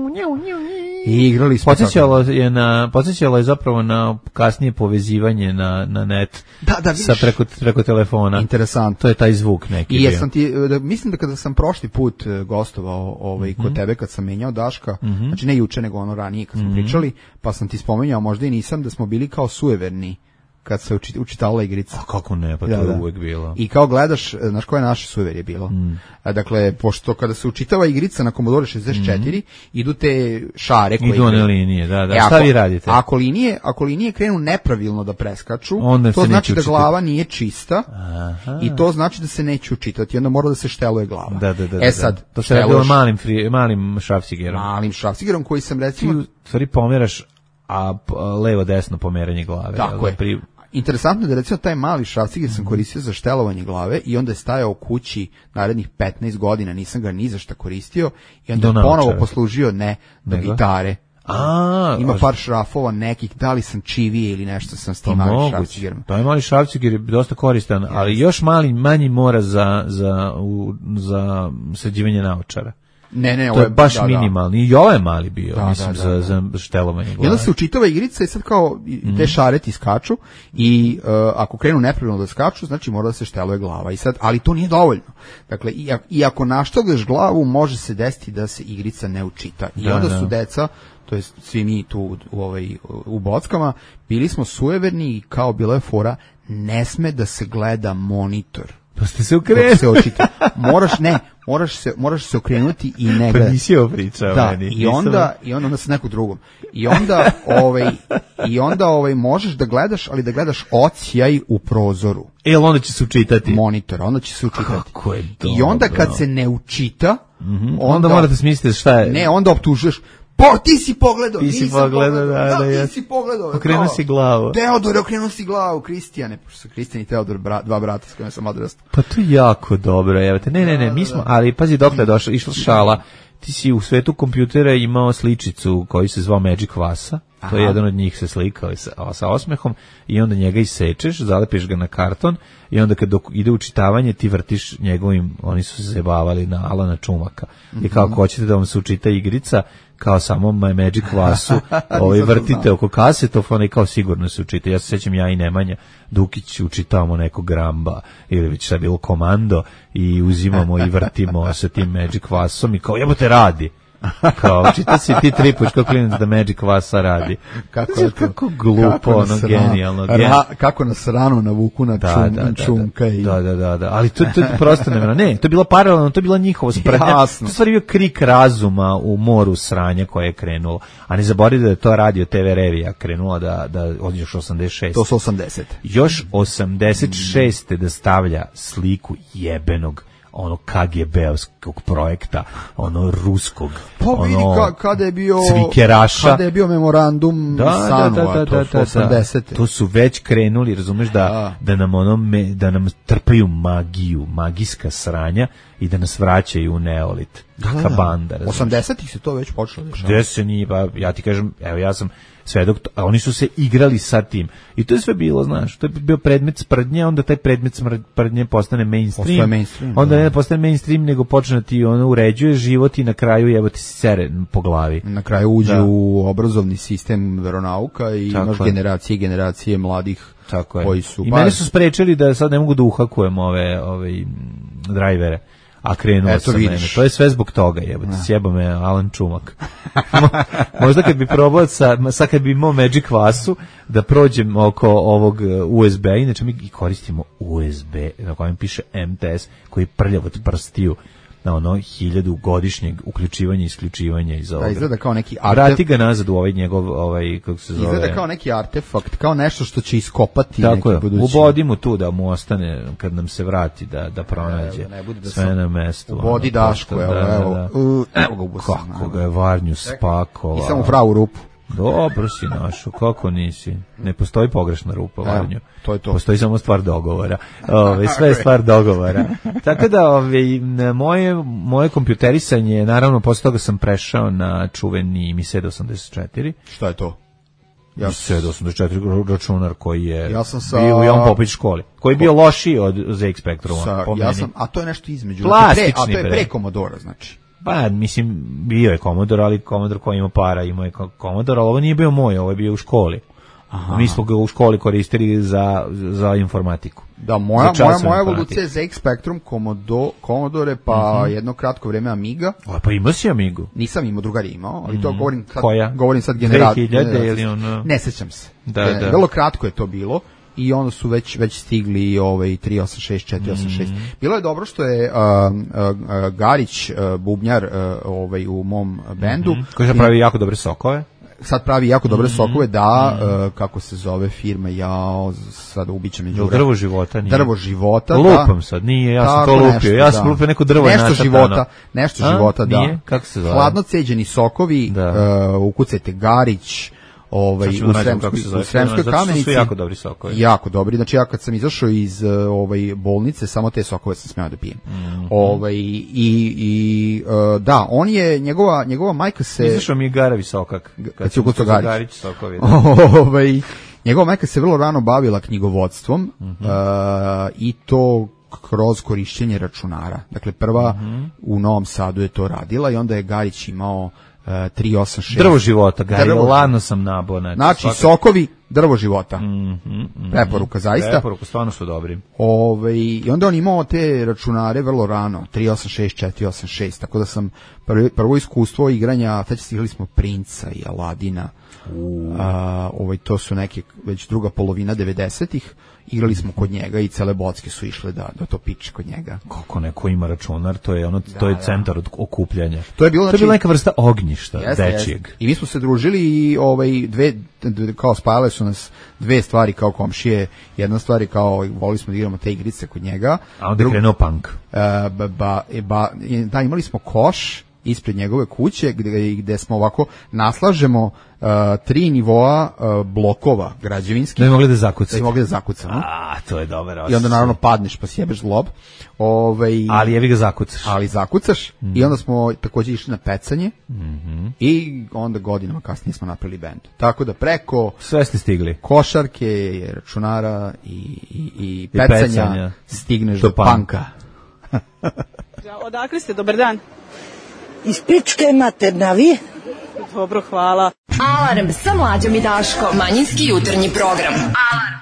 I igrali smo. Podsjećalo je na podsjećalo je zapravo na kasnije povezivanje na na net. Da, da, sa preko preko telefona. Interesantno. To je taj zvuk neki. I jesam ti da, mislim da kada sam prošli put gostovao ovaj mm-hmm. kod tebe kad sam menjao Daška, mm-hmm. znači ne juče nego ono ranije kad smo mm-hmm. pričali, pa sam ti spomenuo, možda i nisam, da smo bili kao sujeverni kad se uči, učitala igrica. A kako ne, pa to da, je uvek bilo. I kao gledaš, znaš koje naše sujeverje bilo? Mm. Dakle, pošto kada se učitava igrica na Commodore šezdeset četiri, mm. idu te šare koje idu one linije, da, da. E, šta ako, vi radite? Ako linije, ako linije krenu nepravilno da preskaču, onda to znači da učiti. glava nije čista. Aha. I to znači da se neće učitati, onda mora da se šteluje glava. Da, da, da, e sad, da. To se radilo malim, free, malim šrafcigerom. Malim šrafcigerom koji sam recimo... Ti u stvari pomeraš, a levo-desno pomeranje glave. Tako je. Pri... Interesantno je da recimo taj mali šrafciger sam koristio za štelovanje glave i onda je stajao u kući narednih petnaest godina, nisam ga ni za šta koristio i onda je ponovo poslužio ne do Nego? gitare. A, ima par šrafova nekih, da li sam čivije ili nešto sam s tim malim šrafcigerom. To je mali šrafciger je dosta koristan, yes. ali još mali, manji mora za, za, u, za sređivanje naočara. Ne, ne, to je baš da, minimalni. I ovo je mali bio, da, mislim, da, da, da. za, za štelovanje glave. I onda se učitava igrica i sad kao te šareti skaču i uh, ako krenu nepravilno da skaču, znači mora da se šteluje glava. I sad, ali to nije dovoljno. Dakle, i, i ako našteluješ glavu, može se desiti da se igrica ne učita. I da, onda su da. deca, to jest svi mi tu u, u, ovaj, u Bockama, bili smo sujeverni i kao bila je fora, ne sme da se gleda monitor. Pa ste se okrenuli. Se očita. Moraš, ne, moraš se, moraš se okrenuti i ne gledati. Pa nisi ovo pričao da, meni. I onda, i onda, onda sa nekog drugom. I onda, ovaj, i onda ovaj, možeš da gledaš, ali da gledaš ocijaj u prozoru. E, onda će se učitati. Monitor, onda će se učitati. Kako je dobro. I onda kad se ne učita, mm-hmm. onda, onda morate smisliti šta je. Ne, onda optužuješ. Po, ti si pogledao, ti si pogledao, da, da, da, ti si pogledao. Okrenuo si glavu. Teodor, okrenuo si glavu, Kristijane, pošto su Kristijan i Teodor, bra, dva brata s kojima sam odrastao. Pa to je jako dobro, evo te, ne, ne, ne, mi smo, ali pazi dokle je došla, išla šala, ti si u svetu kompjutera imao sličicu koji se zvao Magic Vasa, to je jedan od njih se slikao sa, sa osmehom i onda njega isečeš, zalepiš ga na karton i onda kad dok ide učitavanje ti vrtiš njegovim, oni su se zajebavali na Alana Čumaka. Mm-hmm. I kao ako hoćete da vam se učita igrica, kao samo Magic Vasu, ovaj vrtite oko kasetofona i kao sigurno se učite. Ja se sećam ja i Nemanja Dukić učitavamo neko Gramba ili već šta bilo Komando i uzimamo i vrtimo sa tim Magic Vasom i kao jebote radi. Kao, čita si ti tri puč kao klinac da Magic Vasa radi. Kako, znači, kako glupo, kako ono, genijalno. Ra, kako nas rano navuku na da, čum, da, čumka. Da, i... da, da, da, da, ali to, to je prosto nevjerojatno. Ne, to je bilo paralelno, to je bila njihova sprednja. To je stvari bio krik razuma u moru sranja koje je krenulo. A ne zaboravite da je to radio te ve revija krenula da, da od još osamdeset šest. To su osamdeset. Još osamdeset šest. da stavlja sliku jebenog ono ka ge be-ovskog projekta, ono ruskog, pa ono vidi ka, kada je bio cvikeraša, kada je bio memorandum da, Sanova, da, da, da, to su osamdesete. To su već krenuli, razumeš da, da. da nam ono me, da nam trpaju magiju, magijska sranja i da nas vraćaju u neolit. Kakva banda, razumeš. osamdesetih se to već počelo dešavati. Gde se nije, pa ja ti kažem, evo ja sam svedok, a oni su se igrali sa tim. I to je sve bilo, znaš, to je bio predmet sprdnje, onda taj predmet sprdnje postane mainstream. mainstream onda da. ne postane mainstream, nego počne ti ono uređuje život i na kraju jebo ti sere po glavi. Na kraju uđe da. u obrazovni sistem veronauka i tako imaš je. generacije i generacije mladih tako koji su... I baš... mene su sprečili da sad ne mogu da uhakujem ove, ove drajvere. A krenuo sam mene. To je sve zbog toga, jebote, sjeba me Alan Čumak. Možda kad bi probao sa, sad kad bi imao Magic Vasu, da prođem oko ovog u es be, inače mi koristimo u es be, na kojem piše em te es, koji je prljav od prstiju. na ono hiljadu godišnjeg uključivanja i isključivanja iz ovoga. Da, izgleda kao neki artefakt. Vrati ga nazad u ovaj njegov, ovaj, kako se zove. Izgleda kao neki artefakt, kao nešto što će iskopati tako neki budući. Ubodi mu tu da mu ostane, kad nam se vrati, da, da pronađe ne, ne da sve sam, na mestu. Ubodi ono, Dašku, evo, da, evo, da. Uh, evo ga ubusam. Kako ga je Varnju spakovao. I samo pravu rupu. Dobro si našo, kako nisi? Ne postoji pogrešna rupa, Varnju. To je to. Postoji samo stvar dogovora. Ove, sve je stvar dogovora. Tako da ove, moje, moje kompjuterisanje, naravno, posle toga sam prešao na čuveni Mi sedam osamdeset četiri. Šta je to? Ja sedam osamdeset četiri računar koji je ja sam sa, bio u Jovan Popović školi, koji je bio lošiji od Z X Spectruma. Sa, po ja meni. sam, a to je nešto između. Plastični, pre, a to je pre. pre Commodore, znači. Pa, mislim, bio je Commodore, ali Commodore koji ima para, imao je Commodore, ali ovo nije bio moj, ovo je bio u školi. Aha. Mi smo ga u školi koristili za, za informatiku. Da, moja, moja, moja evolucija je Z X Spectrum, Commodore, Commodore pa uh-huh. jedno kratko vreme Amiga. A, pa imao si Amigu? Nisam imao, drugar je imao, ali to govorim sad, koja? Govorim sad generacija. dve hiljade ili ono? Ne sećam se. Da, e, da. Vrlo kratko je to bilo. I onda su već već stigli ovaj tri osam šest četiri osam šest. Mm. Bilo je dobro što je uh, uh, Garić uh, bubnjar uh, ovaj u mom bendu, mm-hmm. koji pravi jako dobre sokove. Sad pravi jako dobre mm-hmm. sokove, da, mm-hmm. uh, kako se zove firma, ja sad ubićem me đura. Drvo života nije. Drvo života, lupam da. sad, nije, ja tako, sam to lupio. Nešto, ja sam da. lupio neko drvo nešto načatano. života, nešto A? života, da. Nije? Kako se zove? Hladno ceđeni sokovi, da. uh, ukucajte Garić, ovaj u Sremskoj, u Sremskoj Kamenici su jako dobri sokovi. Jako dobri. Znači ja kad sam izašao iz ovaj bolnice, samo te sokove sam smeo da pijem. Mm-hmm. Ovaj i i uh, da, on je njegova njegova majka se izašao mi je Garavi sokak. Kad, kad se ukucao Garić. Garić sokovi. Ovaj njegova majka se vrlo rano bavila knjigovodstvom mm-hmm. uh, i to kroz korišćenje računara. Dakle prva mm-hmm. u Novom Sadu je to radila i onda je Garić imao tri osam šest. Drvo života, ga je ladno sam nabo. Znači, znači svaka... sokovi, drvo života. Mm-hmm, mm-hmm. Preporuka, zaista. Preporuka, stvarno su dobri. Ove, I onda on imao te računare vrlo rano, tri osam šest, četiri osam šest, tako da sam prvi, prvo iskustvo igranja, tad stigli smo Princa i Aladina. A, ovaj, to su neke, već druga polovina devedesetih. Igrali smo kod njega i cele bocke su išle da, da to piče kod njega. Kako neko ima računar, to je ono, da, to je da. centar od okupljanja. To je bilo, znači, znači, to je bila neka vrsta ognjišta, jeste, dečijeg. Jeste. I mi smo se družili i ovaj, dve, dve, kao spajale su nas dve stvari kao komšije. Jedna stvar je kao, volili smo da igramo te igrice kod njega. A onda je krenuo punk. Uh, ba, ba, ba, da, imali smo koš ispred njegove kuće gde, gde smo ovako naslažemo uh, tri nivoa uh, blokova građevinskih. Da bi mogli da zakucamo. Da bi mogli da zakucamo. A, to je dobar osjećaj. I onda naravno padneš pa sjebeš zlob. Ovaj, ali jevi ga zakucaš. Ali zakucaš. Mm. I onda smo također išli na pecanje. Mm-hmm. I onda godinama kasnije smo napravili bend. Tako da preko... Sve ste stigli. Košarke, računara i, i, i pecanja, I pecanja stigneš do, do panka. Odakle ste? Dobar dan. Iz pičke materna, vi? Dobro, hvala. Alarm sa Mlađom i Daškom. Manjinski jutarnji program. Alarm.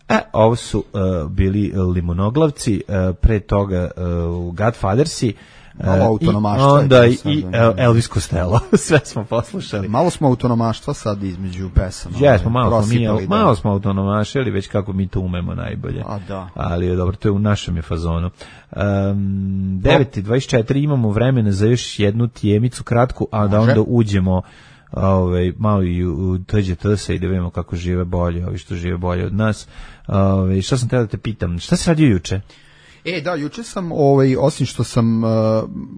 E, ovo su uh, bili limonoglavci, uh, pre toga uh, Godfathersi, malo autonomaštva. Onda i, i Elvis Costello. Sve smo poslušali. Malo smo autonomaštva sad između pesama. Ja, smo malo, mi, malo smo autonomašili, već kako mi to umemo najbolje. A da. Ali je dobro, to je u našem je fazonu. Um, devet i dvadeset četiri imamo vremena za još jednu tijemicu kratku, a da onda uđemo ovaj malo i u T Ž T se i da vidimo kako žive bolje, ovi što žive bolje od nas. Ovaj šta sam te da te pitam, šta se radio juče? E, da, juče sam, ovaj, osim što sam uh,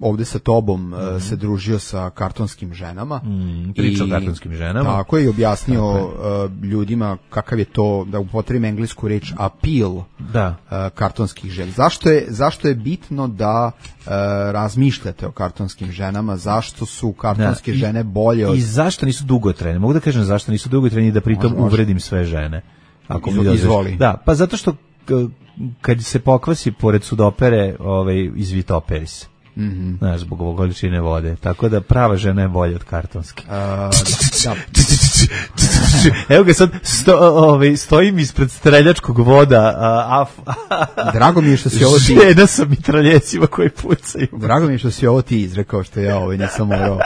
ovde sa tobom uh, mm. se družio sa kartonskim ženama. Mm, pričao o kartonskim ženama. Tako je, i objasnio uh, ljudima kakav je to, da upotrebim englesku reč, appeal da. Uh, kartonskih žena. Zašto je, zašto je bitno da uh, razmišljate o kartonskim ženama, zašto su kartonske da. žene bolje od... I zašto nisu dugotrajne? Mogu da kažem zašto nisu dugotrajne i da pritom može, uvredim može. sve žene. Ako Izvoli. mi Izvoli. Da, pa zato što kad se pokvasi pored sudopere, ovaj, izvitoperi se. Mm-hmm. Znaš, zbog ovog količine vode. Tako da prava žena je bolja od kartonske. Uh, da. Evo ga sad, sto, ovaj, stojim ispred streljačkog voda, a, a, Drago mi je što si ovo ti... Žena sa mitraljecima koji pucaju. Drago mi je što si ovo ti izrekao, što ja ovaj nisam morao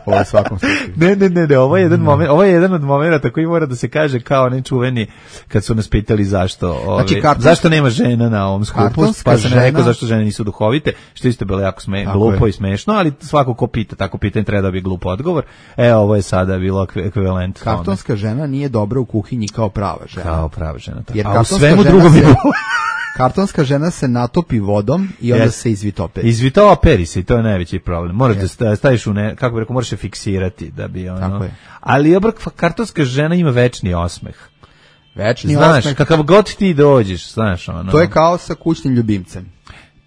ovo svakom slučaju. Ne, ne, ne, ne, ovo je jedan mm. moment, ovo je jedan od momenata koji mora da se kaže kao nečuveni kad su nas pitali zašto, ovaj, znači, kartonska, zašto nema žena na ovom skupu, pa sam žena... rekao zašto žene nisu duhovite, što isto bilo jako sme, glupo je. I smešno, ali svako ko pita tako pitanje treba da bi glup odgovor. E, ovo je sada bilo ekvivalent. Kartonska tome. Žena nije dobra u kuhinji kao prava žena. Kao prava žena. Tako. Jer a u svemu drugom je kartonska žena se natopi vodom i onda yes. se izvitoperi. Izvitoperi se i to je najveći problem. Moraš yes. da staviš u ne, kako bi rekao, moraš je fiksirati da bi ono. Tako je. Ali obrak kartonska žena ima večni osmeh. Večni znaš, osmeh. Kakav god ti dođeš, znaš ono. To je kao sa kućnim ljubimcem.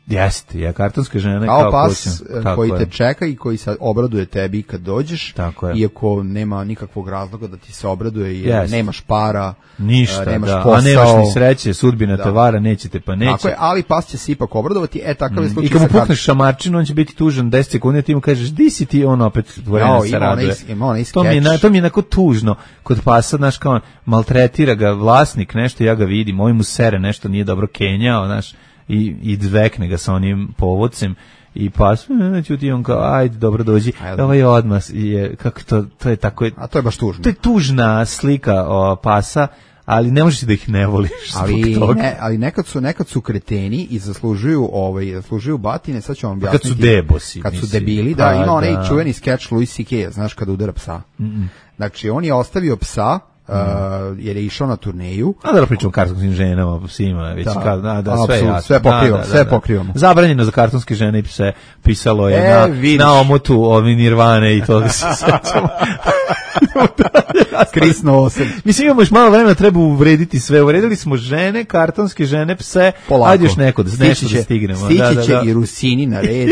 Jeste, je kartonska žena kao, kao pas koji te čeka i koji se obraduje tebi kad dođeš, iako nema nikakvog razloga da ti se obraduje jer yes. nemaš para, ništa, nemaš da. posao, a nemaš ni sreće, sudbina da. te vara, nećete pa neće. Tako je, ali pas će se ipak obradovati, e takav je slučaj. I kad mu pukneš šamarčinu, on će biti tužan deset sekundi, ti mu kažeš, di si ti, on opet vremena se raduje. To mi, je, to mi je onako tužno kod pasa, znaš, kao maltretira ga vlasnik, nešto, ja ga vidim, ovaj mu sere, nešto nije dobro kenjao, znaš, i, i dvekne ga sa onim povodcem i pas, neću ti on kao, ajde, dobro dođi, ovaj odmah je, kako to, to je tako, a to je baš tužno. To je tužna slika o, pasa, ali ne možeš da ih ne voliš ali, zbog toga. Ne, ali nekad su, nekad su kreteni i zaslužuju, ovaj, zaslužuju batine, sad ću vam objasniti. Kad su debosi. Kad su debili, da, ima onaj da. čuveni skeč Louis C K, znaš, kada udara psa. Mm-mm. Znači, on je ostavio psa, Uh, jer je išao na turneju. A da pričamo o kartonskim ženama, psima, već da, ka, da, da sve jasno. Sve pokrivamo, da, da, sve da. pokrivamo. Zabranjeno za kartonske žene i pse, pisalo je e, na, vidiš. na omotu ovi Nirvane i toga se sećamo. Krisno osam. Mislim, imamo još malo vremena, treba uvrediti sve. Uvredili smo žene, kartonske žene, pse. Polako. Ajde još neko da, nešto da stignemo. Stići da, da, će da. i Rusini na red.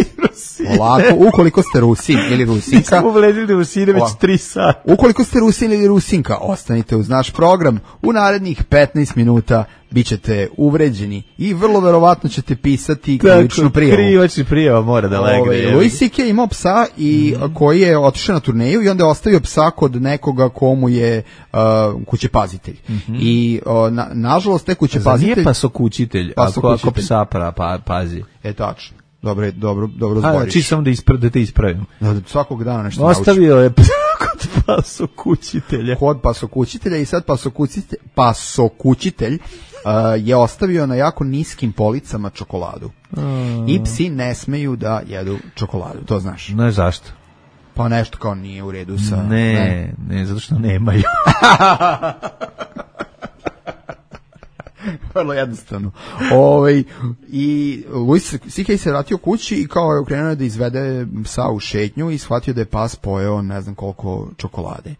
Polako, ukoliko ste Rusin ili Rusinka. Mi smo uvredili Rusine već tri sata. Ukoliko ste Rusin ili Rusinka, ostanite uz naš program. U narednih petnaest minuta bit ćete uvređeni i vrlo verovatno ćete pisati krivičnu prijavu. Krivični prijava mora da legne. Ove, Louis C K je imao psa i mm. koji je otišao na turneju i onda je ostavio psa kod nekoga komu je uh, kućepazitelj. Mm-hmm. I uh, na, nažalost te kućepazitelj... Nije pasokućitelj, ako, ako psa pra, pa, pazi. E tačno. Dobro, dobro, dobro zboriš. Či sam da, ispra, da te ispravim. Da, svakog dana nešto ostavio nauči. Je kod pasokućitelja. Kod pasokućitelja i sad pasokućitelj, pasokućitelj uh, je ostavio na jako niskim policama čokoladu. Mm. I psi ne smeju da jedu čokoladu, to znaš. Ne, zašto? Pa nešto kao nije u redu sa... Ne, ne, ne zato što nemaju. Vrlo jednostavno. Ovaj i Louis C K se vratio kući i kao je krenuo da izvede psa u šetnju i shvatio da je pas pojeo ne znam koliko čokolade.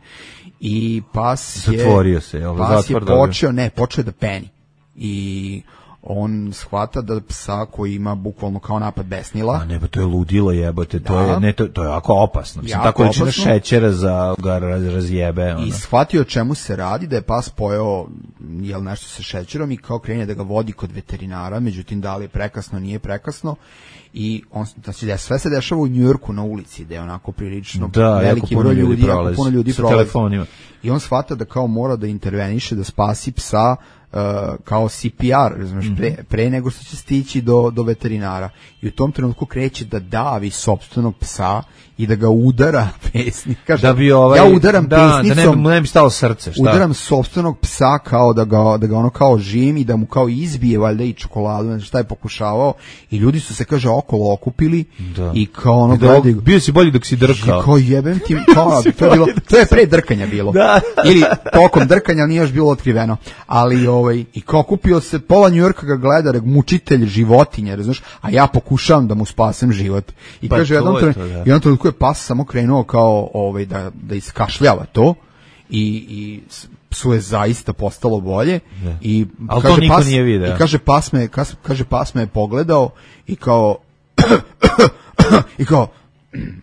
I pas je zatvorio se, ovaj pas je počeo, ne, počeo da peni. I on shvata da psa koji ima bukvalno kao napad besnila. A ne, pa to je ludilo jebote, to da. je ne to, to je jako opasno. Mislim, tako količina šećera za ga raz, razjebe. Ono. I shvatio čemu se radi, da je pas pojeo jel nešto sa šećerom i kao krene da ga vodi kod veterinara, međutim da li je prekasno, nije prekasno. I on, znači, da sve se dešava u Njujorku na ulici, da je onako prilično da, veliki broj ljudi, ljudi jako puno ljudi prolazi. Telefonima. I on shvata da kao mora da interveniše, da spasi psa, Uh, kao C P R, razumiješ, mm-hmm. pre, pre nego što će stići do, do veterinara. I u tom trenutku kreće da davi sopstvenog psa i da ga udara pesnik. Kaže, da bi ovaj, ja udaram da, pesnicom, da ne, ne bi stalo srce. Šta? Udaram sopstvenog psa kao da ga, da ga ono kao žim i da mu kao izbije valjda i čokoladu, znači šta je pokušavao. I ljudi su se, kaže, okolo okupili da. I kao ono... Da, gledaju, bio si bolji dok si drkao. I kao jebem ti, kao, to, je bilo, to je pre drkanja bilo. Da. Ili tokom drkanja, nije još bilo otkriveno. Ali ovaj, i kao kupio se, pola Njujorka ga gleda, mučitelj životinje, razumiješ, a ja pokušavam da mu spasem život. I pa kaže, jednom trenutku je pas samo krenuo kao ovaj, da, da iskašljava to i, i psu je zaista postalo bolje. Ne. I ali kaže, to niko pas, nije video. I kaže, pas me, kaže, pas me je pogledao i kao i kao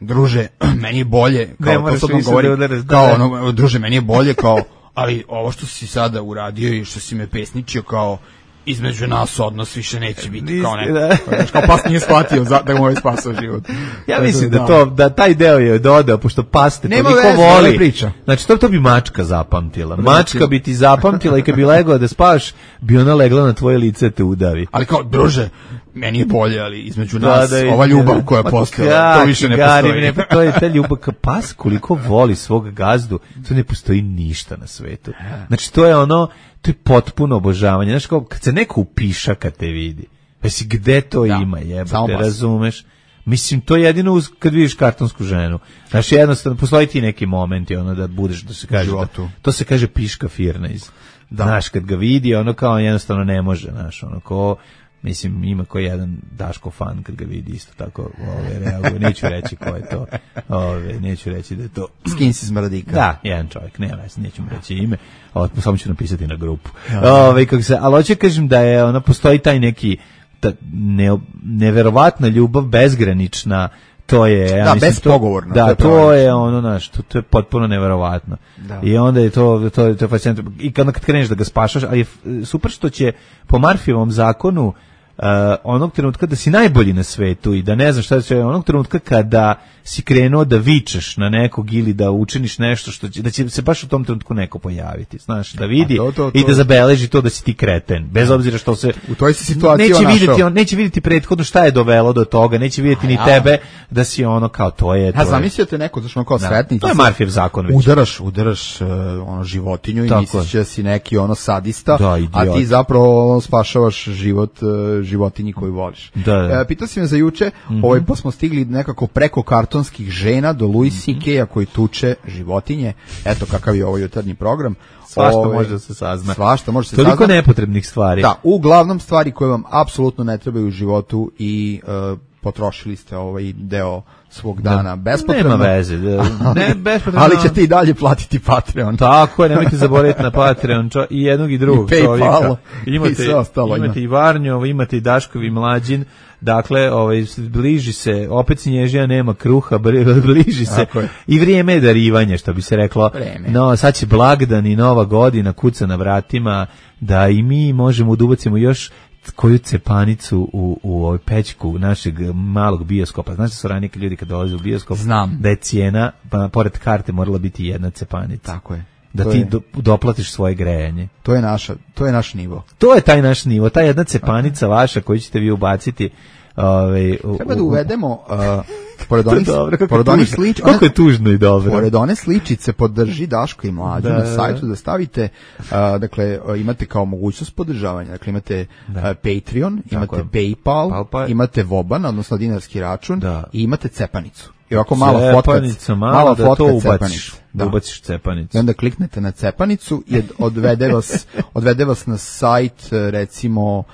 druže, meni je bolje, kao to sad nam govori, kao ono, druže, meni je bolje, kao ali ovo što si sada uradio i što si me pesničio, kao između nas odnos više neće biti kao neko. Da. Kao pas nije shvatio za, da mu je spasao život. Ja mislim da to, da taj deo je dodao, pošto pas te toliko voli. Priča. Znači, to, to bi mačka zapamtila. Mačka bi ti zapamtila i kad bi legla da spavaš, bi ona legla na tvoje lice te udavi. Ali kao, druže, meni je bolje, ali između nas, da, da, ova ljubav koja je postojala, to više ne postoji. Ne, to je ta ljubav, pas koliko voli svog gazdu, to ne postoji ništa na svetu. Znači, to je ono, to je potpuno obožavanje. Znaš, kao, kad se neko upiša kad te vidi, pa si gde to da, ima, jebate, razumeš? Mislim, to je jedino uz, kad vidiš kartonsku ženu. Znaš, jednostavno, postoji ti neki momenti, ono, da budeš, da se kaže, da, to se kaže piška firna iz, da. Znaš, kad ga vidi, ono, kao, jednostavno ne može, znaš, ono, ko, mislim, ima ko jedan Daško fan kad ga vidi isto tako, ove, reaguje, neću reći ko je to, ove, neću reći da je to... Skin si smradika. Da, jedan čovjek, nema veze, neću mu reći ime, ove, samo ću napisati na grupu. Ove, kako se, ali hoće kažem da je, ono, postoji taj neki, ta, ne, neverovatna ljubav, bezgranična, to je, ja da, mislim, bespogovorno. Da, to, to je ono, znaš, to, to je potpuno neverovatno. Da. I onda je to, to, to je fascinantno. I kad, kad kreneš da ga spašaš, ali je super što će po Murphyjevom zakonu Uh, onog trenutka da si najbolji na svetu i da ne znaš šta će, onog trenutka kada si krenuo da vičeš na nekog ili da učiniš nešto što će, da će se baš u tom trenutku neko pojaviti, znaš, da vidi to, to, to. I da zabeleži to da si ti kreten, bez obzira što se u toj si situaciji neće vidjeti, on neće vidjeti prethodno šta je dovelo do toga, neće vidjeti ni ja. tebe da si ono kao to je. A zamislite neko znači ono kao da. Sretni, to je Murphyjev zakon već. Udaraš, udaraš uh, ono životinju i misliš da si neki ono sadista, da, a ti zapravo spašavaš život uh, životinji koju voliš. Da, da. E, pitao si me za juče, mm-hmm. ovaj, pa smo stigli nekako preko kartonskih žena do Louis C K-a koji tuče životinje. Eto kakav je ovo jutarnji program. Svašta Ove, može da se sazna. Svašta može se Toliko sazna. nepotrebnih stvari. Da, uglavnom stvari koje vam apsolutno ne trebaju u životu i uh, potrošili ste ovaj deo svog dana da, bespotrebno. Nema veze. Da, ne, bespotrebno. Ali ćete i dalje platiti Patreon. Tako je, nemojte zaboraviti na Patreon čo, i jednog i drugog I čovjeka. Imate, i sve ostalo. Imate ima. I Varnjov, imate i Daškovi Mlađin. Dakle, ovaj, bliži se, opet snježija, nema kruha, bliži se. I vrijeme je darivanje, što bi se reklo. Vreme. No, sad će blagdan i nova godina, kuca na vratima, da i mi možemo da ubacimo još koju cepanicu u, u ovoj pećku našeg malog bioskopa. Znaš da su ranije ljudi kad dolaze u bioskop? Znam. Da je cijena, pa pored karte morala biti jedna cepanica. Tako je. Da to ti je, do, doplatiš svoje grejanje. To je naša, to je naš nivo. To je taj naš nivo, ta jedna cepanica vaša koju ćete vi ubaciti. Ove, u, treba da uvedemo uh, pored onih, dobro, pored onih sličica, kako je tužno i dobro. Pored one sličice podrži Daško i Mlađu da, na sajtu da stavite, uh, dakle imate kao mogućnost podržavanja, dakle imate uh, Patreon, imate tako PayPal, Palpa. Imate Voban, odnosno dinarski račun da. I imate cepanicu. I ovako mala fotka, mala da fotka to cepanicu. Da ubaciš cepanicu. I onda kliknete na cepanicu i odvede vas, odvede vas na sajt recimo uh,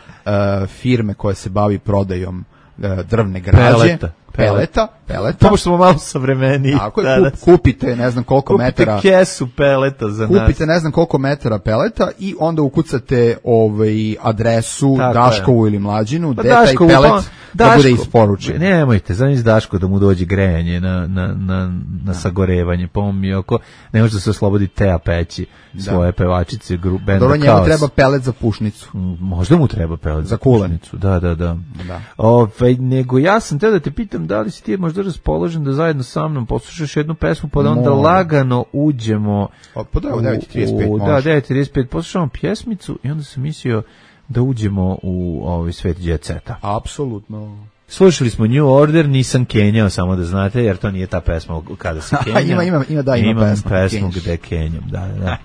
firme koja se bavi prodajom uh, drvne građe. Peleta. Peleta, peleta. To smo malo savremeniji. Tako je, kup, kupite ne znam koliko kupite metara. Kupite kesu peleta za kupite nas. Kupite ne znam koliko metara peleta i onda ukucate ovaj adresu tako Daškovu je. Ili Mlađinu, pa gde taj pelet pa, da Daško, bude isporučen. Nemojte, zamisli Daško da mu dođe grejanje na, na, na, na sagorevanje, pa on mi oko, ne može da se oslobodi Teja peći svoje da. Pevačice, gru, benda Dobro, njemu treba pelet za pušnicu. Možda mu treba pelet za, za pušnicu. Da, da, da. da. Ove, nego ja sam te da te pitam da li si ti možda raspoložen da zajedno sa mnom poslušaš jednu pesmu pa da onda Mo. lagano uđemo o, pa da, u devet i trideset pet. Da, devet i trideset pet poslušamo pjesmicu i onda sam mislio da uđemo u ovaj svet jet seta. Apsolutno. Slušali smo New Order, nisam kenjao, samo da znate, jer to nije ta pesma kada se kenja. ima, ima, ima, da, ima Imam pesma. pesmu gde kenjam, da, da.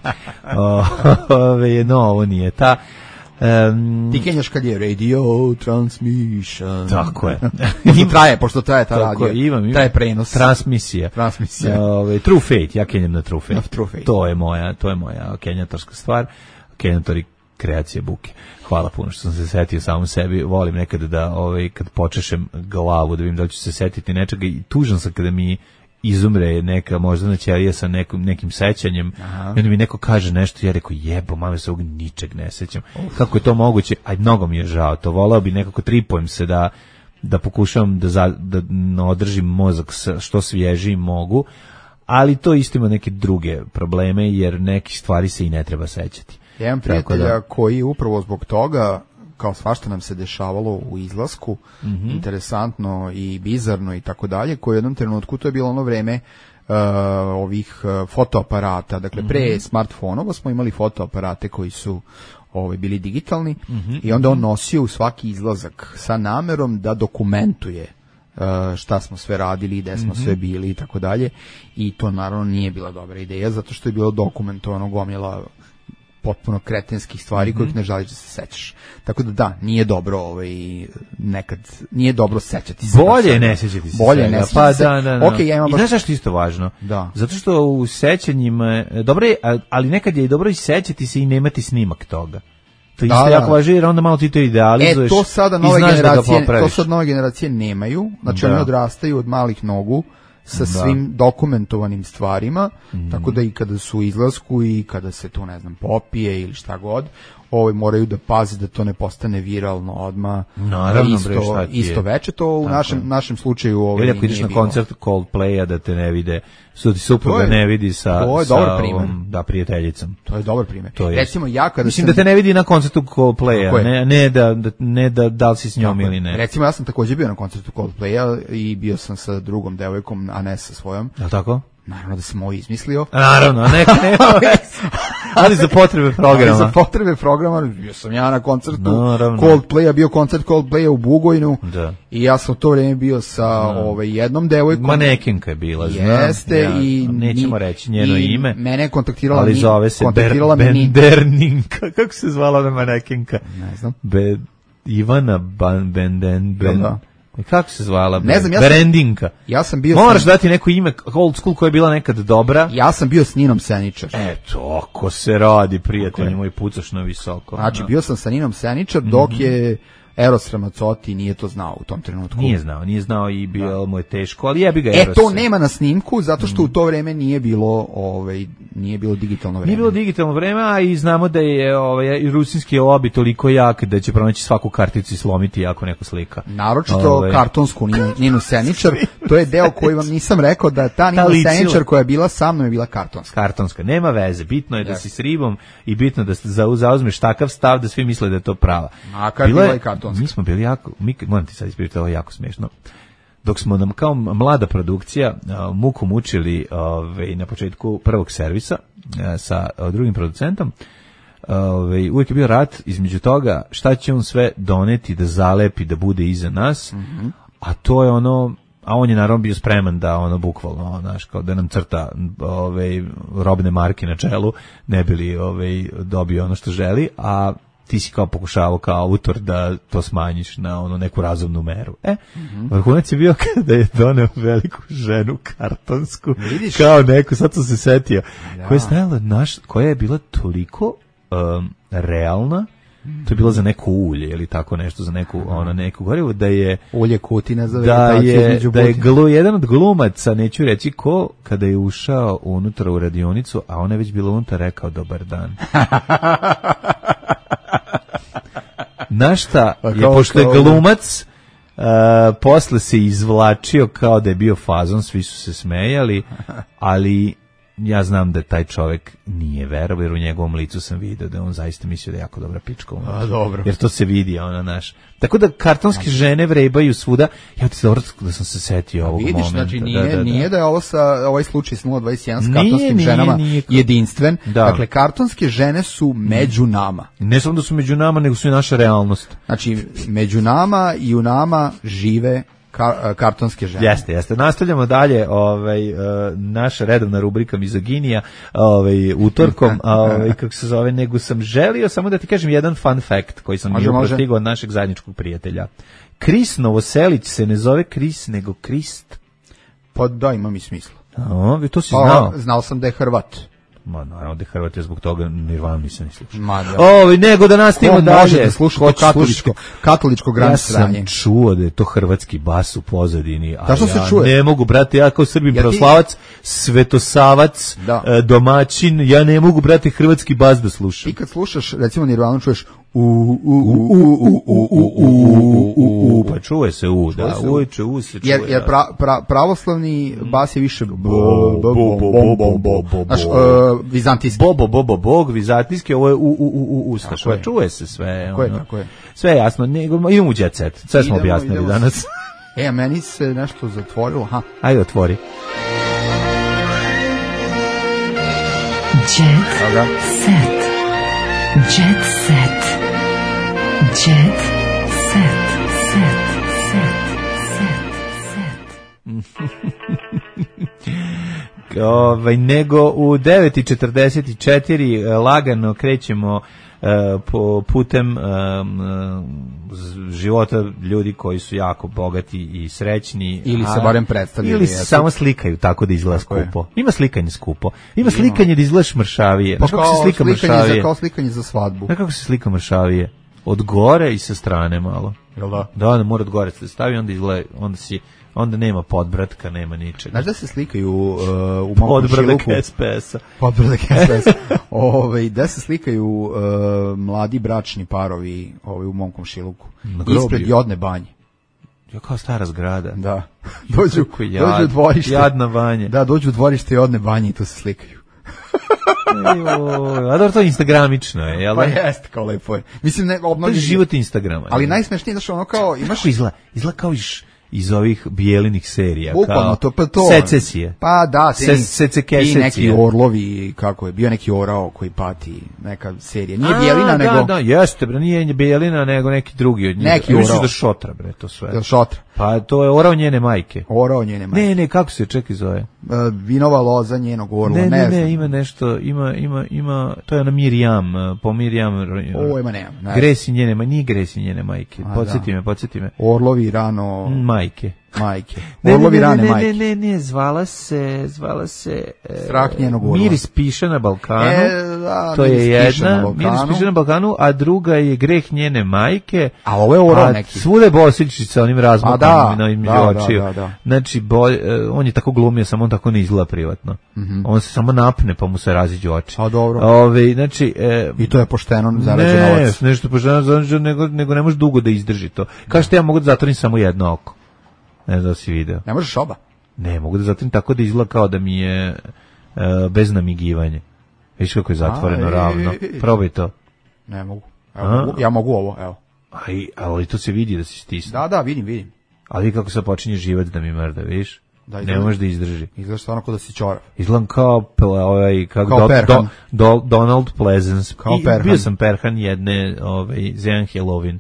o, ove, no, ovo nije ta. Um, Ti kenjaš kad je radio transmission. Tako je. I traje, pošto traje ta radio. Imam, imam. Traje prenos. Transmisija. Transmisija. Ove, True Fate, ja kenjam na True Fate. Na True Fate. To je moja, to je moja kenjatorska stvar. Kenjatori kreacije buke. Hvala puno što sam se setio samom sebi. Volim nekad da, ovaj, kad počešem glavu, da vidim da li ću se setiti nečega i tužan sam kada mi izumre neka moždana ćelija sa nekim, nekim sećanjem. Aha. I onda mi neko kaže nešto, ja rekao jebo, mame se ovog ničeg ne sećam. Uf. Kako je to moguće? Aj, mnogo mi je žao. To voleo bi nekako tripujem se da, da pokušavam da, za, da održim mozak što svježiji mogu, ali to isto ima neke druge probleme, jer neki stvari se i ne treba sećati. Jedan prijatelja da. Koji upravo zbog toga kao svašta nam se dešavalo u izlasku, mm-hmm. interesantno i bizarno i tako dalje, koje u jednom trenutku, to je bilo ono vreme uh, ovih uh, fotoaparata, dakle mm-hmm. pre smartfonova smo imali fotoaparate koji su ovaj, bili digitalni mm-hmm. i onda on nosio u svaki izlazak sa namerom da dokumentuje uh, šta smo sve radili, gde smo mm-hmm. sve bili i tako dalje, i to naravno nije bila dobra ideja, zato što je bilo dokumentovano gomila potpuno kretenskih stvari mm-hmm. kojih ne želiš da se sećaš. Tako da da, nije dobro ovaj, nekad, nije dobro sećati se. Bolje ne sećati se. Bolje ne sećati pa, se. Da, da, da. Okay, ja imam I baš... znaš zašto isto važno? Da. Zato što u sećanjima, dobro je, ali nekad je i dobro i sećati se i nemati snimak toga. To isto da, jako da. važi, jer onda malo ti to idealizuješ. E, to sada nove generacije, to sad nove generacije nemaju, znači oni odrastaju od malih nogu, sa svim da. dokumentovanim stvarima, mm. tako da i kada su u izlasku i kada se tu, ne znam, popije ili šta god, ovaj moraju da pazi da to ne postane viralno odmah. Naravno, isto, bre, šta ti je? Isto veče, to u našem, našem slučaju ovaj, ili ako ideš na bilo. Koncert Coldplaya da te ne vide, su ti supruga ne vidi sa, to je sa dobar primer. Ovom, da, prijateljicom. To je dobar primjer. To je. Recimo ja kada Mislim sam... da te ne vidi na koncertu Coldplaya, ne, ne, da, da, ne da, da li si s njom ili ne. Recimo ja sam također bio na koncertu Coldplaya i bio sam sa drugom devojkom, a ne sa svojom. Je li tako? Naravno da sam ovo izmislio. Naravno, neka nema. Ali za potrebe programa. Ali za potrebe programa, bio sam ja na koncertu Naravno. Coldplaya, bio koncert Coldplaya u Bugojnu. Da. I ja sam u to vrijeme bio sa ovaj, jednom devojkom. Manekenka je bila, znam. Jeste, ja, i nećemo reći njeno i ime. Mene je kontaktirala ali ni, zove se kontaktirala Ber, me Benderninka. Kako se zvala ona manekenka? Ne znam. Be, Ivana Ban, Benden, Ben, da. Kako se zvala? Ne znam, ja sam, Berendinka. Ja sam bio Moraš sam, dati neko ime old school koja je bila nekad dobra. Ja sam bio s Ninom Seničar. Eto, ako se radi, prijatelji moji, pucaš na visoko. Znači, no. bio sam sa Ninom Seničar dok mm-hmm. je Eros Ramazzotti nije to znao u tom trenutku. Nije znao, nije znao i bilo mu je teško, ali jebi ga E, Eros. to nema na snimku, zato što mm. u to vreme nije bilo, ovaj, nije bilo digitalno vreme. Nije bilo digitalno vreme, a i znamo da je ovaj, rusinski lobby toliko jak da će pronaći svaku karticu i slomiti ako neko slika. Naročito ovaj. kartonsku Ninu, Ninu Seničar, to je deo koji vam nisam rekao da ta Nina Seničar koja je bila sa mnom je bila kartonska. Kartonska, nema veze, bitno je da si s ribom i bitno da zauzmeš takav stav da svi misle da je to prava. A kad bila je kartonska. Mi smo bili jako, mi, moram ti sad ispričati, ovo je jako smiješno. Dok smo nam kao mlada produkcija uh, muku mučili uh, na početku prvog servisa uh, sa uh, drugim producentom, uh, uvijek je bio rat između toga šta će on sve doneti da zalepi, da bude iza nas, mm-hmm. a to je ono, a on je naravno bio spreman da ono bukvalno, znaš, kao da nam crta ove, robne marke na čelu, ne bi li ove, dobio ono što želi, a ti si kao pokušavao kao autor da to smanjiš na ono neku razumnu meru. E, mm-hmm. vrhunac je bio kada je doneo veliku ženu kartonsku, vidiš? Kao neku, sad sam se setio, ja. koja je stajala naš, koja je bila toliko um, realna, to je bilo za neko ulje ili tako nešto, za neku ono neku gorivo, da je ulje Kutina za da je da je glu, jedan od glumaca, neću reći ko, kada je ušao unutra u radionicu, a ona je već bila unutra, rekao dobar dan. Našta je, pošto je glumac, uh, posle se izvlačio kao da je bio fazon, svi su se smejali, ali ja znam da taj čovjek nije verovao, jer u njegovom licu sam vidio da on zaista mislio da je jako dobra pička. A, dobro. Jer to se vidi, ona naš. Tako da kartonske žene vrebaju svuda. Ja ti dobro da sam se setio ovog vidiš, momenta. Znači nije, da, da, da. nije da je ovo sa, ovaj slučaj s nula dvadeset jedan s kartonskim nije, ženama nije, nije. jedinstven. Da. Dakle, kartonske žene su među nama. Ne samo da su među nama, nego su i naša realnost. Znači, među nama i u nama žive Kar, kartonske žene. Jeste, jeste. Nastavljamo dalje, ovaj, uh, naša redovna rubrika Mizoginija, ovaj, utorkom, ovaj, kako se zove, nego sam želio samo da ti kažem jedan fun fact koji sam bio prostigao od našeg zajedničkog prijatelja. Kris Novoselić se ne zove Kris, nego Krist. Pa da, ima mi smisla. O, to si pa, znao. Znao sam da je Hrvat. Ma, naravno da je Hrvat, je zbog toga Nirvana nisam ni slušao. Ma, da. Ovi, nego da nastavimo dalje. Može da sluša to katoličko, katoličko granje sranje. Ja sam čuo da je to hrvatski bas u pozadini, a da, ja se čuje? ne mogu, brate, ja kao Srbin ja pravoslavac, svetosavac, da. domaćin, ja ne mogu, brate, hrvatski bas da slušam. Ti kad slušaš, recimo Nirvanu, čuješ U, u, u, u, u, u, u, u, pa čuje se u, da, ujče, u se čuje. Jer, jer pra, pra, pravoslavni bas je više bo, bo, bo, bo, bo, bo, bo, znaš, vizantijski. Bo, bo, bo, bo, bog, vizantijski, ovo je u, u, u, u, ustaš, čuje se sve. Tako je, tako je. Sve je jasno, nego, idemo u jet set, sve smo objasnili danas. E, a meni se nešto zatvorilo, ha. Ajde, otvori. Jet set. Jet set. Jet set. Set. Set. Set. Set. Ovaj, nego u devet i četrdeset četiri lagano krećemo uh, po putem um, života ljudi koji su jako bogati i srećni. Ili se barem predstavljaju. Ili se samo slikaju tako da izgleda tako skupo. Je. Ima slikanje skupo. Ima slikanje da izgledaš mršavije. Pa kako se slika mršavije? Za, kao slikanje za svadbu. Kako se slika mršavije? Od gore i sa strane malo. Jel da? Da, ne mora od gore se stavi, onda izgleda, onda si onda nema podbratka, nema ničega. Znaš da se slikaju uh, u mom šiluku? S P S-a. Podbradak S P S-a. Ove, da se slikaju uh, mladi bračni parovi ovaj, u mom komšiluku. Ispred Jodne banje. Jo, kao stara zgrada. Da. Dođu, jad, dođu u dvorište. Jadna banje. Da, dođu u dvorište Jodne banje i tu se slikaju. A dobro, to je instagramično je, jel da? Pa jeste, kao lepo je. Mislim, ne, obnovljiv... To je život Instagrama. Ali najsmešnije, znaš, ono kao, imaš... Kako izgleda? Izgleda kao iš... iz ovih bijelinih serija. Bukvalno, to pa to. Secesije. Pa da, Se, secekesije. I neki orlovi, kako je, bio neki orao koji pati, neka serija. Nije bijelina, nego... Da, da, jeste, bre, nije bijelina, nego neki drugi od njih. Neki orao. Misliš da šotra, bre, to sve. Da šotra. Pa to je orao njene majke. Orao njene majke. Ne, ne, kako se čekaj zove? Uh, vinova loza njenog orla, ne, ne, ne, ne, ne, ima nešto, ima, ima, ima, to je ona Mirjam, po Mirjam. O, ima nema. Ne. Gresi njene, ma nije Gresi njene majke. Podsjeti da. me, podsjeti me. Orlovi rano... Majke. Majke. Ne, Orlovi ne, ne, rane ne, majke. Ne, ne, ne, zvala se, zvala se... E, Strah njenog orla. Miris piše na Balkanu. E, da, to je jedna, na Miris piše na Balkanu, a druga je Greh njene majke. A ovo je orao neki. Svuda je Bosiljčica onim razmakom da, na između da, očiju. Da, da, da. Znači, bolj, on je tako glumio, samo on tako ne izgleda privatno. Mm-hmm. On se samo napne, pa mu se raziđu oči. A dobro. Ove, znači, e, I to je pošteno zarađen novac. Ne, nešto pošteno zarađen, nego, nego ne može dugo da izdrži to. Kao što ja mogu da zatvorim samo jedno oko. Ne znam da si video. Ne možeš oba? Ne, mogu da zatvorim tako da izgleda kao da mi je e, bez namigivanja. Viš kako je zatvoreno, a, ravno. E, e, e. Probaj to. Ne mogu. Evo, mogu. Ja mogu ovo, evo. Aj, ali to se vidi da si stisne. Da, da, vidim, vidim. Ali kako se počinje živac da mi mrda, vidiš? Da, ne može da izdrži. Izgleda stvarno kao da si čorav. Izgledam kao, ovaj, kao, kao do, do, do, Donald Pleasence. Kao I, Perhan. Bio sam Perhan jedne, ovaj, za jedan Halloween.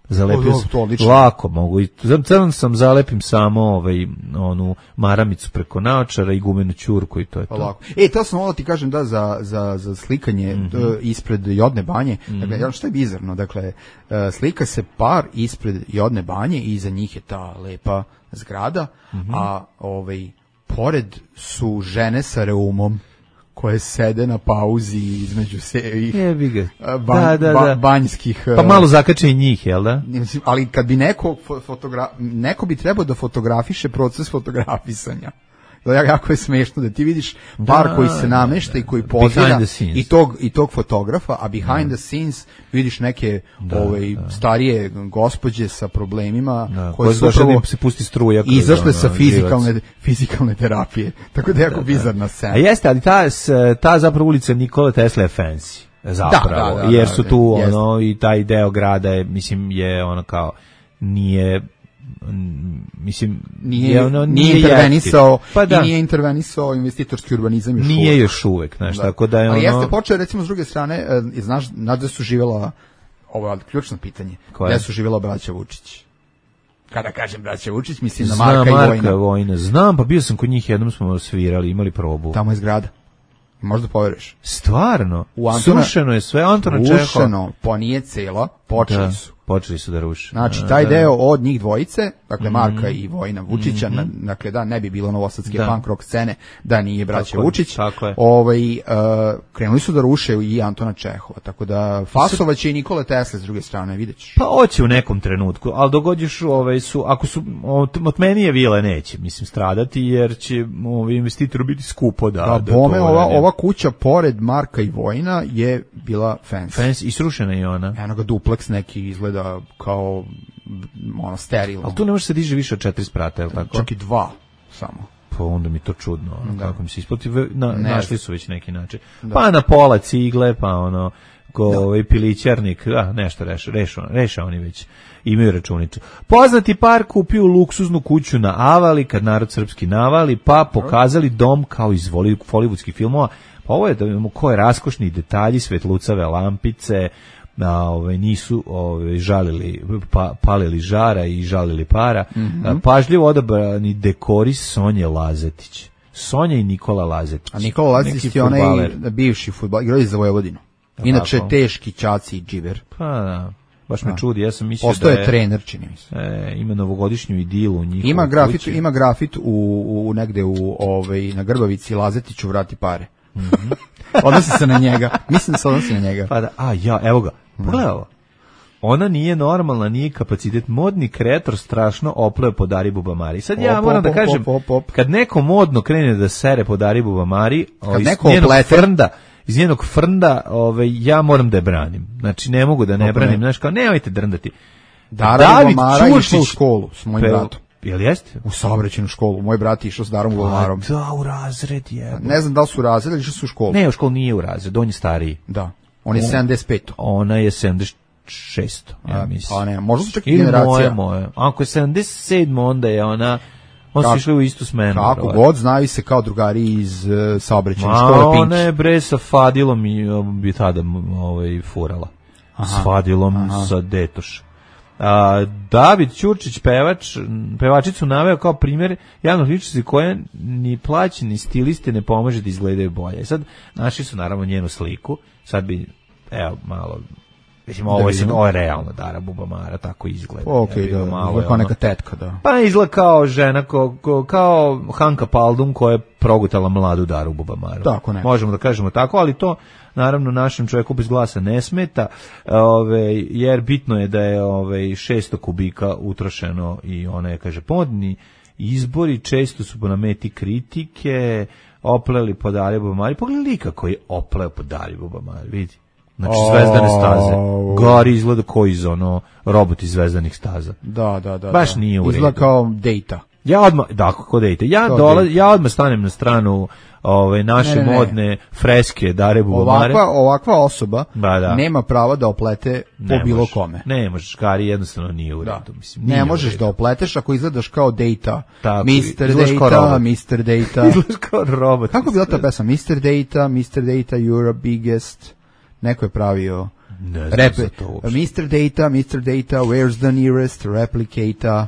Zalepio sam, lako mogu. Crn sam zalepim samo ovaj, onu maramicu preko naočara i gumenu ćurku i to je to. Lako. E, to sam ovo ti kažem da za, za, za slikanje mm-hmm. ispred Jodne banje. Mm-hmm. Dakle, što je bizarno? Dakle, slika se par ispred Jodne banje i iza njih je ta lepa zgrada, mm-hmm. a ovaj, pored su žene sa reumom koje sede na pauzi između se ban, da, da, da. Ba, banjskih... Pa malo zakače i njih, jel da? Ali kad bi neko, fotogra, neko bi trebao da fotografiše proces fotografisanja. Jako je smešno da ti vidiš par da, koji se namešta da, i koji pozira i tog, i tog fotografa, a behind da. the scenes vidiš neke da, ovaj, da. starije gospođe sa problemima da, koje su upravo se pusti struja izašle sa fizikalne, fizikalne terapije. Tako da je jako da, bizarna scena. A jeste, ali ta, ta zapravo ulica Nikola Tesla je fancy. Zapravo, da, da, da, jer su tu da, ono i taj deo grada je, mislim, je ono kao nije mislim nije, je ono, nije, nije intervenisao pa da. i nije intervenisao investitorski urbanizam još nije uvek. još uvek, znaš, da. tako da je ali ono... jeste počeo recimo s druge strane, znaš, znaš da su živjela, ovo je ključno pitanje, gde su živjela braća Vučić? Kada kažem braća Vučić, mislim znam, na Marka, Marka i Vojna. Vojna. Znam, pa bio sam kod njih, jednom smo svirali, imali probu. Tamo je zgrada. Možda poveruješ. Stvarno? U Antona, srušeno je sve, Antona Čehova. Srušeno, pa nije cela, počeli da. su. Počeli su da ruše. Znači, taj deo od njih dvojice, dakle Marka i Vojina Vučića, na, dakle da ne bi bilo novosadske Da. punk rock scene da nije braća Tako je, Vučić, tako je. ovaj, uh, krenuli su da ruše i Antona Čehova, tako da fasovaće i Nikole Tesla s druge strane, vidjet ćeš. Pa hoće u nekom trenutku, ali dogodješ, ovaj, su, ako su, od, od menije vile neće, mislim, stradati, jer će ovaj, investitoru biti skupo da... Da, da bome, to ova, uradi. ova kuća pored Marka i Vojina je bila fancy. Fans, i srušena je ona. Eno ga dupleks neki izgleda kao ono sterilno. Ali tu ne može se diže više od četiri sprata, je li tako? Čak i dva samo. Pa onda mi to čudno, ono, Da. kako mi se isplati, ve- na, Ne našli znam. su već neki način. Da. Pa na pola cigle, pa ono, ko ovaj pilićarnik, da, nešto reša, reša, reša oni već imaju računicu. Poznati par kupio luksuznu kuću na Avali, kad narod srpski navali, pa pokazali dom kao iz voli- hollywoodskih filmova. Pa ovo je da imamo koje raskošni detalji, svetlucave lampice, a, ovaj, nisu ovaj, žalili, pa, palili žara i žalili para. A, pažljivo odabrani dekori Sonje Lazetić. Sonja i Nikola Lazetić. A Nikola Lazić Neki je onaj fudbaler. bivši fudbal, igrao je za Vojvodinu. Inače tako? teški ćaci i džiber. Pa da, baš me Da. čudi, ja sam mislio Postao da je je... trener, čini mi se. E, ima novogodišnju idilu u njihovoj Ima grafit, kući. ima grafit u, u negde u ovaj na Grbavici Lazetiću vrati pare. Odnosi se na njega. Mislim da se odnosi na njega. Pa da, a ja, evo ga, pogledaj ovo. Ona nije normalna, nije kapacitet. Modni kreator strašno opleo po Dari Bubamari. Sad ja Op, moram op, da op, kažem, op, op, op. kad neko modno krene da sere po Dari Bubamari, o, iz neko njenog oplete. frnda, iz njenog frnda, ovaj, ja moram da je branim. Znači, ne mogu da ne Dobro, branim. ne. Znaš, kao, nemojte drndati. Dara David Bubamara je išla u Ćurčić- školu s mojim Pe- bratom. Jel jeste? U saobraćajnu školu. Moj brat je išao s Darom Bubamarom. A, da, u razred je. Ne znam da li su razredili, išli su u školu. Ne, u školu nije u razred, on je stariji. Da. On je On- sedamdeset pet. Ona je sedamdeset šest, ja mislim. Pa ne, možda su čak i Ili moje, generacija. moje. Ako je sedamdeset sedam, onda je ona, on su Kako- išli u istu smenu. Kako verovatno. god, znaju se kao drugari iz uh, saobraćajne Ma, škole ona Pinki. je bre sa Fadilom i um, bi tada m, ovaj, furala. S Fadilom sa Detoš. A, David Ćurčić, pevač, pevačicu naveo kao primjer javnog ličnosti koja ni plaći, ni stiliste ne pomaže da izgledaju bolje. I sad, našli su naravno njenu sliku, sad bi, evo, malo, mislim, ovo je, sad- vidimo. ovo je realno Dara Bubamara, tako izgleda. Ok, Jebi ga, da, malo malo je kao ono- neka tetka, da. Pa izgleda kao žena, ko, ko- kao Hanka Paldum koja je progutala mladu Daru Bubamaru. Tako neko. Možemo da kažemo tako, ali to naravno našem čovjeku bez glasa ne smeta, ove, jer bitno je da je ove, šesto kubika utrošeno i ona je, kaže, podni izbori često su na meti kritike, opleli po Dari Bubamari. Pogledaj kako je opleo po Dari Bubamari, vidi. Znači, zvezdane staze. Au. Gari izgleda koji iz ono robot iz zvezdanih staza. Da, da, da. Baš da. nije u Izgleda redu. kao dejta. Ja odmah, da, kako da idete, ja, Kao dola, dejte. ja odmah stanem na stranu ove, naše Ne, ne, ne. modne freske Dare Bubamare. Ovakva, ovakva osoba Ba, da. nema prava da oplete po Ne bilo možeš, kome. Ne možeš, Gari jednostavno nije u Da. redu. Mislim, nije Ne u možeš redu. da opleteš ako izgledaš kao dejta. Tako, mister izgledaš kao Data, robot. mister Data. Izgledaš kao robot. Kako je bila ta pesma? mister Data, mister Data, you're a biggest. Neko je pravio Ne znam rep. za to uopšte. mister Data, mister Data, where's the nearest replicator?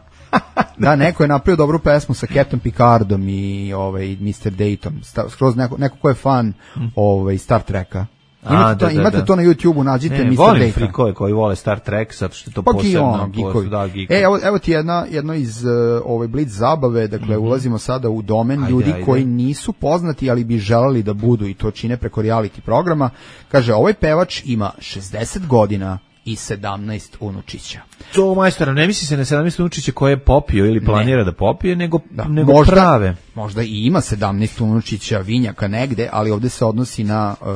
Da, neko je napravio dobru pesmu sa Captain Picardom i ovaj mister Datom. Sta- Skroz neko, neko ko je fan ovaj Star Treka. A, Imate, to, da, da, imate da. to na YouTubeu, nađite Ne, mister volim Data. frikove koji vole Star Trek, zato što je to Pa posebno. ono, gikovi. Da, geekovi. E, evo, evo ti jedna, jedno iz uh, ove Blitz zabave, dakle, ulazimo sada u domen Ajde, ljudi ajde. koji nisu poznati, ali bi želeli da budu i to čine preko reality programa. Kaže, ovaj pevač ima šezdeset godina i sedamnaest unučića. To, majstora, ne misli se na sedamnaest unučića koje je popio ili planira da popije, nego, Da, nego možda, prave. možda i ima sedamnaest unučića vinjaka negde, ali ovde se odnosi na uh,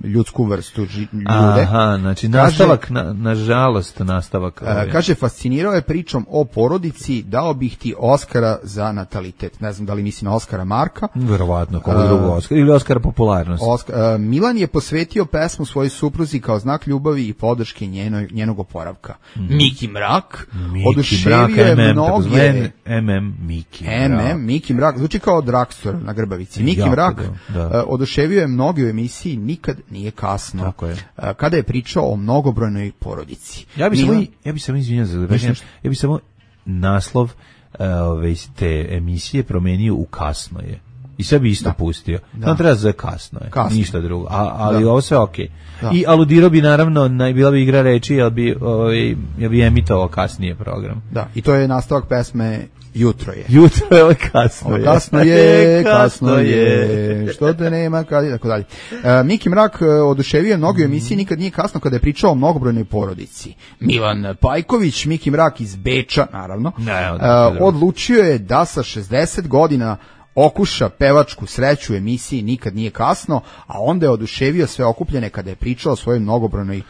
ljudsku vrstu ži, ljude. Aha, znači Kaže- nastavak, na, nažalost, nastavak. E, ovaj. kaže, fascinirao je pričom o porodici, dao bih ti Oskara za natalitet. Ne znam da li misli na Oskara Marka. Verovatno, koga A, drugog Oskara, ili Oskara popularnosti. Oskar, e, Milan je posvetio pesmu svojoj supruzi kao znak ljubavi i podrške njenoj, njenog oporavka. Miki Mrak Miki oduševio Mrak, je M M, mnoge... takozvani M M Miki M Mrak. M, Miki Mrak, zvuči kao Dragstor na Grbavici. Miki Jako Mrak da, da. e, oduševio je mnoge u emisiji Nikad nije kasno. Tako je. E, kada je pričao o mnogobrojnoj porodici. Ja bih samo, Milan- ja bih samo izvinjao za Mislim, ja bih samo naslov uh, ove te emisije promenio u kasno je. I sve bi isto da. pustio. Da. On treba za kasno je, kasno. Ništa drugo. A, ali da. ovo sve okej. Okay. I aludirao bi naravno, bila bi igra reči, jel bi, ovaj, jel bi emitovao kasnije program. Da, i to je nastavak pesme Jutro je. Jutro je, ovo kasno je. Kasno je, kasno je, što te nema, kad i tako dalje. Uh, Miki Mrak oduševio mnogo u emisiji Nikad nije kasno kada je pričao o mnogobrojnoj porodici. Milan Pajković, Miki Mrak iz Beča, naravno, ne, uh, odlučio je da sa šezdeset godina okuša pevačku sreću u emisiji Nikad nije kasno, a onda je oduševio sve okupljene kada je pričao o svojoj mnogobrojnoj uh,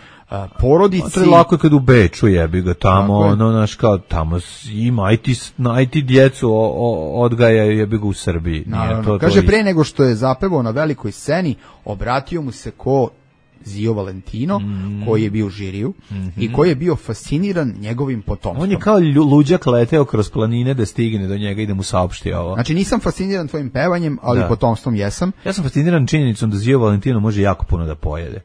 porodici. To je lako kad u Beču jebi ga tamo, ono, naš kao, tamo ima, aj ti, aj ti djecu o, o, odgajaju jebi ga u Srbiji. Nije to, kaže, to pre nego što je zapevao na velikoj sceni, obratio mu se ko Zio Valentino, mm. koji je bio u žiriju mm-hmm. i koji je bio fasciniran njegovim potomstvom. On je kao luđak leteo kroz planine da stigne do njega i da mu saopšti ovo. Znači, nisam fasciniran tvojim pevanjem, ali da. potomstvom jesam. Ja sam fasciniran činjenicom da Zio Valentino može jako puno da pojede.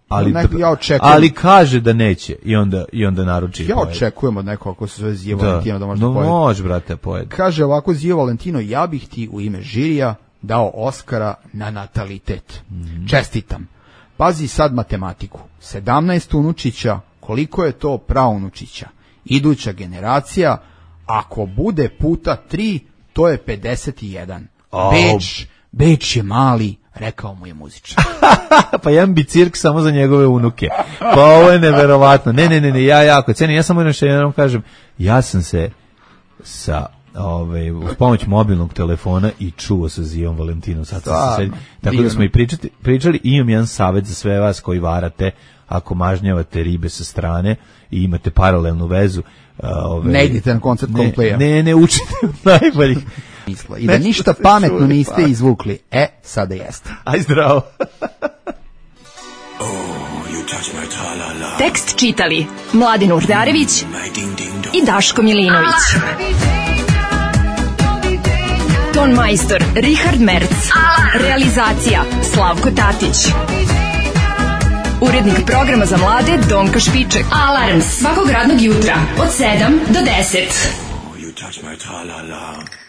Ali, ne, ja očekujem, ali kaže da neće i onda, i onda naruči. Ja očekujem od nekog ko se zove Zio da. Valentino da može da pojede. Može, brate, pojede. Kaže ovako Zio Valentino, ja bih ti u ime žirija dao Oskara na natalitet. Mm. Čestitam. Pazi sad matematiku. sedamnaest unučića, koliko je to praunučića? Iduća generacija, ako bude puta tri, to je pedeset jedan. Oh. Beč, Beč je mali, rekao mu je muzičar. Pa jedan bi cirk samo za njegove unuke. Pa ovo je neverovatno. Ne, ne, ne, ne, ja jako cenim. Ja samo još jednom kažem, ja sam se sa Ove, uz pomoć mobilnog telefona i čuo sa Zijom Valentinom. Sad sam se tako da smo i pričati, pričali. Imam jedan savjet za sve vas koji varate, ako mažnjavate ribe sa strane i imate paralelnu vezu. Ove, ne idite na koncert Coldplaya. Ne, ne učite od najboljih. I da ništa pametno čuli, niste pa. izvukli. E, sada jeste. Aj zdravo. Tekst čitali Mladin Urdarević i Daško Milinović. Ton majstor Richard Merc. Realizacija Slavko Tatić. Urednik programa za mlade Donka Špiček. Alarms svakog radnog jutra od sedam do deset. Oh, you touch my tra-la-la.